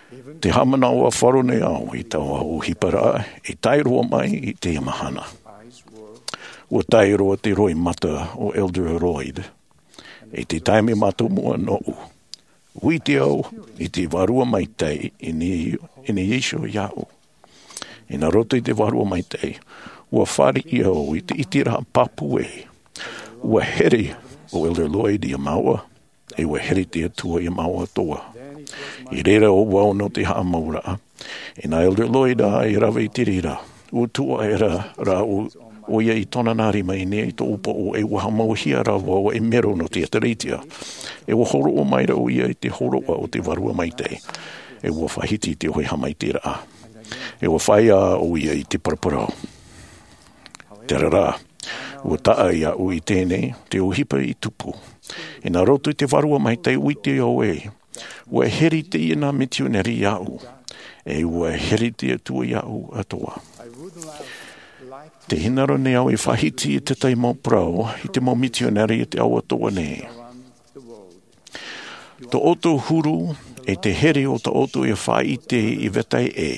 Tē haʻamanaʻo ʻāfaro nei au i taua ʻohiparaʻa i tae roa mai i teie mahana. Ua tae roa te roimata o Elder Lloyd. I te taime mātāmua nōʻu, ʻua ʻite au i te Vārua Maitaʻi i niʻa, i niʻa iho iāʻu. I nā roto i te Vārua Maitaʻi, Ua fāriʻi au i te ʻiteraʻa pāpū ē. Ua here ʻo Elder Lloyd iā māua, e ua here te Atua iā māua atoʻa. I reira ʻo vau nō te haʻamauraʻa. Inā Elder Lloyd ā e rave i te reira, ua tuʻu aʻera rā ʻo, ʻoia i tōna nā rima i niʻa i tōʻu poʻo, e ua haʻamauhia rā vau ei mero nō te ʻēkālesia. E ua hōroʻa mai ra ʻoia i te hōroʻa o te Vārua Maitaʻi. E ua faʻahiti i te ʻohipa haʻamaitaʻiraʻa. E ua fāʻi ʻoia i te paraparau. Terā rā, ua taʻa iāʻu i teie nei, te ʻohipa i tupu. Inā roto i te Vārua Maitaʻi, ʻua ʻite au ē, ua here teie nā mitionare iāʻu, e ua here te Atua iāʻu atoʻa. Tē hinaʻaro nei au e faʻahiti i te tahi mau parau i te mau mitionare i te ao atoʻa nei. Tō ʻoutou huru, e te here o tō ʻoutou e faʻaʻite i vetahi ʻē,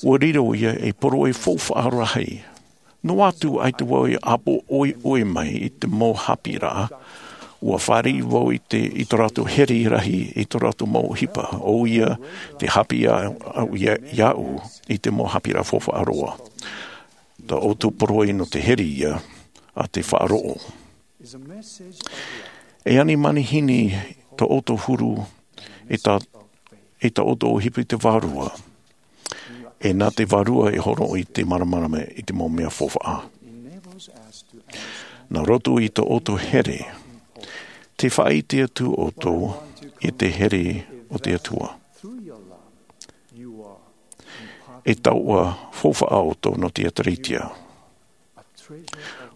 ua riro ia ei poroʻi faufaʻa rahi. Noa atu ʻaita vau i ʻāpoʻoʻi mai i te mau haʻapiʻiraʻa, ua fāriʻi vau i te, i tō rātou here rahi, i tō rātou mau ʻohipa, ʻoia te haʻapiʻi iā, iā, iāʻu i te mau haʻapiʻiraʻa faufaʻa roa. Tō ʻoutou poroʻi nō te here ia a te faʻaroʻo. E ani manihini tō ʻoutou huru, e tā, e tā ʻoutou ʻohipa i te Vārua. E nā te Vārua e hōroʻa i te māramarama i te mau mea faufaʻa. Nā roto i tō ʻoutou here, tē faʻaʻite atu ʻoutou i te here o te Atua. E taoʻa faufaʻa ʻoutou nō te ʻēkālesia.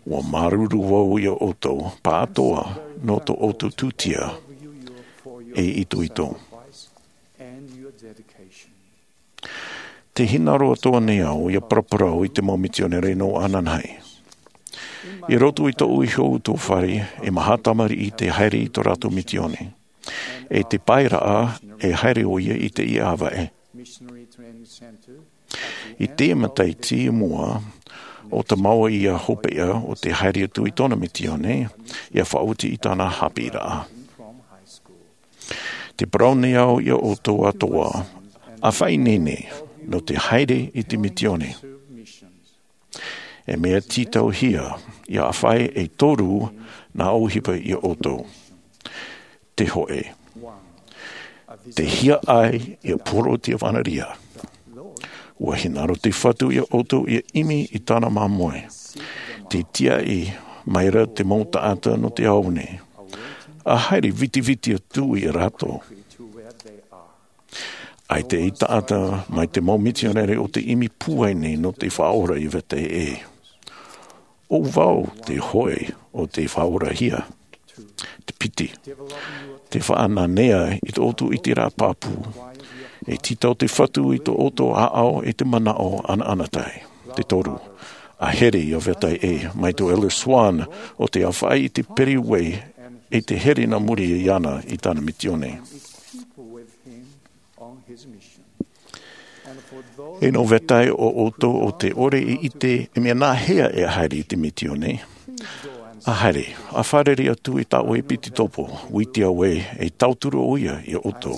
Ua māuruuru vau iā ʻoutou, pāʻatoʻa nō tō ʻoutou tūtia e itoito. Tē hinaʻaro atoʻa nei au ia paraparau i te mau mitionare nō ananahi. I roto i tōʻu iho utuafare, e maha tamariʻi tē haere i tō rātou misiōni. E te paeraʻa, e haere ʻoia i teie ʻāvaʻe. I te matahiti i mua, ʻo Tamāoa ia hopeʻa ʻo tē haere atu i tōna misiōni, ia faʻaoti i tāna haʻapiʻiraʻa. Tē parau nei au iā ʻoutou atoʻa, ʻa faʻaineine, nō te haere i te misiōni. E mea tītauhia, ia ʻāfaʻi e toru nā ʻohipa iā ʻoutou. Te hōʻē. Te hiaʻai ia poro te ʻāvaʻe. Ua hinaʻaro te Fatu iā ʻoutou ia ʻimi i tāna māmoe. Tē tiaʻi mai ra te mau taʻata nō te ao nei. ʻA haere vitiviti atu iā rātou. ʻAita e taʻata mai te mau mitionare ʻo tē ʻimi pūai nei nō te Faʻaora i vetahi ʻē. ʻO vau te hōʻē ʻo tē faʻaorahia. Te piti. Tē faʻananea i tō ʻoutou ʻiteraʻa pāpū. E tītau te Fatu i tō ʻoutou ʻāʻau e te manaʻo ʻanaʻanatae. Te toru. ʻA here ia vetahi ʻē, mai tō Elder Swan ʻo tē ʻāfaʻi i te Pereʻoʻo e tē here nā muri iāna i tāna misiōni. E nō vetahi o ʻoutou ʻo tē ʻore i ʻite e mea nāhea e haere i te misiōni, ʻa haere, ʻa fārerei atu i tā ʻoe ʻepitopo, ʻua ʻite au ē, e tauturu ʻoia iā ʻoutou.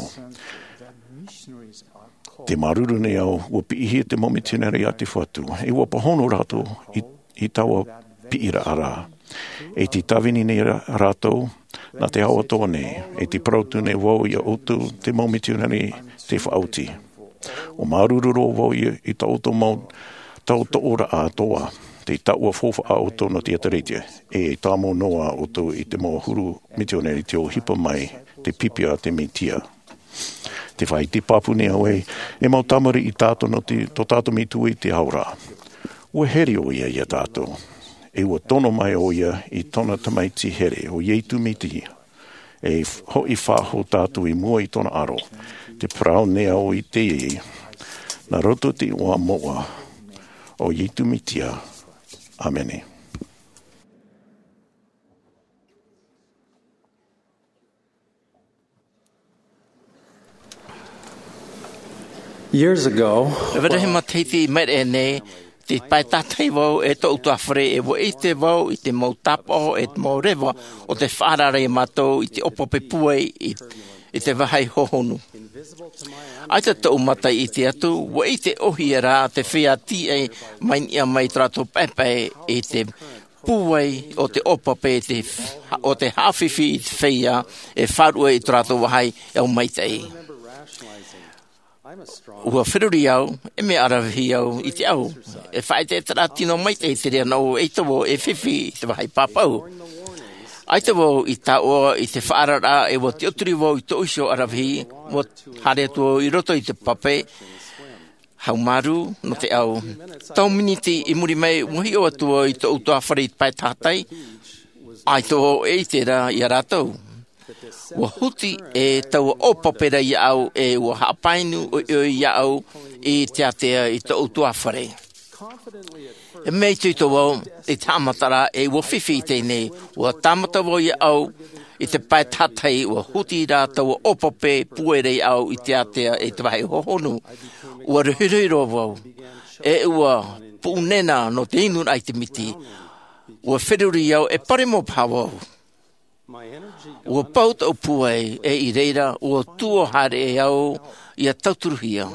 Tē māuruuru nei au, ʻua piʻihia te mau mitionare a te Fatu, e ʻua pāhono rātou i, i taua piʻiraʻa ra. E tē tāvini nei rā-, rātou, nā te ao atoʻa nei, e tē parau atu nei vau iā ʻoutou te mau mitionare tē faʻaoti. ʻUa māuruuru roa vau i, i tā ʻoutou mau tautooraʻa atoʻa, te taoʻa faufaʻa ʻoutou nō te ʻēkālesia, e tāmau noa ʻoutou i te mau huru mitionare tē ʻohipa mai te pipi a te Mesia. Tē faʻaʻite pāpū nei au ē, e mau tamariʻi tātou nō te, tō tātou Metua i te ao ra. ʻUa here ʻoia iā tātou. E ʻua tono mai ʻoia i tōna tamaiti here, ʻo Iesu Mesia. E f-, hoʻi faʻahou tātou i mua i tōna aro. Tē parau nei au i teie, nā roto i te iʻoa moʻa, ʻo Iesu Mesia. ʻĀmene. Years ago, e vetahi matahiti i maʻiri aʻe nei, tē pae tātahi vau e tōʻu utuafare, e ʻua ʻite vau i te mau tāpaʻo, e te mau reva o tē faʻaara iā mātou i te ʻōpōpō pūai i, i te vāhi hohonu. ʻAita tōʻu mata i ʻite atu, ua ʻite ʻōhie rā te feiā tīaʻi mai niʻa mai tō rātou paepae i te pūai o te ʻōpape te, o te haʻafifi i te feiā e faʻaruʻe i tō rātou vāhi e au maitaʻi. Ua feruri au, e mea aravihi au i te au. E faʻaʻetaʻeta rā tino maitaʻi te reira nō ʻoe, ʻaita vau e fifi i te vāhi pāpau. ʻAita vau i taoʻa i te faʻaararaʻa e ua tiʻaturi vau i tōʻu iho aravihi, ua haere atu vau i roto i te pape, haumārū nō te au. Tau miniti i muri mai, ua hiʻo atu vau i tōʻu ʻutuāfare i te pae tahatai, ʻaita vau e ʻite ra iā rātou. Ua huti e taua ʻōpape ra iāʻu, e ua haʻapainu ʻoiʻoi iāʻu i te ātea i tōʻu ʻutuāfare. E mea itoito vau i te haʻamataraʻa e ua fifi i teie nei, ua tāmata vau iāʻu i te pae tahatai, ua huti rā taua ʻōpape pūai ra iāʻu i te ātea i te vāhi hohonu. Ua rohirohi roa vau, e ua puʻunena nō te inu raʻa i te miti. Ua feruri au, e paremo paha vau. Ua pau tōʻu pūai, e i reira, ua tuō haere au ia tauturuhia.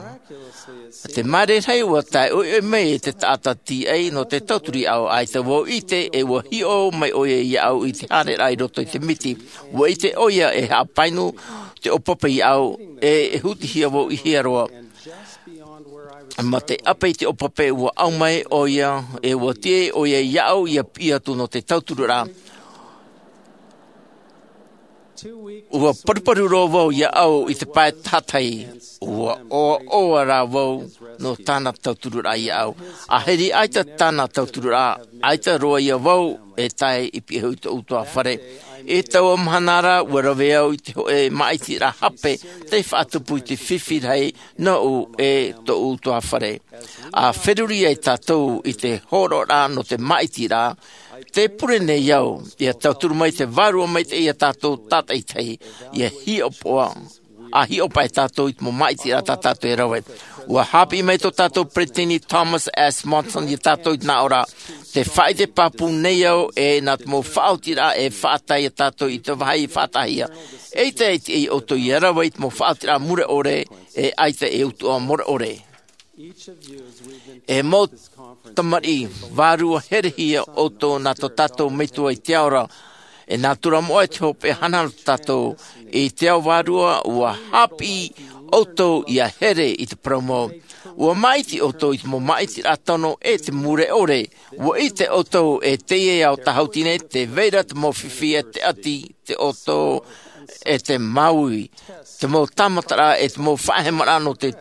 Te māere rahi ua tae ʻoiʻoi mai te taʻata tīaʻi nō te tauturu iāʻu, ʻaita vau ʻite, e ua hiʻo mai ʻoia iāʻu i te haereraʻa i roto i te miti. Ua ʻite ʻoia e haʻapainu te ʻōpape iāʻu, e, e hutihia vau i hea roa. Mā te ʻape i te ʻōpape, ua au mai ʻoia, e ua tiʻa ʻoia iāʻu ia piʻi atu nō te tauturu ra. Ua paruparu roa vau iāʻu i te pae tahatai, ua ʻoaʻoa rā vau nō tāna tauturu ra iāʻu. ʻĀhiri ʻaita tāna tauturu ra, ʻaita roa ia vau e tae i pihaʻi i tōʻu ʻutuāfare. I taua mahana ra, ua rave au i te hōʻē māʻitiraʻa hape tei faʻatupu i te fifi rahi nōʻu e tōʻu ʻutuāfare. ʻA feruri ai tātou i te hōroʻaraʻa nō te māʻitiraʻa, tē pure nei au ia tauturu mai te Vārua Maitaʻi iā tātou tātaʻitahi, ia hiʻopoʻa, ʻa hiʻopoʻa tātou i te mau māʻitiraʻa tā tātou e rave. Ua haʻapiʻi mai tō tātou peresideni Thomas S. Monson iā tātou i te nā ʻō ra, tē faʻaʻite pāpū nei au e nā te mau faʻaotiraʻa e faʻatae iā tātou i te vāhi faʻataʻahia. ʻEita e tiʻa ia ʻoutou ia rave i te mau faʻaotiraʻa mure ʻore, e ʻaita e utuʻa mure ʻore. E mau tamariʻi vārua herehia ʻoutou nā tō tātou Metua i te ao ra. E nā tura moʻa te hopeʻa hanahana tō tātou i te ao vārua, ua haʻapiʻi ʻoutou ia here i te parau mau. Ua māʻiti ʻoutou i te mau māʻitiraʻa tano e te mure ʻore. Ua ʻite ʻoutou e teie ao tāhuti nei, tē vai ra te mau fifi e te ʻati, te ʻoto, e te māuiui, te mau tāmataraʻa, e te mau faʻahemaraʻa nō te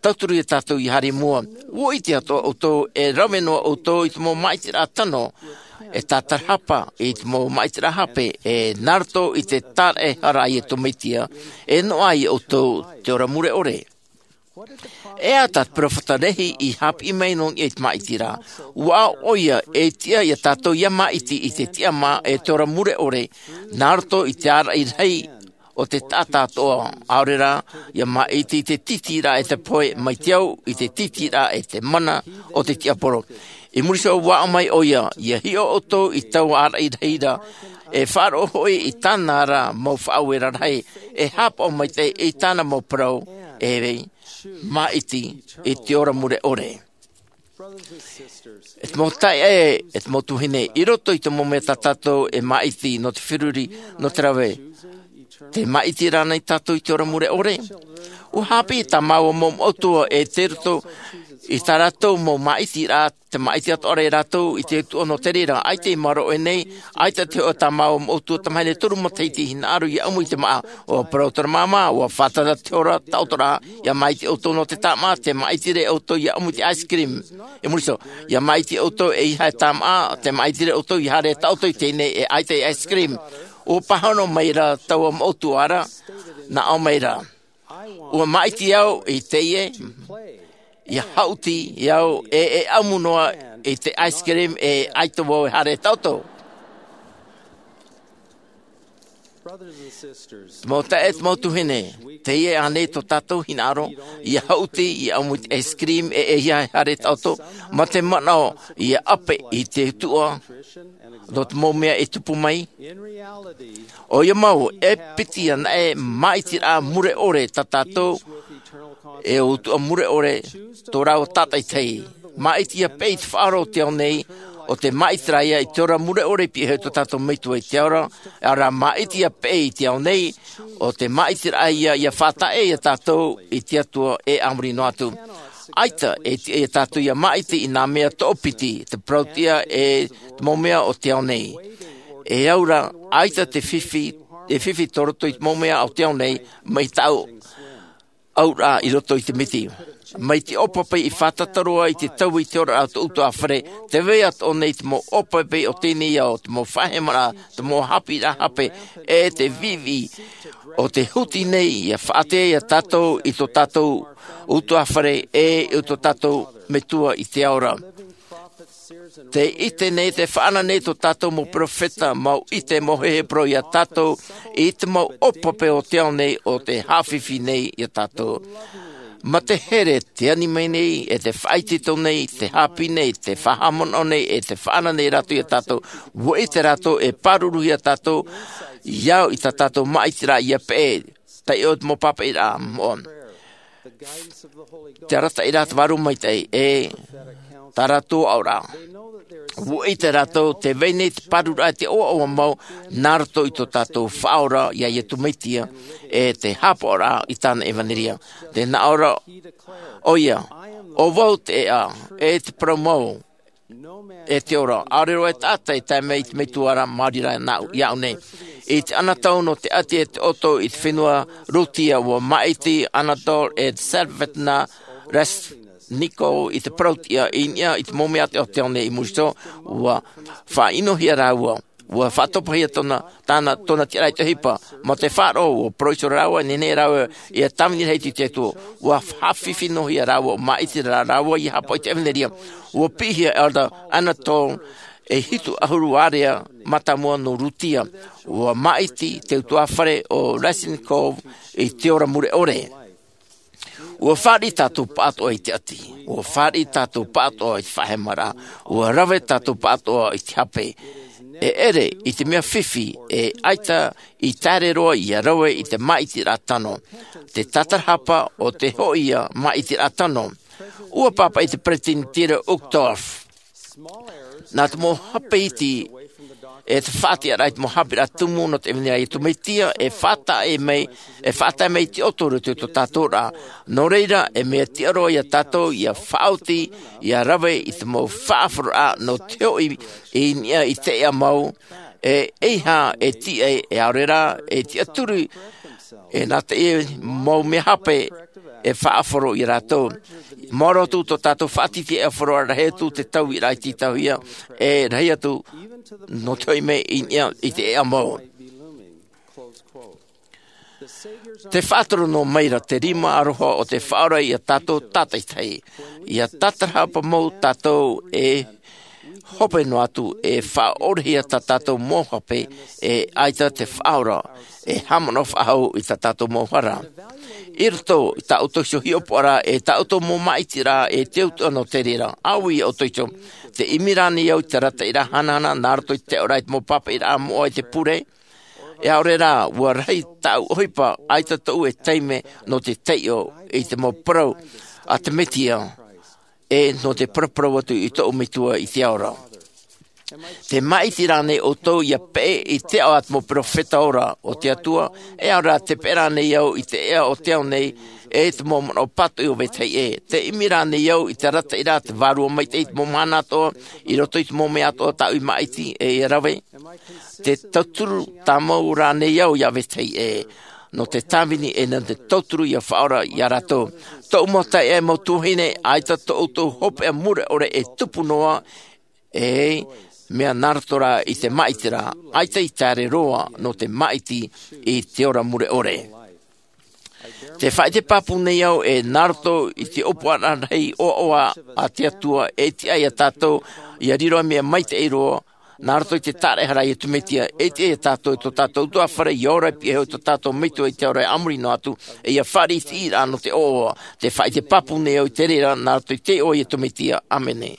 tauturu iā tātou ia haere i mua. Ua ʻite atoʻa ʻoutou e rave noa ʻoutou i te mau māʻitiraʻa tano, e tātarahapa i te mau māʻitiraʻa hape, e nā roto i te tāraʻehara a Iesu Mesia, e noaʻa ia ʻoutou te ora mure ʻore. E aha tā te peropheta Lehi i haʻapiʻi mai nō niʻa i te māʻitiraʻa? Ua aʻo ʻoia e tiʻa iā tātou ia māʻiti i te tiʻamā e te ora mure ʻore, nā roto i te āraʻi rahi o te taʻata atoʻa, ʻaore rā, ia māʻiti i te tītīraʻa e te pohe mai te au i te tītīraʻa e te mana o te tiaporo. I muri iho ua aʻo mai ʻoia, ia hiʻo ʻoutou i taua āraʻi rahi ra, e faʻaroʻo hoʻi i tāna ra mau faʻaueraʻa rahi, e haʻapaʻo maitaʻi i tāna mau parau, e māʻiti i te ora mure ʻore. E te mau taeaʻe, e te mau tuahine, i roto i te mau mea tā tātou e māʻiti nō te feruri, nō te rave, tē māʻiti ra ānei tātou i te ora mure ʻore? Ua haʻapiʻi tā māua mau moʻotua e tei roto i tā rātou mau māʻitiraʻa, tē māʻiti atoʻa ra rātou i te Atua nō te reira. ʻAita i maoro ʻoe nei, ʻaita te hōʻē tā māua moʻotua tamahine toru matahiti i hinaʻaro ia ʻamu i te māʻa. ʻUa parau terā māmā, ʻua fātata te hora taʻotoraʻa, ia māʻiti ʻoutou nō te tāmā, tē māʻiti ra ʻoutou ia ʻamu i te ice cream. I muri iho, ia māʻiti ʻoutou ʻeiaha e tāmā, tē māʻiti ra ʻoutou ia haere taʻoto i teie nei e ʻaita e ice cream. ʻUa pāhono mai ra taua moʻotua ra, nā ʻō mai ra, ʻua māʻiti au i teie, ia haʻuti au e, e ʻamu noa i te ice cream e ʻaita vau e haere taʻoto. Mau taeaʻe, mau tuahine, teie ānei tō tātou hinaʻaro, ia haʻuti, ia ʻamu i te ice cream e, e ia haere taʻoto, mā te manaʻo ia ʻape i te Atua nō te mau mea e tupu mai? ʻOia mau, e piti anaʻe māʻitiraʻa mure ʻore tā tātou e utuʻa mure ʻore tō rāua tātaitahi. Māʻiti ia peʻe i te faʻaora o te ao nei, ʻo te māʻitiraʻa ia i te ora mure ʻore i pihaʻi iho i tō tātou Metua i te ao ra, ʻaore rā māʻiti ia peʻe i te ao nei, ʻo te māʻitiraʻa ia ia faʻataʻe ia tātou i te Atua e a muri noa atu. ʻAita e tiʻa ia tātou ia māʻiti i nā mea toʻopiti, te parauʻtiʻa e te mau mea o te ao nei. E au ra, ʻaita te fifi, e fifi tō roto i te mau mea o te ao nei, mai tāʻu auraʻa i roto i te miti. Mai te ʻōpae i fātata roa i te taui i te oraraʻa o tō ʻutuāfare, tē vai atoʻa nei te mau ʻōpae o teie nei ao, te mau faʻahemaraʻa, te mau haʻapiʻiraʻa hape, e te viʻiviʻi o te huti nei ia faʻatea ia tātou i tō tātou ʻutuāfare e i tō tātou Metua i te ao ra. Tē ʻite nei, tē faʻanaho nei tō tātou mau perofeta, mau ʻite, mau heheparauraʻa ia tātou i te mau ʻōpae o te ao nei, ʻo tē haʻafifi nei ia tātou. Mā te here tē ani mai nei, e tē faʻaitoito nei, tē haʻapiʻi nei, tē faʻahaʻamanaʻo nei, e tē faʻanaho nei rātou ia tātou, ʻua ʻite rātou e pāruruhia tātou i au i tā tātou māʻitiraʻa ia peʻe, taiʻo te mau pāpaʻiraʻa moʻa. Te arataʻiraʻa a te Vārua Maitaʻi, e tā rātou aʻoraʻa. ʻUa ʻite rātou, tē vai nei te pārururaʻa, te ʻoaʻoa mau, nā roto i tō tātou Faʻaora, ia Iesu Mesia, e te haʻapaʻoraʻa i tāna ʻevanelia. Tē nā ʻō ra ʻoia, ʻo vau te ʻēʻa, e te parau mau, e te ora. ʻAore roa e taʻata e tae mai i te Metua ra, maori rā nāʻu, iāʻu nei. I te anotau nō te ʻati e te ʻoto i te fenua Rūtia, ʻua māʻiti Anatol e Svetlana Resnikov i te parauʻtiʻa i niʻa i te mau mea o te ao nei. I muri iho, ʻua faʻaʻinohia rāua. ʻUa faʻatopahia tōna, tāna, tōna tiʻaraʻa i te ʻohipa. Mā te faʻaroʻo, ʻua parau iho rāua, e nehenehe rāua ia tāvini rahi i te Atua. ʻUa haʻafifi noa hia rāua, ʻua māʻiti rā rāua ia haʻapaʻo i te ʻevanelia. ʻUa piʻihia Elder Anatol e hitu ʻahuru ārea mātāmua nō Rūtia. ʻUa māʻiti te ʻutuāfare ʻo Resnikov i te ora mure ʻore. ʻUa fāriʻi tātou pāʻatoʻa i te ʻati. ʻUa fāriʻi tātou pāʻatoʻa i te faʻahemaraʻa. ʻUa rave tātou pāʻatoʻa i te hape. E ʻere i te mea fifi, e ʻaita i te ʻere roa ia rave i te māʻitiraʻa tano. Te tātarahapa ʻo te hōʻē ia māʻitiraʻa tano. ʻUa pāpaʻi te Peresideni Dieter Uchtdorf. Nā te mau hape iti, e te faʻatiʻaraʻa i te mau haʻapiʻiraʻa tumu nō te ʻevanelia a Iesu Mesia, e faʻataʻe mai, e faʻataʻe mai i te ʻoto i roto i tō tātou oraraʻa. Nō reira, e mea tiʻa roa ia tātou, ia faʻaoti, ia rave i te mau faʻaʻoroʻa nō te hoʻi i niʻa i te ʻēʻa mau, e ʻeiaha e tiʻa, e ʻaore rā, e tiʻaturi, e nā te mau mea hape, e faʻaʻoro ia rātou. Maoro atu tō tātou faʻatītīraʻa e ʻōroʻa, rahi atu te tauiraʻa i tītauhia, e rahi atu nō te hoʻi mai i niʻa i te ʻēʻa mau. Tē faʻatoro noa mai ra te rima aroha o te Faʻaora ia tātou tātaitahi. Ia tātarahapa mau tātou e hope noa atu, e faʻaʻorehia tā tātou mau hape, e ʻaita te Faʻaora e haʻamanaʻo faʻahou i tā tātou mau hara. I roto i tā ʻoutou iho hiʻopoʻaraʻa, e tā ʻoutou mau māʻitiraʻa, e te utuʻa nō te reira, ʻāuī ia ʻoutou iho. Tē ʻimi ra ānei au i te arataʻiraʻa hanahana nā roto i te ʻoraʻa i te mau pāpaʻiraʻa moʻa i te pure? E ʻaore rā, ʻua rahi tāʻu ʻohipa, ʻaita tōʻu e taime nō te taiʻo i te mau parau a te Mesia, e nō te paraparau atu i tōʻu Metua i te ao ra. Tē māʻiti ra ānei ʻoutou ia peʻe i te ao a te mau perofeta ora o te Atua, e ʻaore rā tē peʻe ra ānei au i te ʻēʻa o te ao nei, e te mau manaʻo pātoʻi o vetahi ʻē? Tē ʻimi ra ānei au i te arataʻiraʻa a te Vārua Maitaʻi i te mau mahana atoʻa, i roto i te mau mea atoʻa tāʻu i māʻiti e ia rave? Tē tauturu tāmau ra ānei au ia vetahi ʻē, nō te tāvini e nō te tauturu ia Faʻaora ia rātou? Tōʻu mau taeaʻe, mau tuahine, ʻaita tō ʻoutou hopeʻa mure ʻore e tupu noa, e mea nā roto rā i te māʻitiraʻa, ʻaita i te ʻere roa nō te māʻiti i te ora mure ʻore. Tē faʻaʻite pāpū nei au, e nā roto i te ʻōpuaraʻa rahi ʻoaʻoa a te Atua, e tiʻa ia tātou ia riro mea maitaʻi roa, nā roto i te tāraʻehara a Iesu Mesia, e tiʻa ia tātou i tō tātou ʻutuāfare, ia ora i pihaʻi iho i tō tātou Metua i te ao ra e a muri noa atu, e ia fāriʻi i te ʻīraʻa nō te ʻoaʻoa. Tē faʻaʻite pāpū nei au i te reira, nā roto i te iʻoa o Iesu Mesia. ʻĀmene.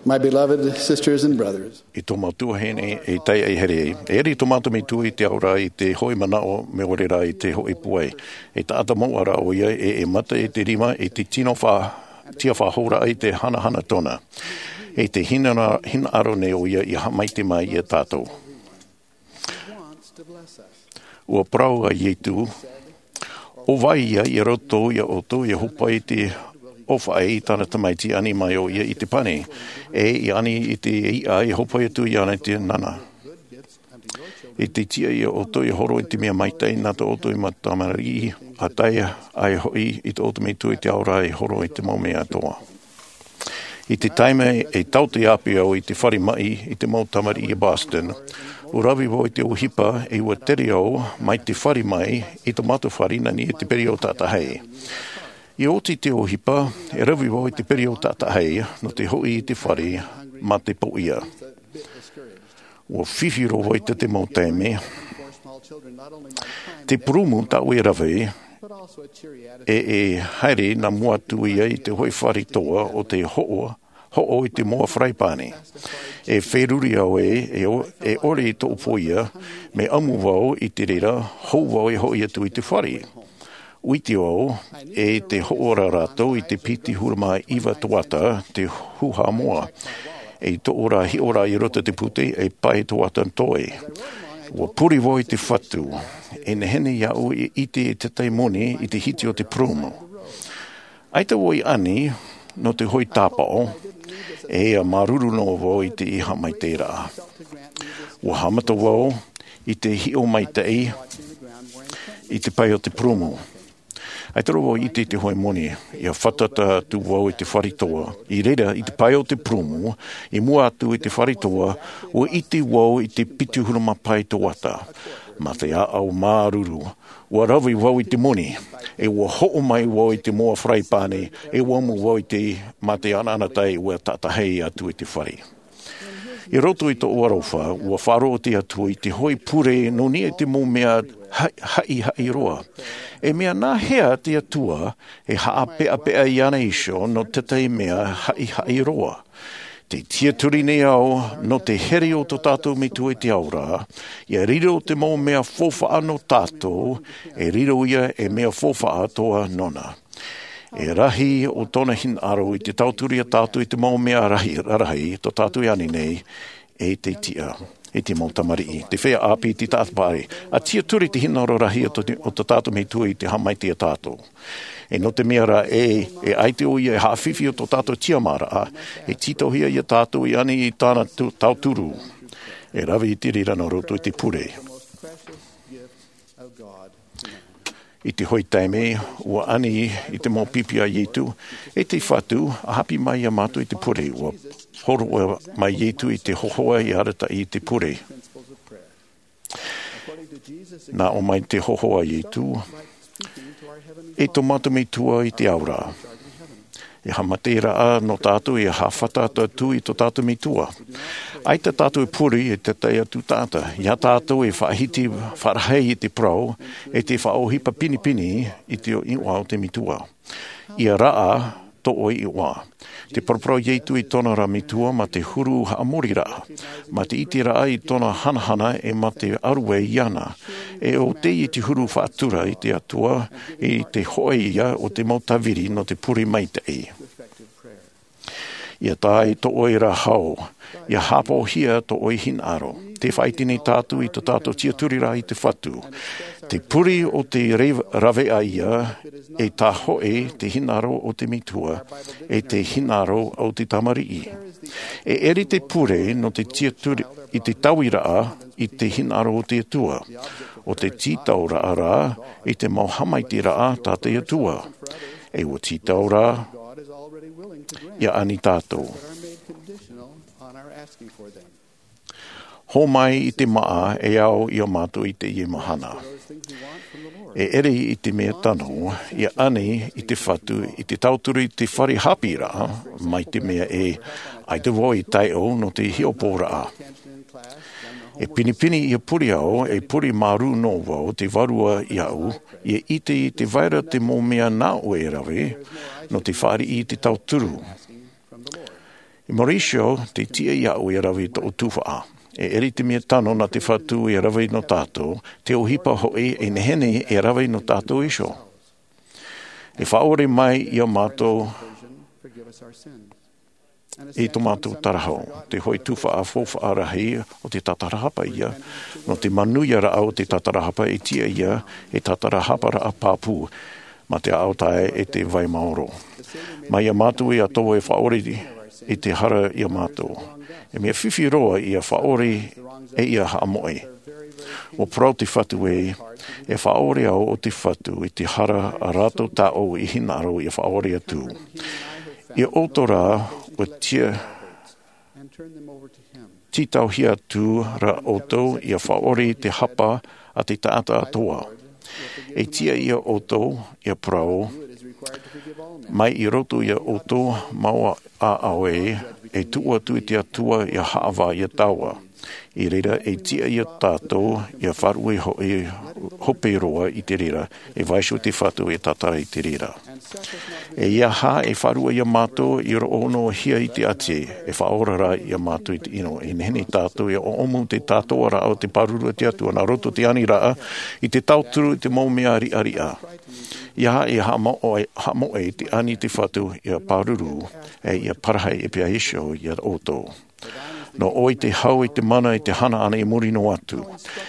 My beloved sisters and brothers, I tō mātou tuahine e taiʻa e here ai. E ʻere tō mātou metua i te ao ra i te hoʻi manaʻo mea ʻore rā i te hoʻi pūai. E taʻata mau ra ʻo ia e, e mata i te rima i te tino fa, tia faʻahou ra i te hanahana tōna. E te hina, hinaʻaro nei ʻo ia i haʻamaitaʻi mai ia tātou. Ua parau a Ietu, ʻo vai ia i roto ia ʻoutou ia hopa i te ʻofaʻi i tāna tamaiti ani mai ʻo ia i te pani, e i ani i te iʻa i hopa atu i ana i te nana. I te tiʻa ia ʻoutou ia horo i te mea maitaʻi nā tō ʻoutou i mau tamariʻi, a tae ai hoʻi i tō ʻoutou metua i te ao ra i horo i te mau mea atoʻa. I te taime e tauturu ʻāpī au i te fare maʻi i te mau tamariʻi i Boston, ua rave vau i te ʻohipa e ua tere au mai te fare mai i tō mātou fare nā niʻa i te perio taʻatahi. I oti te ʻohipa, e rave vau i te perio taʻatahi nō te hoʻi i te fare mā te pōʻia. Ua fifi roa vau i te mau taime. Te purūmu tāʻu e rave, e, e haere nā mua atu ia i te hoʻi fare toa ʻo te hoʻo, hoʻo i te moa faraipāni. E feruri au e, e ʻo-, e ʻore i tōʻu pōʻia, mea ʻamu vau i te reira, hou vau e hoʻi atu i te fare. ʻUa ʻite au, e te hoʻo ra rātou i te piti huru mā iva toata te hūhā moa. E tōʻu ra hiʻo ra i roto te pute, e pae toata toe. Ua pure vau i te Fatu, e nehenehe iāʻu e ʻite i te tahi moni i te hiti o te purūmu. ʻAita vau i ani nō te hoʻi tāpaʻo, e ia māuruuru noa vau i te haʻamaitaʻiraʻa. Ua haʻamata vau i te hiʻo maitaʻi i te pae o te purūmu. ʻAita roa vau i ʻite i te hoʻi moni, ia fātata atu vau i te fare toa. I reira, i te pae o te purūmu, i mua atu i te fare toa, ua ʻite vau i te piti huru mā pae toata. Mā te ʻāʻau māuruuru, ua rave vau i te moni, e ua hoʻo mai vau i te moa faraipāni, e ua ʻamu vau i te, mā te ʻanaʻanatae ua tātahi atu i te fare. I roto i tōʻu aroha, ua faʻaroʻo te Atua i te hoʻi pure nō niʻa i te mau mea ha-, haʻihaʻi roa. E mea nā hea te Atua e haʻapeʻapeʻa iāna iho nō te tahi mea haʻihaʻi roa? Tē tiʻaturi nei au nō te here o tō tātou Metua i te ao ra, ia riro te mau mea faufaʻa nō tātou, e riro ia ei mea faufaʻa atoʻa nōna. E rahi ʻo tōna hinaʻaro i te tauturu ia tātou i te mau mea rahi, rarahi, tō tātou i ani nei, e te tiʻa, e te mau tamariʻi. Te feiā ʻāpī, te taʻata paʻari, ʻa tiʻaturi te hinaʻaro rahi o tō, o tō tātou Metua i te haʻamaitaʻi ia tātou. E nō te mea rā ē, e ʻaita ʻoia e haʻafifi i tō tātou tiʻamāraʻa, e tītauhia ia tātou i ani i tāna tu-, tauturu. E rave i te reira nā roto i te pure. I te hoʻi taime, ua ani i te mau pipi a Ietu, e te Fatu, ʻa haʻapiʻi mai ia mātou i te pure, ua hōroʻa mai Ietu i te hōhoʻa i arataʻi i te pure. Nā ʻō mai te hōhoʻa a Ietu, e tō mātou Metua i te ao ra. E haʻamaitaʻiraʻa nō tātou e haʻafātata atu i tō tātou Metua. ʻAita tātou e pure i te tahi atu taʻata, ia tātou e faʻahiti faʻarahi i te parau, e te faʻaʻohipa pinepine i te iʻoa o te Metua. Ia rā tō ʻoe iʻoa. Tē paraparau Ietu i tōna ra Metua mā te huru haʻamoriraʻa, mā te ʻiteraʻa i tōna hanahana e mā te ʻaruai iāna. E ʻo tei i te huru faʻatura i te Atua, i te hōʻē ia o te mau tāviri nō te pure maitaʻi. Ia tae tō ʻoe ra hau, ia haʻapaʻohia tō ʻoe hinaʻaro. Tē faʻaʻite nei tātou i tō tātou tiʻaturi ra i te Fatu. Te pure ʻo te re-, rave ʻā ia, e tā hoʻi te hinaʻaro o te Metua, e te hinaʻaro o te tamariʻi. E ʻere te pure nō te tiʻaturi i te tauiraʻa i te hinaʻaro o te Atua. ʻO te tītauraʻa rā i te mau haʻamaitaʻiraʻa tā te Atua. E ua tītau rā, ia ani tātou. Hōmai i te māʻa e ao ia mātou i teie mahana. E ʻere i te mea tano, ia ani i te Fatu, i te tauturu i te fare haʻapiʻiraʻa, mai te mea ē, ʻaita vau i taiʻo nō te hiʻopoʻaraʻa. E pinepine ia pure au, e pure māuruuru noa vau te Vārua iāʻu, ia ʻite i te vai ra te mau mea nā ʻoe e rave, nō te fāriʻi i te tauturu. I Mauricio, te tiʻa iāʻu e rave i tōʻu tuhaʻa. E ʻere i te mea tano nā te Fatu e rave nō tātou, te ʻohipa hoʻi e nehenehe e rave nō tātou iho. E faʻaʻore mai iā mātou i tō mātou tarahau. Te hoʻi tuhaʻa faufaʻa rahi o te tātarahapa ia, nō te manuiaraʻa o te tātarahapa e tiʻa ia, e tātarahaparaʻa pāpū, mā te ʻaʻau tae e te vai maoro. Mai iā mātou ia tō e faʻaʻore i te hara iā mātou. E mea fifi roa ia faʻaʻore e ia haʻamoʻe. ʻUa parau te Fatu ē, e faʻaʻore au o te Fatu i te hara a rātou tāʻu i hinaʻaro ia faʻaʻore atu. Ia ʻoutou rā, ʻua tia, tītauhia atu rā ʻoutou ia faʻaʻore i te hapa a te taʻata atoʻa. E tiʻa ia ʻoutou, ia parau, mai i roto ia ʻoutou mau ʻāʻau ē, e tuʻu atu i te Atua ia haʻavā ia tāua. I reira e tiʻa ia tātou, ia faʻaruʻe hoʻi hope roa i te reira, e vaiiho te Fatu e tātara i te reira. E ia hā e faʻaruʻe iā mātou i roʻo noa hia i te ʻati, e faʻaora rā iā mātou i te ʻino, e nehenehe tātou e ʻoʻomu te tātou raʻa o te pāruru a te Atua, nā roto te aniraʻa, i te tauturu i te mau mea riʻariʻa. Ia hā e haʻamoʻe, haʻamoʻe i te ani te Fatu, ia pāruru, e ia parahi e pea iho iā ʻoutou. Nō ʻoe te hau i te mana i te hana ʻana i muri noa atu.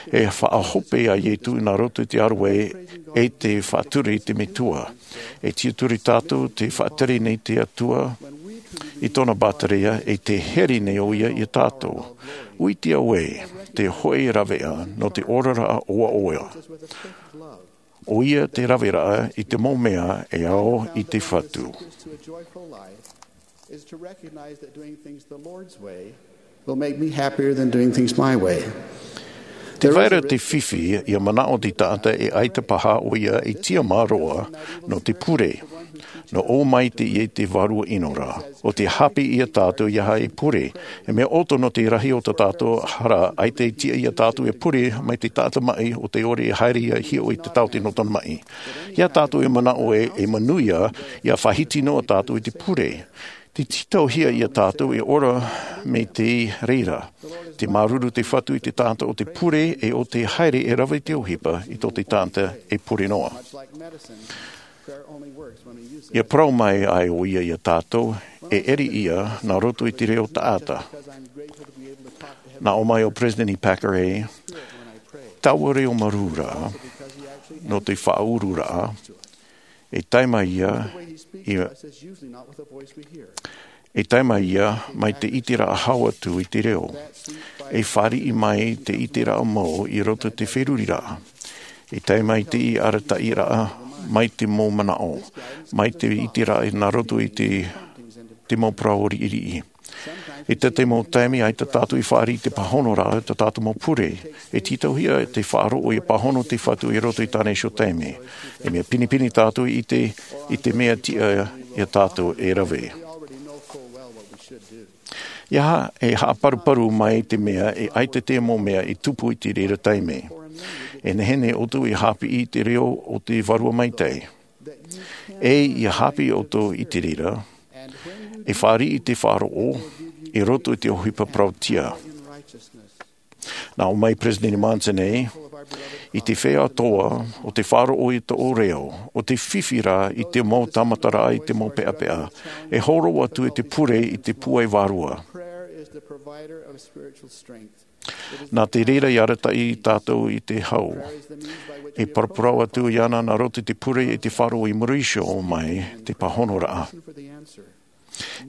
E faʻahope a Ietu nā roto i te ʻārue e te faʻatura i te metua. E tiʻaturi tātou te faʻatere nei te Atua i tōna bātarea e te here nei ʻo ia iā tātou. ʻUitia ē, te hoʻi raveʻa nō te oraraʻa ʻoaʻoa. ʻO ia te raveraʻa i te mau mea e ao i te Fatu. Is to recognize that doing things the Lord's way will make me happier than doing things my way. Te vai ra te fifi ia manaʻo te taʻata e ʻaita paha ʻo ia i tiʻamā roa nō te pure. Nō ʻō mai te ia i te vārua ʻino ra. ʻO te haʻapiʻi iā tātou ia haʻa e pure. E mea ʻoto nō te rahi o tā tātou hara, ʻaita e tiʻa iā tātou e pure mai te taʻata maʻi ʻo tē ʻore e haere ia hiʻo i te taote nō tōna maʻi. Iā tātou e manaʻo ē, e manuia, ia faʻahiti noa tātou i te pure. Te tītauhia iā tātou e ora mai te reira. Te māuruuru te Fatu i te taʻata ʻo tē pure e ʻo tē haere e rave i te ʻohipa i tō te taʻata e pure noa. Ia parau mai ai ʻo ia iā tātou, e ʻere ia nā roto i te reo taʻata. Nā ʻō mai ʻo Peresideni Packer ē, taua reo marū ra, nō te faʻaururaʻa, e tae mai ia, ia, e tae mai ia, mai te ʻiteraʻa hau atu i te reo. E fāriʻi mai te ʻiteraʻa mau i roto i te feruriraʻa. E tae mai te arataʻiraʻa, mai te mau manaʻo, mai te ʻiteraʻa nā roto i te, te mau parau riʻiriʻi. I te, te mau taime, ʻaita tātou i fāriʻi i te pāhonoraʻa, tā tātou mau pure. E tītauhia te faʻaroʻo ia pāhono te Fatu i roto i tāna iho taime. E mea pinepine tātou i te, i te mea tiʻa iā tātou e rave. Ia hā, e haʻaparuparu mai te mea e ʻaita te mau mea i tupu i te reira taime. E nehenehe ʻoutou e haʻapiʻi i te reo o te Vārua Maitaʻi. E ia haʻapiʻi ʻoutou i te reira, e fāriʻi i te faʻaroʻo, i roto i te ʻohipa parauʻtiʻa. Nā ʻō mai Peresideni Monson ē, i te feiā atoʻa, ʻo te faʻaroʻo i tō reo, ʻo te fifi ra i te mau tāmataraʻa i te mau peʻapeʻa, e hōroʻa atu i te pure i te pūai vārua. Nā te reira i arataʻi tātou i te hau. E paraparau atu iāna nā roto i te pure i te faʻaroʻo i muri iho mai te pāhonoraʻa.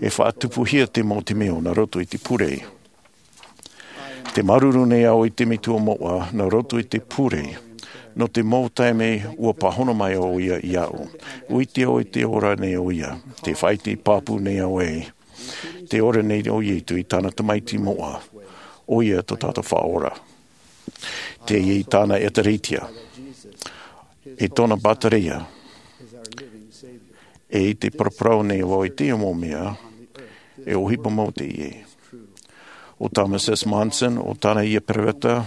E faʻatupuhia te mau temeio nā roto i te pure. Te māuruuru nei au i te Metua moʻa nā roto i te pure. Nō te mau taime ʻua pāhono mai ʻo ia iāʻu. ʻUitia ʻoe te ora nei ʻo ia. Te faʻaʻite pāpū nei au ē. Te ora nei ʻo Ietu i tāna tamaiti moʻa, ʻo ia tō tātou Faʻaora. Teie tāna ʻēkālesia, e tōna bātarea, e i te paraparau nei vau i te mau mea, e ʻohipa mau teie. ʻO Thomas S. Monson, ʻo tāna ia peropheta,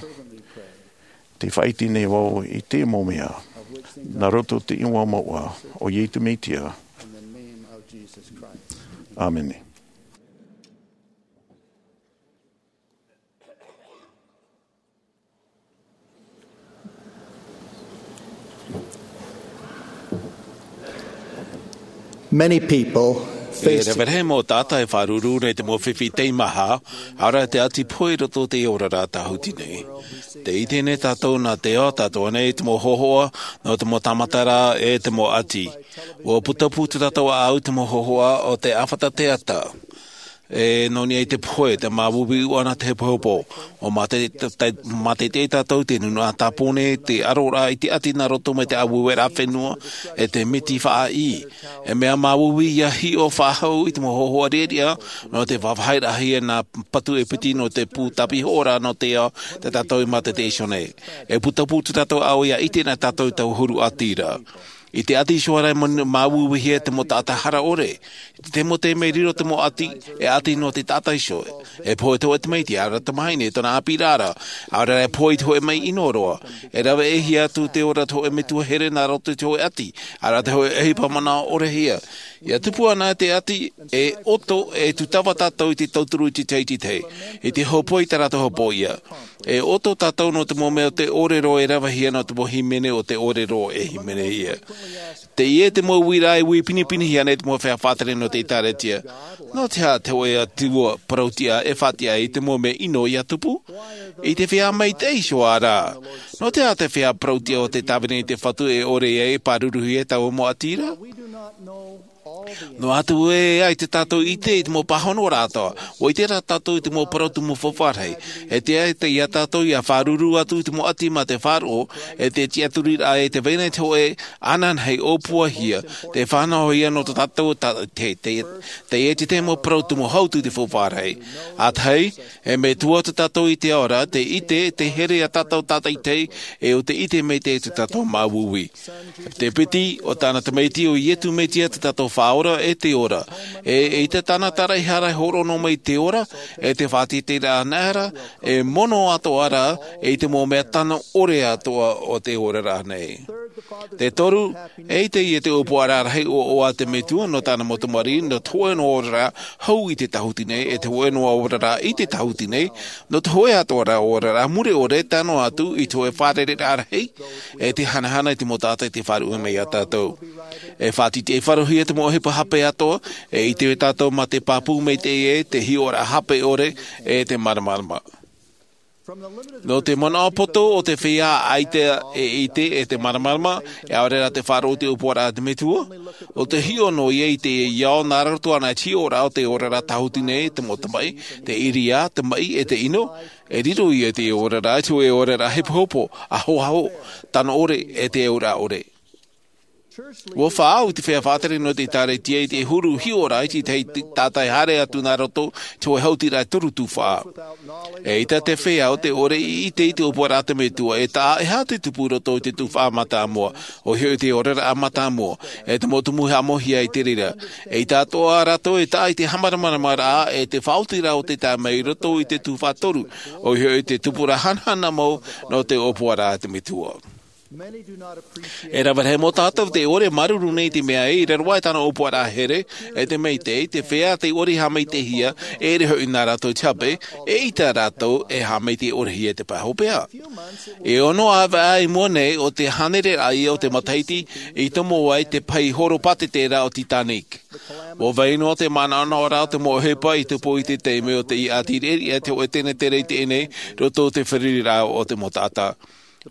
te faʻaʻite nei vau i te mau mea, nā roto i te iʻoa moʻa o Ietu Mesia. ʻĀmene. Many people E face rave rahi mau taʻata e faʻaruru nei te mau fifi teimaha, ʻaore rā te ʻati pohe i roto i te oraraʻa tāhuti nei. Tē ʻite nei tātou nā te ao tātou nei te mau hōhoʻa, nō te mau tāmataraʻa e te mau ʻati. ʻUa putapū tātou ʻāʻau te mau hōhoʻa o te ʻāfata teata. E nō niʻa i te pohe, te māuiui ʻana te hepohepo. ʻUa mātei, te, te, māteitei tātou te nūnaʻa tāpō nei, te ʻaroraʻa i te ʻati nā roto mai te ʻāueueraʻa fenua, e te miti faʻaʻī. E mea māuiui ʻia hiʻo faʻahou i te mau hōhoʻa riʻariʻa, nō te vāvāhiraʻahia nā patu e piti nō te pū tāpihoʻoraʻa nō te ao, tā tātou i māteitei iho nei. E putapū tātou ʻāʻau ʻia ʻite nā tātou tau huru ʻati ra. I te ʻati iho ra e māuiuihia te mau taʻata hara ʻore. I te mau taime e riro te mau ʻati, e ʻati nō te taʻata iho. E pohe te hōʻē tamaiti, ʻaore rā te tamahine, tōna ʻāpīraʻa ra. ʻAore rā e pohe i te hōʻē mea ʻino roa. E rave ʻē hia atu te ora te hōʻē metua here nā roto i te hōʻē ʻati. ʻAore rā te hōʻē ʻohipa manaʻo ʻorehia. ʻIa tupu anaʻe te ʻati, e ʻoto, e tūtava tātou i te tauturu i te tahi i te tahi. I te hōpoi i tā rātou hōpoiʻa. E ʻoto tātou nō te mau mea o te ʻōrero e ravehia nō te mau hīmene o te ʻōrero e hīmenehia. Teie te mau uiraʻa e ui pinepinehia nei te mau feiā faʻatere nō te ʻĒtārētia. Nō te aha te hōʻē Atua parautiʻa e faʻatiʻa i te mau mea ʻino ʻia tupu? I te feiā maitaʻi iho ā rā. Nō te aha te feiā parautiʻa o te tāvini i te Fatu e ʻore ai e pāruruhia taua mau ʻati ra? Noa atu ē ʻaita tātou i ʻite i te mau pāhonoraʻa atoʻa, ʻua ʻite rā tātou i te mau parau tumu faufaʻa rahi. E tiʻa atu iā tātou ʻia faʻaruru atu i te mau ʻati mā te faʻaroʻo, e te tiʻaturiraʻa e te vai nei te hōʻē ananahi ʻōpuahia, tē fānaʻohia nō tō tātou ta-, te, te, te, e te, te mau parau tumu hau atu i te faufaʻa rahi. ʻĀtahi, e metua tō tātou i te ao ra, tē ʻite, tē here iā tātou tātaʻitahi, e ʻo tē ʻite maitaʻi tō tātou māuiui. Te piti o tāna tamaiti ʻo Iesu Mesia tō tātou Faʻaora e te ora. E, eʻita tāna tāraʻehara e hōroʻa noa mai te ora, e te faʻatītīraʻa anaʻe ra, e mono atoʻa ra, e i te mau mea tano ʻore atoʻa o te oraraʻa nei. Te toru, eʻita ïa te ʻōpuaraʻa rahi ʻoaʻoa a te Metua nō tāna mau tamariʻi, nō te hōʻē noa oraraʻa hau i te tāhuti nei, e te hōʻē noa oraraʻa i te tāhuti nei, nō te hōʻē atoʻa ra oraraʻa mure ʻore, tae noa atu i te hōʻē fārereiraʻa rahi, e te hanahana i te mau taʻata i te faʻaruʻe mai iā tātou. E faʻatītīʻaifaro hia te mau ʻohipa hape atoʻa, e ʻite tātou mā te pāpū maitaʻi ē, te hiʻoraʻa hape ʻore, e te māramarama. Nō te manaʻo poto o te feiā ʻaita e ʻite e te māramarama, e ʻaore rā te faʻaroʻo i te ʻōpuaraʻa a te Metua, ʻo te hiʻo noa ïa i te ao nā roto anaʻe i te hiʻoraʻa o te oraraʻa tāhuti nei, te mau tamaʻi, te ʻiriā, te maʻi, e te ʻino, e riro ïa te oraraʻa i te hōʻē oraraʻa hepohepo, ahoaho, tano ʻore, e te auraʻa ʻore. ʻUa faʻaau te feiā faʻatere nō te ʻĒtārētia i te huru hiʻoraʻa i te tahi taʻata e haere atu nā roto i te hōʻē hautiraʻa e toru tuhaʻa. Eʻita te feiā ʻo tē ʻore i ʻite i te ʻōpuaraʻa a te Metua, e taʻa e aha te tupu i roto i te tuhaʻa mātāmua, ʻoia hoʻi te oraraʻa mātāmua, e te mau tumu haʻamauhia i te reira. Eʻita atoʻa rātou e taʻa i te haʻamāramaramaraʻa, e te faʻaotiraʻa o te tae mai i roto i te tuhaʻa toru, ʻoia hoʻi te tupuraʻa hanahana mau nō te ʻōpuaraʻa a te Metua. E rave rahi mau tātou tē ʻore e māuruuru nei i te mea ē, i raro aʻe tāna ʻōpuaraʻa here, e te maitaʻi, te feiā tē ʻore i haʻamaitaʻihia, e ʻere hoʻi nā rātou i te hape, eʻita rātou e haʻamaitaʻi ʻorehia i te pae hopeʻa. E ono ʻāvaʻe i mua nei o te hānere raʻa ïa o te matahiti, i tomo ai te pahi horopātete ra o Titanic. ʻUa vai noa te manaʻonaʻoraʻa o te mau ʻohipa i tupu i te taime o te ʻati riʻariʻa te hōʻē tenetere i teie nei, roto i te feruriraʻa o te mau taʻata.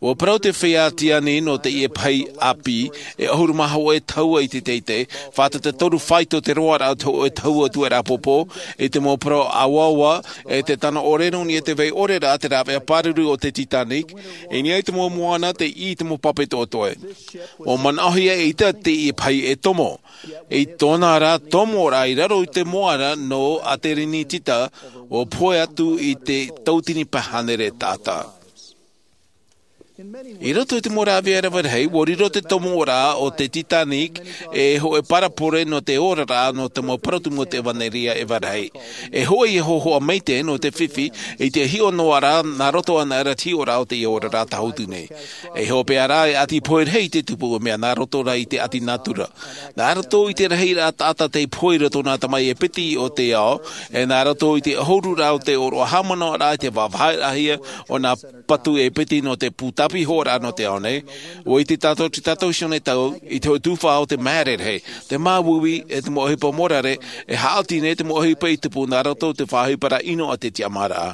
ʻUa parau te feiā Tiani nō teie pahi ʻāpī, e ʻahuru mā hōʻē tahua i te teitei, fātata toru faito te roaraʻa o te hōʻē tahua tuaraʻa pōpō, i te mau parau ʻāuaua, e te tano ʻore nō niʻa i te vai ʻore ra te rāveʻa pāruru o te Titanic, i niʻa i te mau moana tei ʻī i te mau pape toʻetoʻe. ʻUa manaʻohia eʻita teie pahi e tomo. I tōna ra tomoraʻa i raro i te moana nō Aterenitita, ʻua pohe atu i te tauatini pae hānere taʻata. I roto i te mau rāveʻa rave rahi, ʻua riro te tomoraʻa o te Titanic e hōʻē parabole nō te oraraʻa nō te mau parau tumu o te ʻevanelia e ʻāvaʻe rahi. E hōʻē ïa hōhoʻa maitaʻi nō te fifi, i te hiʻo noa ra, nā roto anaʻe ra te hiʻoraʻa o teie oraraʻa tāhuti nei. E hopeʻa rā, e ʻati pohe rahi te tupu, mea nā roto rā i te ʻati nātura. Nā roto i te rahiraʻa taʻata tei pohe i roto i nā tamaʻi e piti o te ao, e nā roto i te ʻahururaʻa o te ʻōroʻa haʻamanaʻoraʻa i te vāvāhiraʻahia o nā patu e piti nō te pū pihoraʻa nō te ao nei. Ua ʻite tātou te tātou sione tau i te hoʻi tufa o te māere rahi, te māuiui, e te mau ʻohipa morare, e haʻati nei te mau ʻohipa i tupu nā roto i te faʻaʻohiparaʻa ʻino a te tiʻamāraʻa.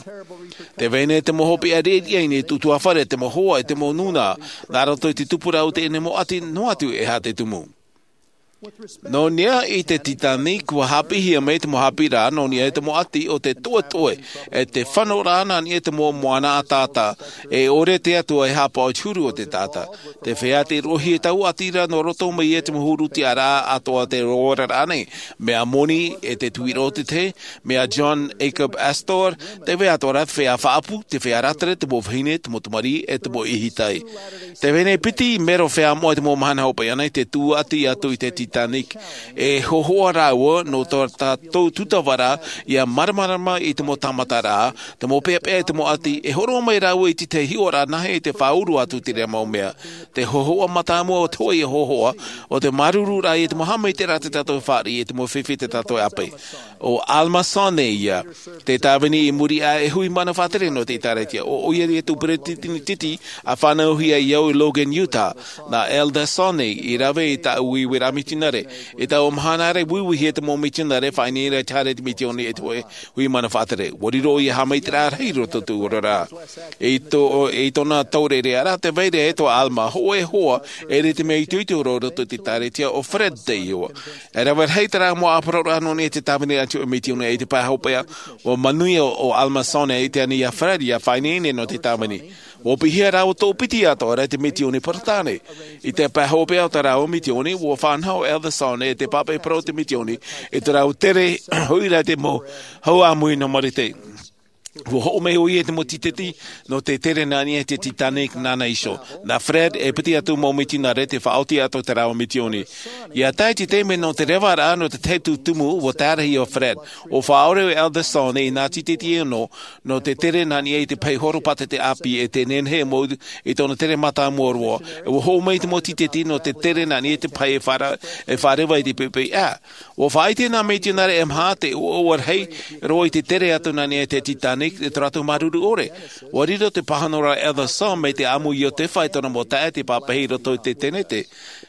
Te vai nei te mau hopeʻa riʻariʻa i niʻa i te ʻutuāfare, te mau hoa, e te mau nūnaʻa, nā roto i te tupuraʻa o teie mau ʻati noa atu e aha te tumu. Nō niʻa i te Titanic, ua haʻapiʻihia mai te mau haʻapiʻiraʻa nō niʻa i te mau ʻati o te toʻetoʻe, e te fano rā nā niʻa i te mau moana ʻataʻata, e ʻore te Atua e haʻapaʻo i te huru o te taʻata. Te feiā tei roʻohia taua ʻati ra nō roto mai i te mau huru tiʻaraʻa atoʻa o te oraraʻa nei, mea moni e te tuiroʻo o te tahi, mea John Jacob Astor, te vai atoʻa ra te feiā faʻaʻapu, te feiā rātere, te mau vahine, te mau tamariʻi, e te mau ʻihitai. Te vai nei piti mero feiā moʻa i te mau mahana hopeʻa nei, te tūʻati atu i te Titanic. E hōhoʻa rāua nō tō tātou tūtavaraʻa, ʻia māramarama i te mau tāmataraʻa, te mau peʻapeʻa i te mau ʻati, e hōroʻa mai rāua i te tahi hiʻoraʻa nāhea i te faʻauru atu i terā mau mea. Te hōhoʻa mātāmua o te hōʻē hōhoʻa, ʻo te māuruururaʻa i te mau haʻamaitaʻiraʻa tā tātou e fāriʻi, i te mau fifi tā tātou e ʻāpeʻe. ʻO Alma Sonne ïa, te tāvini i muri aʻe e hui mana faʻatere nō te ʻĒtārētia. ʻO ʻoia ïa te peresideni titi a fānauhia i au i Logan, Utah, nā Elder Sonne i rave i tāʻu uiuiraʻa mitionare. I taua mahana ra, uiuihia te mau mitionare, faʻaineine i te haere i te misiōni e te hōʻē hui mana faʻatere. Ua riro ʻoia haʻamaitaʻiraʻa rahi i roto i tōʻu oraraʻa. I tō, i tōna taureʻareʻa ra, tē vai ra e tō Alma, hōʻē hoa, e ʻere i te mea itoito roa i roto i te ʻĒtārētia, ʻo Fred te iʻoa. E rave rahi terā mau ʻāparauraʻa nō niʻa i te tāvini a te hōʻē misiōni i te pae hopeʻa, ua manuia ʻo, ʻo Alma Sonne i te ani iā Fred ʻia faʻaineine nō te tāvini. Ua piʻihia rāua toʻopiti atoʻa ra i te misiōni Peretāne. I te pae hopeʻa o tā rāua misiōni, ua fānaʻo Elder Sonne i te pāpaʻi parau o te misiōni, i terā tere hoʻi ra i te mau hau ʻāmui nō Marite. Ua hoʻo mai ʻoia i te mau tīteti nō te tere nā niʻa i te Titanic nāna iho. Nā Fred e piti atu mau mitionare tei faʻaoti atu terā mau misiōni. ʻIa tae i te taime nō te revaraʻa nō te tahi atu tumu, ua tae rahi ʻo Fred. ʻUa faʻaʻore ʻo Elder Sonne i nā tīteti e ono nō te tere nā niʻa i te pahi horopātete ʻāpī, e tē nehenehe e mou i tōna tere mātāmua roa. E ua hoʻo mai te mau tīteti nō te tere nā niʻa i te pahi e fara-, e fāreva i te pepeʻa. ʻUa faʻaʻite nā mitionare e maha te ʻoaʻoa rahi roa i te tere atu nā niʻa i te Titanic, i tō rātou māuruuru ʻore. ʻUa riro te pāhonoraʻa a Elder Sonne mai te ʻāmui i ʻō te fā i tōna mau taeaʻe tei pāpaʻi i roto i te tēnete.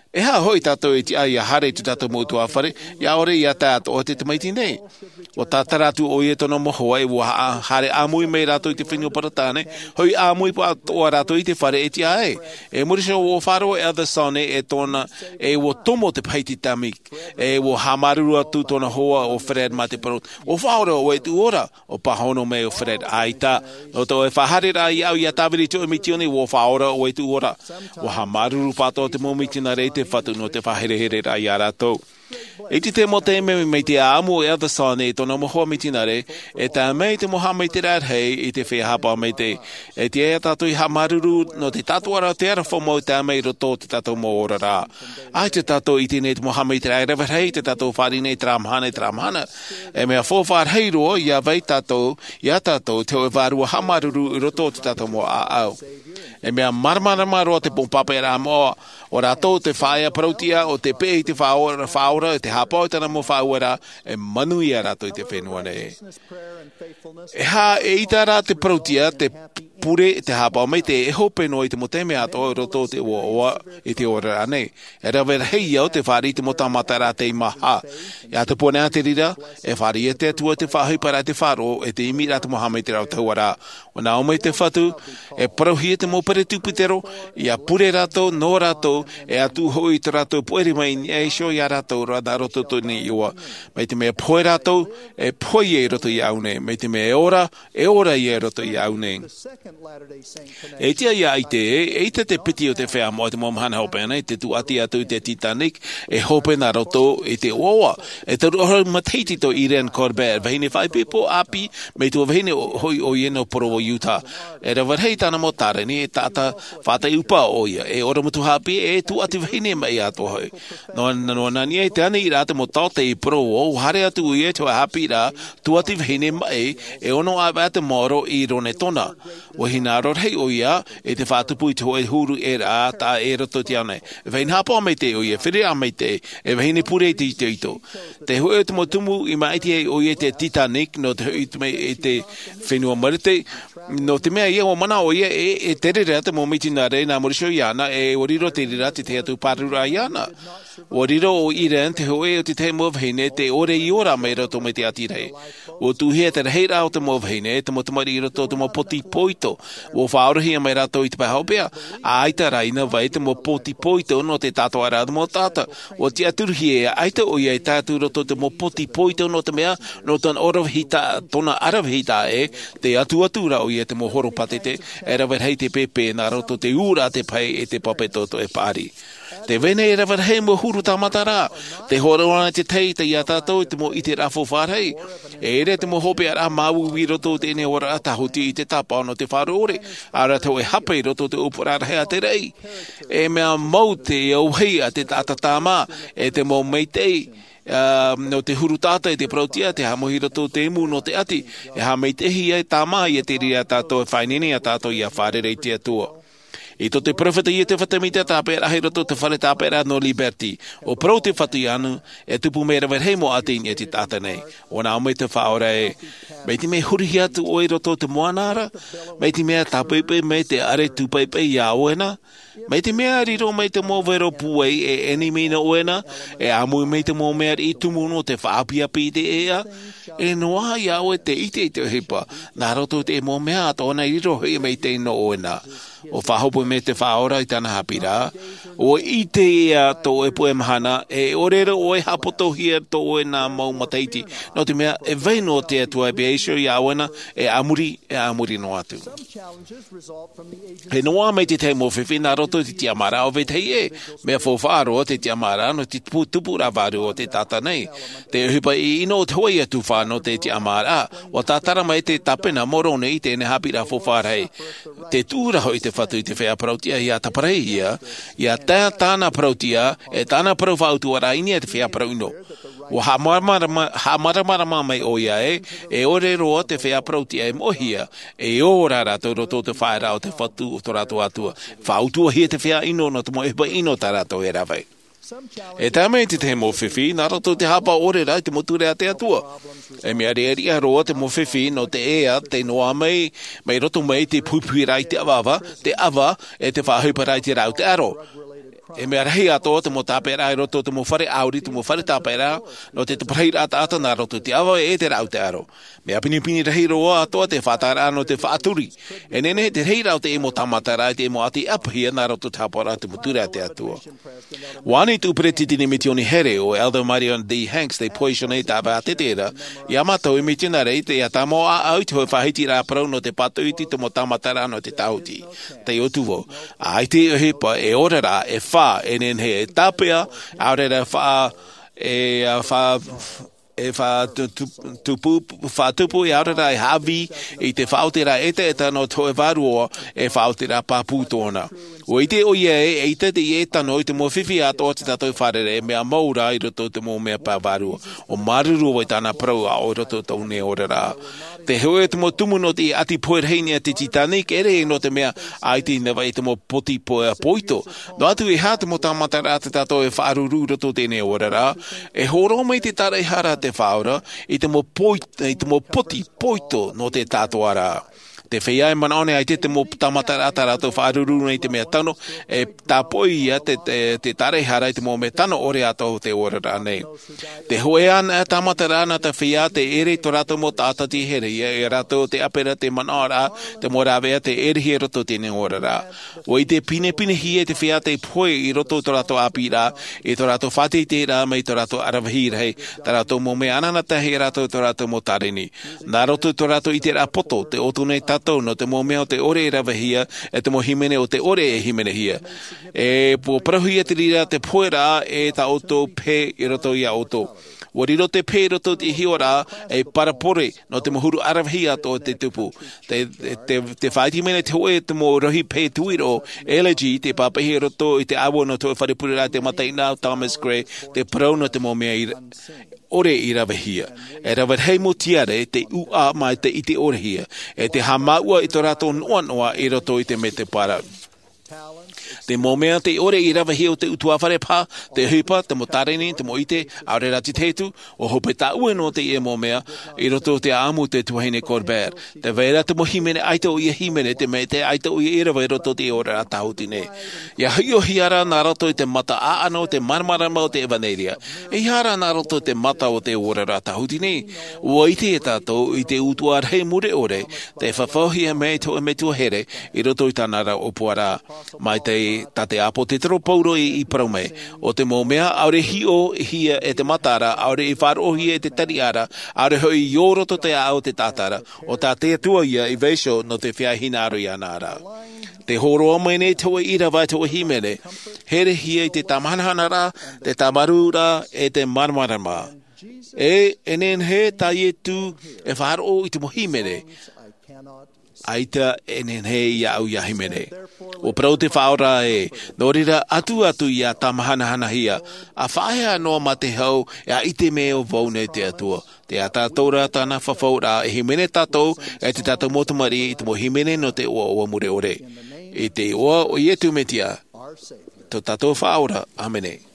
E aha hoʻi tātou e tiʻa ʻia haere i tō tātou mau ʻutuāfare, ʻia ʻore ʻia tae atoʻa te tamaiti nei? ʻUa tātara atu ʻoia i tōna mau hoa, e ua ha-, haere ʻāmui mai rātou i te fenua Peretāne, hoʻi ʻāmui atoʻa rātou i te fare e tiʻa ai. I muri iho ua faʻaroʻo ʻo Elder Sonne e tōna, e ua tomo te pahi Titanic, e ua haʻamāuruuru atu tōna hoa ʻo Fred mā te parau, ʻua faʻaora ʻoe i te ora. ʻUa pāhono mai ʻo Fred, ʻaita, nō tō ʻoe faʻahaereraʻa iāʻu ʻia tāvini i te hōʻē misiōni, ʻua faʻaora ʻoe i te ora. ʻUa haʻamāuruuru pāʻatoʻa te mau mitionare i te Fatu nō te faʻaherehereraʻa iā rātou. I te tahi mau taime, mai te ʻāʻamu o Elder Sonne i tōna mau hoa mitionare, e tae mai te mau haʻamaitaʻiraʻa rahi i te feiā haʻapaʻo maitaʻi. E tiʻa ia tātou ʻia haʻamāuruuru nō te tātuʻaraʻa o te aroha mau e tae mai i roto i tō tātou mau oraraʻa. ʻAita tātou i ʻite nei te mau haʻamaitaʻiraʻa e rave rahi tei tātou fāriʻi nei terā mahana i terā mahana. E mea faufaʻa rahi roa, ʻia vai tātou, iā tātou, te hōʻē vārua haʻamāuruuru i roto i tō tātou mau ʻāʻau. E mea māramarama roa te mau pāpaʻiraʻa moʻa, ʻo rātou te faʻaea parauʻtiʻa, ʻo tē peʻe i te Faʻaora, Faʻaora, ʻo tē haʻapaʻo i tāna mau faʻaueraʻa, e manuia rātou i te fenua nei. E aha, eʻita rā te parauʻtiʻa, te pure, te haʻapaʻo maitaʻi, e hope noa i te mau taime atoʻa i roto i te ʻoaʻoa i te oraraʻa nei. E rave rahi au tei fāriʻi i te mau tāmataraʻa tei maha. ʻIa tupu anaʻe te reira, e fāriʻi ia te Atua te faʻaʻohiparaʻa, te faʻaroʻo, e te ʻimiraʻa te mau haʻamaitaʻiraʻa o te atua ra. ʻUa nā ʻō mai te Fatu, e parauhia te mau peresibutero, ʻia pure rātou, nō rātou, e ʻatu hoʻi i tō rātou pōʻere mai i niʻa iho iā rātou ra nā roto i tō ʻoe iʻoa. Mai te mea e pohe rātou, e pohe ia i roto iāʻu nei. Mai te mea e ora, e ora ia i roto iāʻu nei. E tiʻa ʻia ʻite, eʻita te piti o te feiā moʻa i te mau mahana hopeʻa nei, tē tūʻati atu i te Titanic, e hope nā roto i te ʻoaʻoa. E toru ʻahuru matahiti tō Irene Corbett, vahine faʻaipoipo ʻāpī, mai tuahine hoʻi ʻoia nō Provo, Utah. E rave rahi tāna mau taʻata, e taʻata faʻaʻite ʻupa ʻoia, e ʻorometua haʻapiʻi, e tūʻati vahine maʻi atoʻa hoʻi. Noa, noa nā niʻa i te aniraʻa te mau taote i Provo, ʻua haere atu ʻoia i te hōʻē haʻapiʻiraʻa tūʻati vahine maʻi, e ono ʻāvaʻe te maoro i Rarotonga. Ua hinaaro rahi ʻoia i te faʻatupu i te hōʻē huru ʻē rā taʻa ʻē roto i te ao nei. E vahine haʻapaʻo maitaʻi ʻoia, fereraʻa maitaʻi, e vahine pure i te itoito. Te hōʻē o te mau tumu i māʻiti ai ʻoia i te Titanic nō te hoʻi mai i te fenua Marite. Nō te mea ia ua manaʻo ʻoia e, e tere ra te mau mitionare nā Mōrise iāna, e ua riro te reira tētahi atu pāruru iāna. Ua riro ʻo Irene, te hōʻē o te tahi mau vahine, te ʻore i ora mai roto mai te ʻati rahi. Ua tuʻuhia te rahiraʻa o te mau vahine, te mau tamariʻi i roto o te mau poti poito. Ua faʻaorahia mai rātou i te pae hopeʻa, ʻaita rā ina vai te mau poti poito nō te tātoʻaraʻa o te mau taʻata. Ua tiʻaturuhia e ʻaita ʻoia e tae atu i roto i te mau poti poito nō te mea, nō tōna ʻaravihi tā-, tōna ʻaravihi taʻa ʻē, tē atu atu ra ʻoia te mau horopātete, e rave rahi te pēpē nā roto i te ūraʻa, te pae e te pape toto e paʻari. Te vahine e rave rahi mau huru tāmata ra, tē hōroʻa ana te tahi iā tātou i te mau ʻiteraʻa faufaʻa rahi. E ʻere te mau hopeʻaraʻa māuiui i roto i teie nei oraraʻa tāhuti i te tāpaʻo nō te faʻaroʻore, ʻaore rā te hōʻē hape i roto i te ʻōpuaraʻa rahi a te raʻi. E mea mau te auahi a te taʻata tāmā, e te mau maitaʻi, ā, nō te huru taʻata i te parauʻtiʻa, te haʻamauiui i roto i te imu nō te ʻati, e haʻamaitaʻihia e tāmā ia te reira tātou e faʻaineine iā tātou ʻia fārerei i te Atua. I tō te peropheta Iotefa Semita, tāpeʻaraʻa i roto i te fare tāpeʻaraʻa nō Liberty. ʻUa parau te Fatu iāna, e tupu mai rave rahi mau ʻāti i niʻa i te taʻata nei. ʻUa nā ʻō mai te Faʻaora ē, mai te mea e hurihia atu ʻoe i roto i te moana ra, mai te mea tāpaepae mai te ʻare tūpaepae iā ʻoe na, mai te mea riro mai te mau vero pūai e ʻenemi nō ʻoe na, e ʻāmui mai te mau mea riʻi tumu nō te faʻaapiapi i te ʻēʻa, e noaʻa iā ʻoe te ʻite i te ʻohipa, nā roto i te mau mea atoʻa nā riro hoʻi mai te nō ʻoe na. ʻUa faʻahope mai te Faʻaora i tāna haʻapiʻiraʻa. ʻUa ʻite ʻoe tō ʻoe puʻe mahana, e ʻore roa ʻoe e haʻapotohia tō ʻoe nā mau matahiti. Nō te mea, e vai noa te Atua e pīhaʻi iho iā ʻoe na, e a muri, e a muri noa atu. E noaʻa mai te tahi mau fifi nā roto i te tiʻamāraʻa o vetahi ʻē. Mea faufaʻa roa te tiʻamāraʻa nō te tupu, tupuraʻa vārua o te taʻata nei. Te ʻohipa ʻino o te hōʻē tūfā nō te tiʻamāraʻa. ʻUa tātara mai te tāpena a Moromona i teie nei haʻapiʻiraʻa faufaʻa rahi. Tē tuʻu ra hoʻi te Fatu i te feiā parauʻtiʻa ʻia taparahihia, ʻia tae tāna parauʻtiʻa, e tāna parau faʻautuʻaraʻa i niʻa i te feiā parau ʻino. ʻUa haʻamāramarama, haʻamāramarama mai ʻoia ē, e ʻore roa te feiā parauʻtiʻa e moʻehia, e ora rātou i roto i te faʻaearaʻa o te Fatu o tō rātou Atua. Faʻautuʻahia te feiā ʻino nō te mau ʻohipa ʻino tā rātou e rave. E tae mai te tahi mau fifi, nā roto i te haʻapaʻo ʻore ra i te mau ture a te Atua. E mea riʻariʻa roa te mau fifi nō te ea, tē noaʻa mai, mai roto mai te puhipuhiraʻa i te ʻavaʻava, te ʻava, e te faʻaʻohiparaʻa i te rāʻau taʻero. E mea rahi atoʻa te mau tāpeʻaraʻa i roto i te mau fare ʻāuri, te mau fare tāpeʻaraʻa, nō te taparahi taʻata nā roto i te ʻava e te rāʻau taʻero. Mea pinepine rahi roa atoʻa te faʻataʻaraʻa nō te faʻaturi. E nehenehe te rahiraʻa o te mau tāmataraʻa i te mau ʻati ʻāpīhia nā roto i te haʻapaʻoraʻa i te mau ture a te Atua. ʻUa ani te peresideni misiōni here ʻo Elder Marion D. Hanks tei pohe iho nei i te ʻāvaʻe ʻātete ra, iā mātou e mitionare, ʻia tāmau ʻāʻau i te hōʻē faʻahitiraʻa parau nō te pātoʻi i te mau tāmataraʻa nō te tāhuti. Taiʻo atu vau, ʻaita e ʻohipa, e oraraʻa, e fā, e nehenehe e tāpeʻa, ʻaore rā e faʻa-, e, a, faʻa-, e faʻatu-, tu-, tupu, faʻatupu, e ʻaore rā e haʻavī i te faʻaotiraʻa ʻetaʻeta nō te hōʻē vārua, e faʻaotiraʻa pāpū tōna. ʻUa ʻite ʻoia ē, eʻita te, e tano i te mau fifi atoʻa tā tātou e fārerei, e mea mau rā i roto i te mau mea pae vārua. ʻUa māuruuru vau i tāna parau ʻāʻau i roto i tōʻu nei oraraʻa. Te hōʻē o te mau tumu nō te ʻati pohe rahi i niʻa i te Titanic, e ʻere nō te mea ʻaita i nehenehe te mau poti pohe poito. Noa atu e aha te mau tāmataraʻa tā tātou e faʻaruru i roto i teie nei oraraʻa, e hōroʻa mai te tāraʻehara a te Faʻaora i te mau poi-, i te mau poti poito nō te tātoʻaraʻa. Te feiā e manaʻo nei ʻaita te mau tāmataraʻa tā rātou e faʻaruru nei i te mea tano, e tāpoʻi ia te, te, te tāraʻehara i te mau mea tano ʻore atoʻa o te oraraʻa nei. Te hōʻē anaʻe tāmataraʻa nā te feiā tē ʻere i tō rātou mau taʻata tei herehia, e rātou te ʻāpera, te manaʻoraʻa, te mau rāveʻa tē ʻerehia i roto i teie nei oraraʻa. ʻUa ʻite pinepinehia e te feiā tei pohe i roto i tō rātou ʻāpīraʻa, i tō rātou faʻateiteiraʻa mai tō rātou ʻaravihi rahi, tā rātou mau mea anaanatahi e rātou tō rātou mau tāreni. Nā roto i tō rātou ʻiteraʻa poto, tē ʻoto nei tātou nō te mau mea o te ʻore e ravehia, e te mau hīmene o te ʻore e hīmenehia. E ʻua parauhia te reira te poheraʻa e tā ʻoutou pehe i roto iā ʻoutou. ʻUa riro te pehe i roto i te hiʻoraʻa, e parabole nō te mau huru ʻaravihi atoʻa tei tupu. Te, te, te, te faʻaʻite mai nei te hōʻē te mau rohi pehe tuiroʻo, allergy, tei pāpaʻihia i roto i te ʻāua nō te hōʻē fare pureraʻa a te mataʻeinaʻa Thomas Gray, tē parau nō te mau mea i ra-, ʻore i ravehia. E rave rahi mau tiare te ʻūʻā mai te ʻite ʻorehia, e te haʻamāuʻa i tō rātou noʻanoʻa i roto i te mea parau. Te mau mea te ʻore i ravehia o te ʻutuāfare paha, te ʻohipa, te mau tāreni, te mau ʻite, ʻaore rā te hetu, ʻua hope tāʻue noa teie mau mea i roto i te ʻāʻamu o te tuahine Colbert. Tē vai ra te mau hīmene ʻaita ʻoia e hīmene, te mea ʻaita ʻoia i rave i roto i te oraraʻa tāhuti nei. ʻIa hiʻohia rā nā roto i te mata ʻāʻano, te māramarama o te ʻevanelia. ʻEiaha rā nā roto i te mata o te oraraʻa tāhuti nei. ʻUa ʻite e tātou i te ʻutuāfare mure ʻore, tē fafauhia mai te hōʻē metua here i roto i tāna ra ʻōpuaraʻa. Mai te, tā te ʻāpōsetolo Paulo i, i parau mai, ʻo te mau mea ʻaore i hiʻohia e te matara, ʻaore i faʻaroʻohia e te tariʻara, ʻaore hoʻi i ō roto i te ʻāʻau o te taʻata ra, ʻo tā te Atua ïa i vaiiho nō te feiā hinaʻaro iāna ra. Tē hōroʻa mai nei te hōʻē ʻīrava, te hōʻē hīmene, herehia i te tāmāhanahanaraʻa, te tāmarūraʻa, e te māramarama. E, e nehenehe tā Iesu e faʻaroʻo i te mau hīmene. ʻAita e nehenehe iāʻu ʻia hīmene. ʻUa parau te Faʻaora ē, nō reira atu atu ʻia tāmāhanahanahia, ʻa faʻaea noa mā te hau, e ʻaita e mea ʻo vau nei te Atua. Tē ʻā tātou ra tāna fafauraʻa, e hīmene tātou, e te tātou mau tamariʻi, i te mau hīmene nō te ʻoaʻoa mure ʻore. I te iʻoa o Iesu Mesia, tō tātou Faʻaora. ʻĀmene.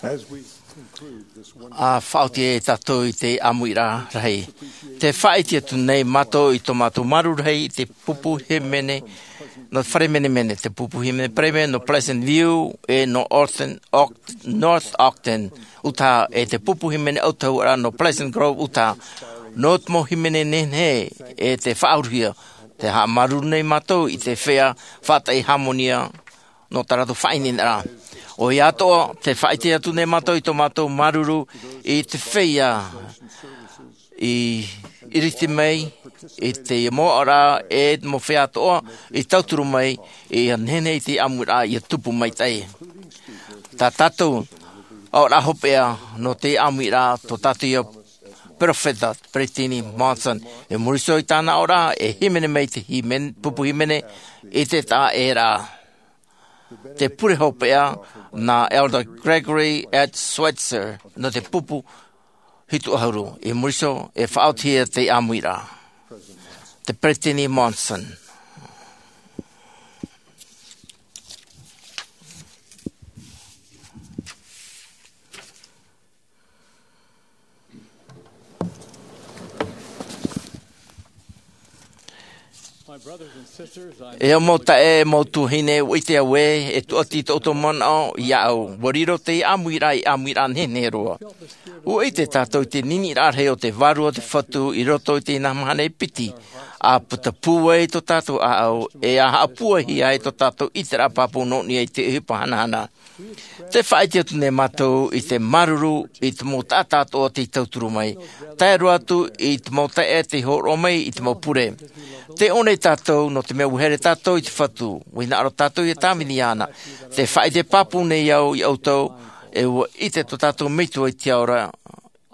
As we conclude this one ʻA faʻaoti e tātou i te ʻāmuiraʻa rahi. Tē faʻaʻite atu nei mātou i tō mātou māuruuru rahi i te pupu hīmene, nō Fare Menemene, te pupu hīmene Paremata nō Pleasant View, e nō Ogden, Oct-, North Ogden, Utah, e te pupu hīmene ʻAutahuʻaraʻa nō Pleasant Grove, Utah. Nō te mau hīmene nehenehe e tē faʻauruhia, tē haʻamāuruuru nei mātou i te feiā faʻataʻi hāmani nō tā rātou faʻaineineraʻa. ʻOia atoʻa, tē faʻaʻite atu nei mātou i tō mātou māuruuru i te feiā i ʻiriti mai, i te mau aʻoraʻa, e te mau feiā atoʻa i tauturu mai, ʻia nehenehe i te ʻāmuiraʻa ʻia tupu maitaʻi. Tā tātou aʻoraʻa hopeʻa nō te ʻāmuiraʻa, tō tātou ïa perofeta, Peretiteni Monson, i muri iho i tāna aʻoraʻa, e hīmene mai te hīmen-, pupu hīmene i te taʻeraʻa. Te pure hopeʻa nā Elder Gregory H. Switzer nō te pupu hitu ʻahuru, i muri iho e faʻaotihia te ʻāmuiraʻa. Te Peretiteni Monson. E au mau taeaʻe, mau tuahine, ʻua ʻite au ē, e tuʻati tō ʻoutou manaʻo iāʻu. ʻUa riro te ʻāmuiraʻa ei ʻāmuiraʻa nehenehe roa. ʻUa ʻite tātou i te niniʻiraʻa rahi o te Vārua o te Fatu i roto i teie mahana e piti. ʻA puta pūai tō tātou ʻāʻau, e ʻa haʻapūaihia ai tō tātou ʻiteraʻa pāpū nō niʻa i te ʻohipa hanahana. Tē faʻaʻite atu nei mātou i te māuruuru i te mau taʻata atoʻa tei tauturu mai, tae roa atu i te mau taeaʻe tei hōroʻa mai i te mau pure. Tē ʻō nei tātou nō te mea ʻua haere tātou i te Fatu, ʻua hinaʻaro tātou ʻia tāvini iāna. Tē faʻaʻite pāpū nei au iā ʻoutou, e ʻua ʻite tō tātou Metua i te ao ra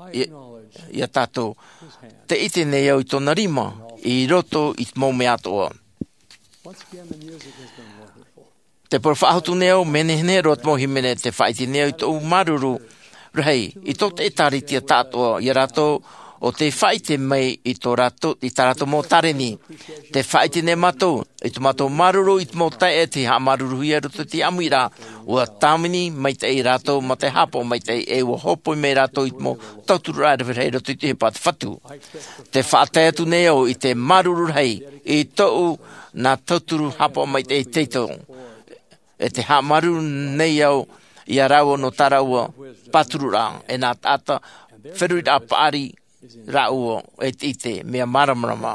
iā, iā tātou. Tē ʻite nei au i tōna rima i roto i te mau mea atoʻa. Tē parau faʻahou atu nei au, mea nehenehe roa te mau hīmene. Tē faʻaʻite nei au i tōʻu māuruuru rahi i tō te ʻĒtārētia tāʻātoʻa, iā rātou ʻo tē faʻaʻite mai i tō rātou, i tā rātou mau tāreni. Tē faʻaʻite nei mātou i tō mātou māuruuru i te mau taeaʻe tei haʻamāuruuruhia i roto i te ʻāmuiraʻa, ʻua tāvini maitaʻi rātou mā te haʻapaʻo maitaʻi, e ʻua hōpoi mai rātou i te mau tautururaʻa e rave rahi i roto i te ʻohipa a te Fatu. Tē faʻatae atu nei au i te māuruuru rahi i tōʻu nā tauturu haʻapaʻo maitaʻi teitei. E tē haʻamāuruuru nei au iā rāua nō tā rāua pātururaʻa, e nā taʻata feruriraʻa paʻari rāua e te ʻite, mea māramarama.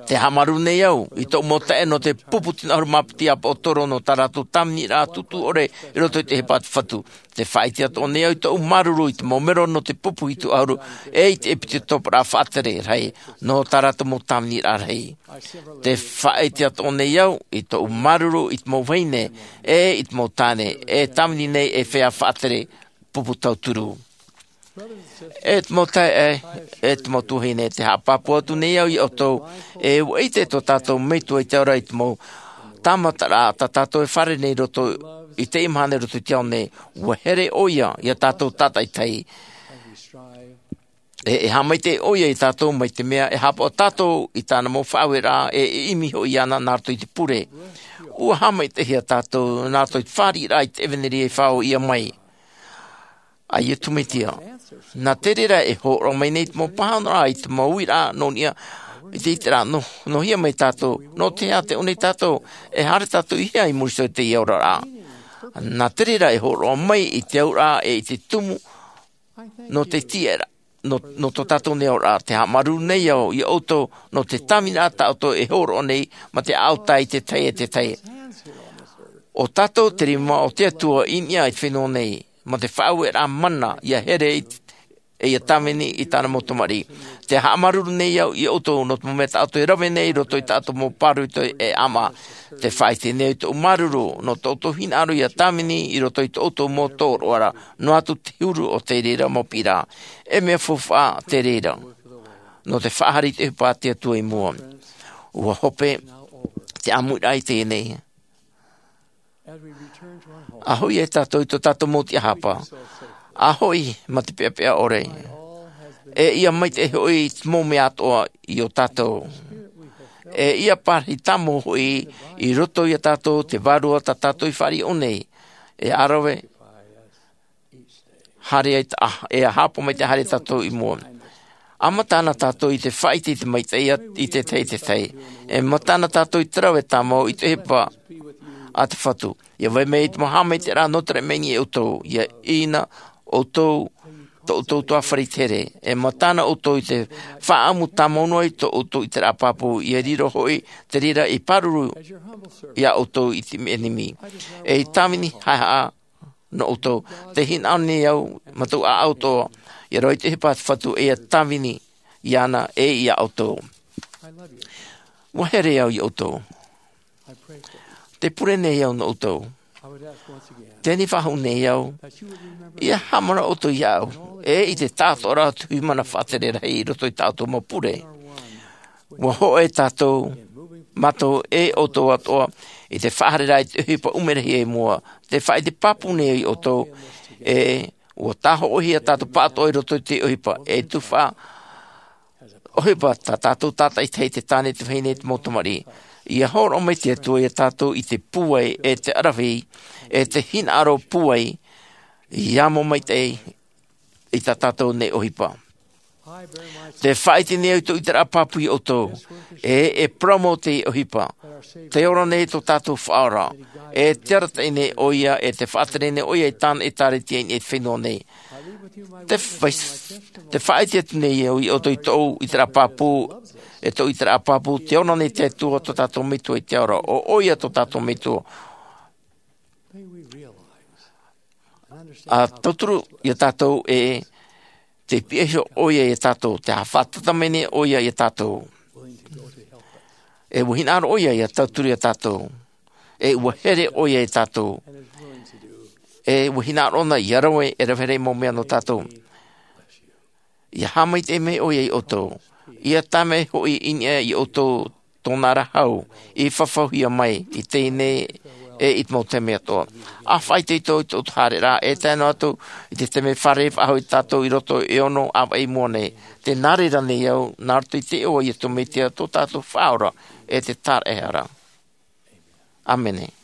Tē haʻamāuruuru nei au i tōʻu mau taeaʻe nō te pupu tino ʻahuru mā piti ʻāpoʻotoro nō tā rātou tāviniraʻa tūtū ʻore i roto i te ʻohipa a te Fatu. Tē faʻaʻite atoʻa nei au i tōʻu māuruuru i te mau mero nō te pupu hitu ʻahuru, e i te ʻEpitetoporaʻa faʻatere rahi, nō tā rātou mau tāviniraʻa rahi. Tē faʻaʻite atoʻa nei au i tōʻu māuruuru i te mau vahine, e i te mau tāne, e tāvini nei ei feiā faʻatere pupu tauturu. E te mau taeaʻe, e te mau tuahine, te haʻapāpū atu nei au iā ʻoutou, e ʻua ʻite tō tātou Metua i te ao ra i te mau tāmataraʻa tā tātou e fārerei nei i roto i teie mahana i roto i te ao nei, ʻua here ʻoia iā tātou tātaʻitahi. E, e haʻamaitaʻi ʻoia iā tātou mai te mea e haʻapaʻo tātou i tāna mau faʻaueraʻa e, e ʻimi hoʻi iāna nā roto i te pure. ʻUa haʻamaitaʻihia tātou nā roto i te fāriʻiraʻa i te ʻevanelia i faʻaō mai. ʻA Iesu Mesia. Nā te reira e hōroʻa mai nei te mau pāhonoraʻa i te mau uiraʻa nō niʻa i te ʻiteraʻa nō, nō hea mai tātou, nō te aha tē ʻō nei tātou, e haere tātou i hea i muri iho i teie aroraʻa. Nā te reira e hōroʻa mai i te auraʻa e i te tumu, nō te tiʻaraʻa, nō, nō tō tātou nei aroraʻa, te haʻamāuruuru nei au iā ʻoutou, nō te tāviniraʻa tā ʻoutou e hōroʻa nei, mā te ʻaʻau tae i te tahi e te tahi. ʻO tātou te rima o te Atua i niʻa i te fenua nei, mā te faʻaueraʻa mana, ʻia here i, e ʻia tāvini i tāna mau tamariʻi. Te haʻamāuruuru nei au iā ʻoutou, nō te mau mea tā ʻoutou e rave nei, i roto i tā ʻoutou mau pāroita e ʻāmaʻa. Te faʻaʻite nei au i tōʻu māuruuru, nō tō ʻoutou hinaʻaro ʻia tāvini, i roto i tō ʻoutou mau tōroʻa ra, noa atu te huru o te reira mau piʻiraʻa. E mea faufaʻa te reira. Nō te faʻahaere i te ʻohipa a te Atua i mua. ʻUa hope, te ʻāmuiraʻa i teie nei. ʻA hoʻi e tātou i tō tātou mau tiʻahapa. ʻA hoʻi, mā te peʻapeʻa ʻore. E ʻia maitaʻi hoʻi te mau mea atoʻa iā tātou. E ʻia pārahi tāmau hoʻi i roto iā tātou te vārua tā tātou i fāriʻi nei. E ʻa rave, haere ai tā, e haʻapaʻo mai te haere tātou i mua. ʻA matana tātou i te faʻaʻite i te maitaʻi i te tahi e te tahi. E matana tātou i te rave tāmau i te ʻohipa a te Fatu. ʻIa vai mai te mau haʻamaitaʻiraʻa nō te raʻi mai iā ʻoutou, ʻia ʻī na ʻoutou, tō ʻoutou ʻutuāfare i te here. E matana ʻoutou i te faʻaʻamu tāmau noa i tō ʻoutou ʻiteraʻa pāpū, ʻia riro hoʻi te reira i pāruru iā ʻoutou i te ʻenemi. E i tāvini haʻehaʻa nō ʻoutou. Te hinaʻaro nei au, mā tōʻu ʻāʻau atoʻa, ʻia rave i te ʻohipa a te Fatu e ʻia tāvini iāna e iā ʻoutou. ʻUa here au iā ʻoutou. Te pure nei au nō ʻoutou. Teie nei faʻahou nei au. ʻIa haʻamanaʻo ʻoutou iāʻu. E i te tāʻatoʻaraʻa o te hui mana faʻatere rahi i roto i tā ʻoutou mau pure. ʻUa hōʻē tātou, mātou e ʻoutou atoʻa, i te faʻahaereraʻa i te ʻohipa ʻumerahi i mua, te faʻaʻite pāpū nei iā ʻoutou, e ʻua tāhoʻohia tātou pāʻatoʻa i roto i te ʻohipa, e tufaʻa, ʻohipa tā tātou tātaʻitahi te tāne, te vahine, te mau tamariʻi. ʻIa hōroʻa mai te Atua iā tātou i te pūai, e te ʻaravihi, e te hinaʻaro pūai, ʻia mau maitaʻi, i tā tātou nei ʻohipa. Te faʻaʻite nei au i tōʻu ʻiteraʻa pāpū iā ʻoutou, e, e parau mau te ʻohipa. Tē ora nei tō tātou Faʻaora, e te arataʻi nei ʻoia, e te faʻatere nei ʻoia i tāna ʻĒtārētia i niʻa i te fenua nei. Te fai-, te faʻaʻite atu nei au iā ʻoutou i tōʻu ʻiteraʻa pāpū, e tōʻu ʻiteraʻa pāpū, tē ora nei te Atua tō tātou Metua i te ao ra, ʻo ʻoia tō tātou Metua. ʻA tauturu iā tātou e te piʻi iho ʻoia iā tātou, te haʻafātata mai nei ʻoia iā tātou. E ʻua hinaʻaro ʻoia ʻia tauturu iā tātou. E ʻua here ʻoia iā tātou. E ʻua hinaʻaro ʻōna ʻia rave, e rave rahi mau mea nō tātou. ʻIa haʻamaitaʻi mai ʻoia iā ʻoutou. ʻIa tae mai hoʻi i niʻa iā ʻoutou tōna ra hau, i fafauhia mai, i teie nei, e i te mau taime atoʻa. ʻA faʻaitoito i tō ʻoutou haereraʻa, e tae noa atu, i te taime fārerei faʻahou tātou i roto e ono ʻāvaʻe i mua nei. Tē nā reira nei au, nā roto i te iʻoa o Iesu Mesia tō tātou Faʻaora, e te Tāraʻehara. ʻĀmene.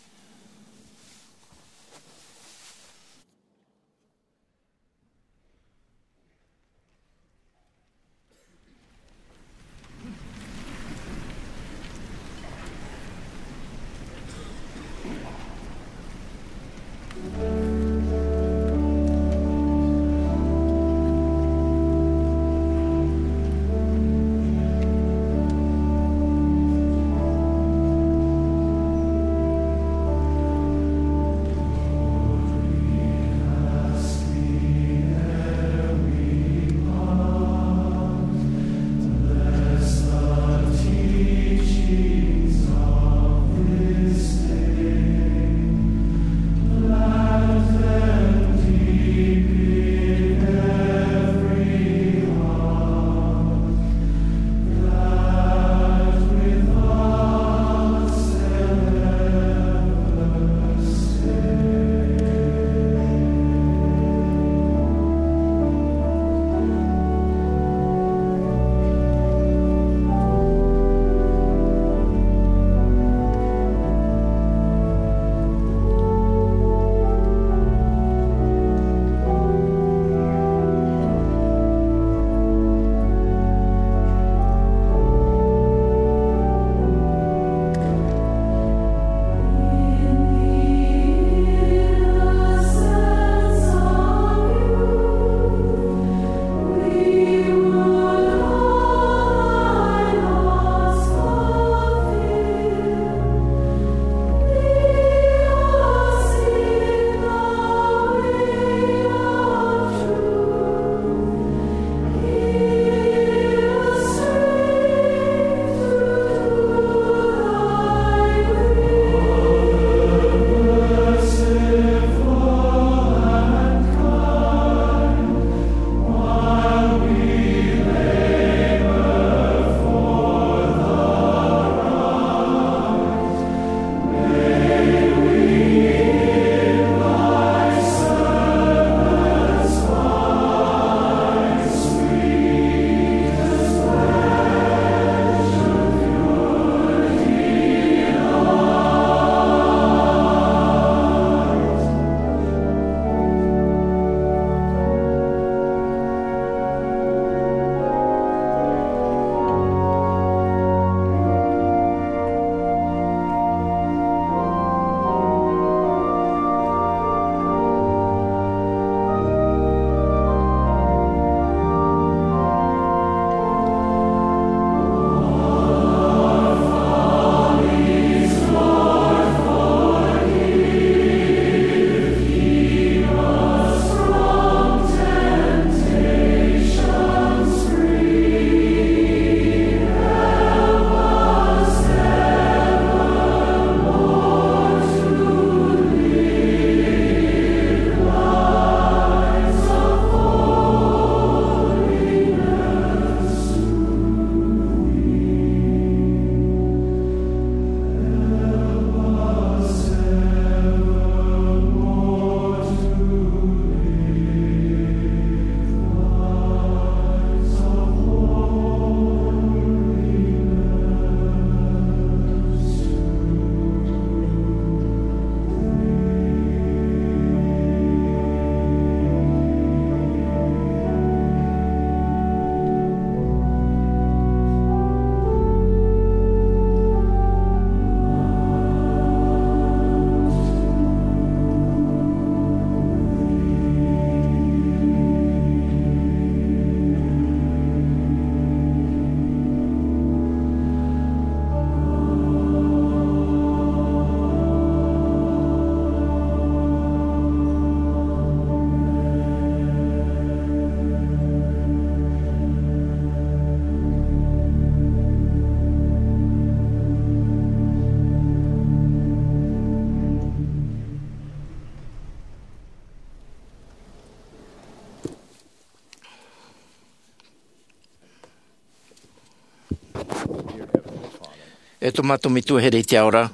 E tō mātou Metua here i te ao ra,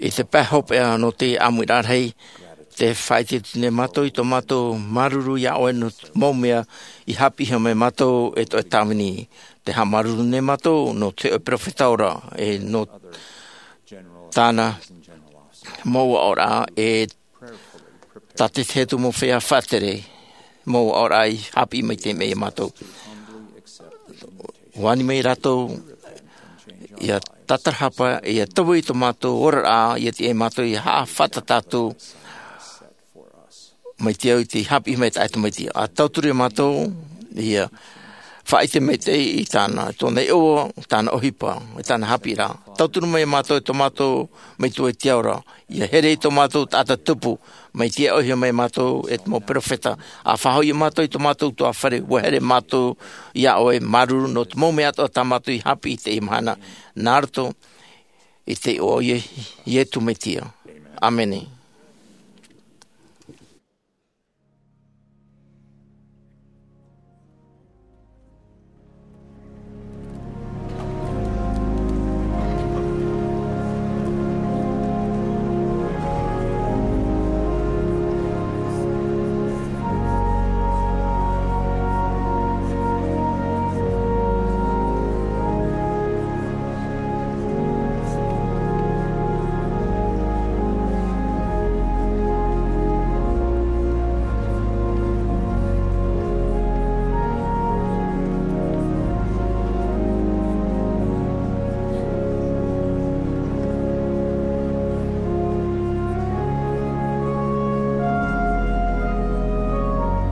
i te pae hopeʻa nō te ʻāmuiraʻa rahi, te faʻaʻite atu nei mātou i tō mātou māuruuru iā ʻoe nō te mau mea i haʻapiʻihia mai mātou e tō ʻoe tāvini. Te haʻamāuruuru nei mātou nō te ʻoe peropheta ora, e nō tāna mau aʻoraʻa, e tā te tahi atu mau feiā faʻatere, mau aʻoraʻa i haʻapiʻi mai te mea iā mātou. ʻUa ani mai rātou, ʻia tātarahapa, ʻia taui i tō mātou oraraʻa, ʻia tiʻa iā mātou ʻia haʻafātata atu mai te au i te haʻapiʻi mai taʻata mai te au. ʻA tauturu iā mātou, ʻia faʻaʻite maitaʻi i tāna, i tōna iʻoa, tāna ʻohipa, i tāna haʻapiʻiraʻa. Tauturu mai iā mātou, i tō mātou Metua i te ao ra, ʻia here i tō mātou taʻata tupu, mai te ʻohipa mai mātou e te mau peropheta. ʻA faʻahoʻi iā mātou i tō mātou ʻutuāfare, ʻua here mātou iā ʻoe, māuruuru nō te mau mea atoʻa tā mātou i haʻapiʻi i teie mahana, nā roto i te iʻoa o Ie-, Iesu Mesia. ʻĀmene.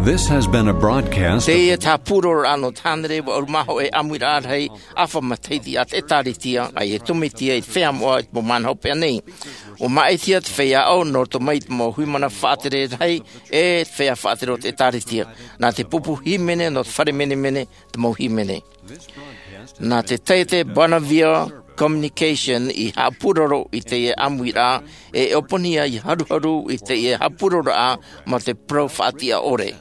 This has been a broadcast of Teie te haʻapūrororaʻa nō te hānere ʻe vaʻu mā hōʻē ʻāmuiraʻa rahi ʻāfa matahiti a te ʻĒkālesia a Iesu Mesia i te feiā moʻa i te mau mahana hopeʻa nei. ʻUa māʻitihia te feiā ʻo, nō roto mai i te mau hui mana faʻatere rahi ʻe te feiā faʻatere o te ʻĒkālesia. Nā te pupu hīmene nō te fare menemene te mau hīmene. Nā te taiete Bonavia Communication i haʻapūroro i teie ʻāmuiraʻa, e ʻōpani ia i haruharu i teie haʻapūrororaʻa mā te parau faʻatiʻa ʻore.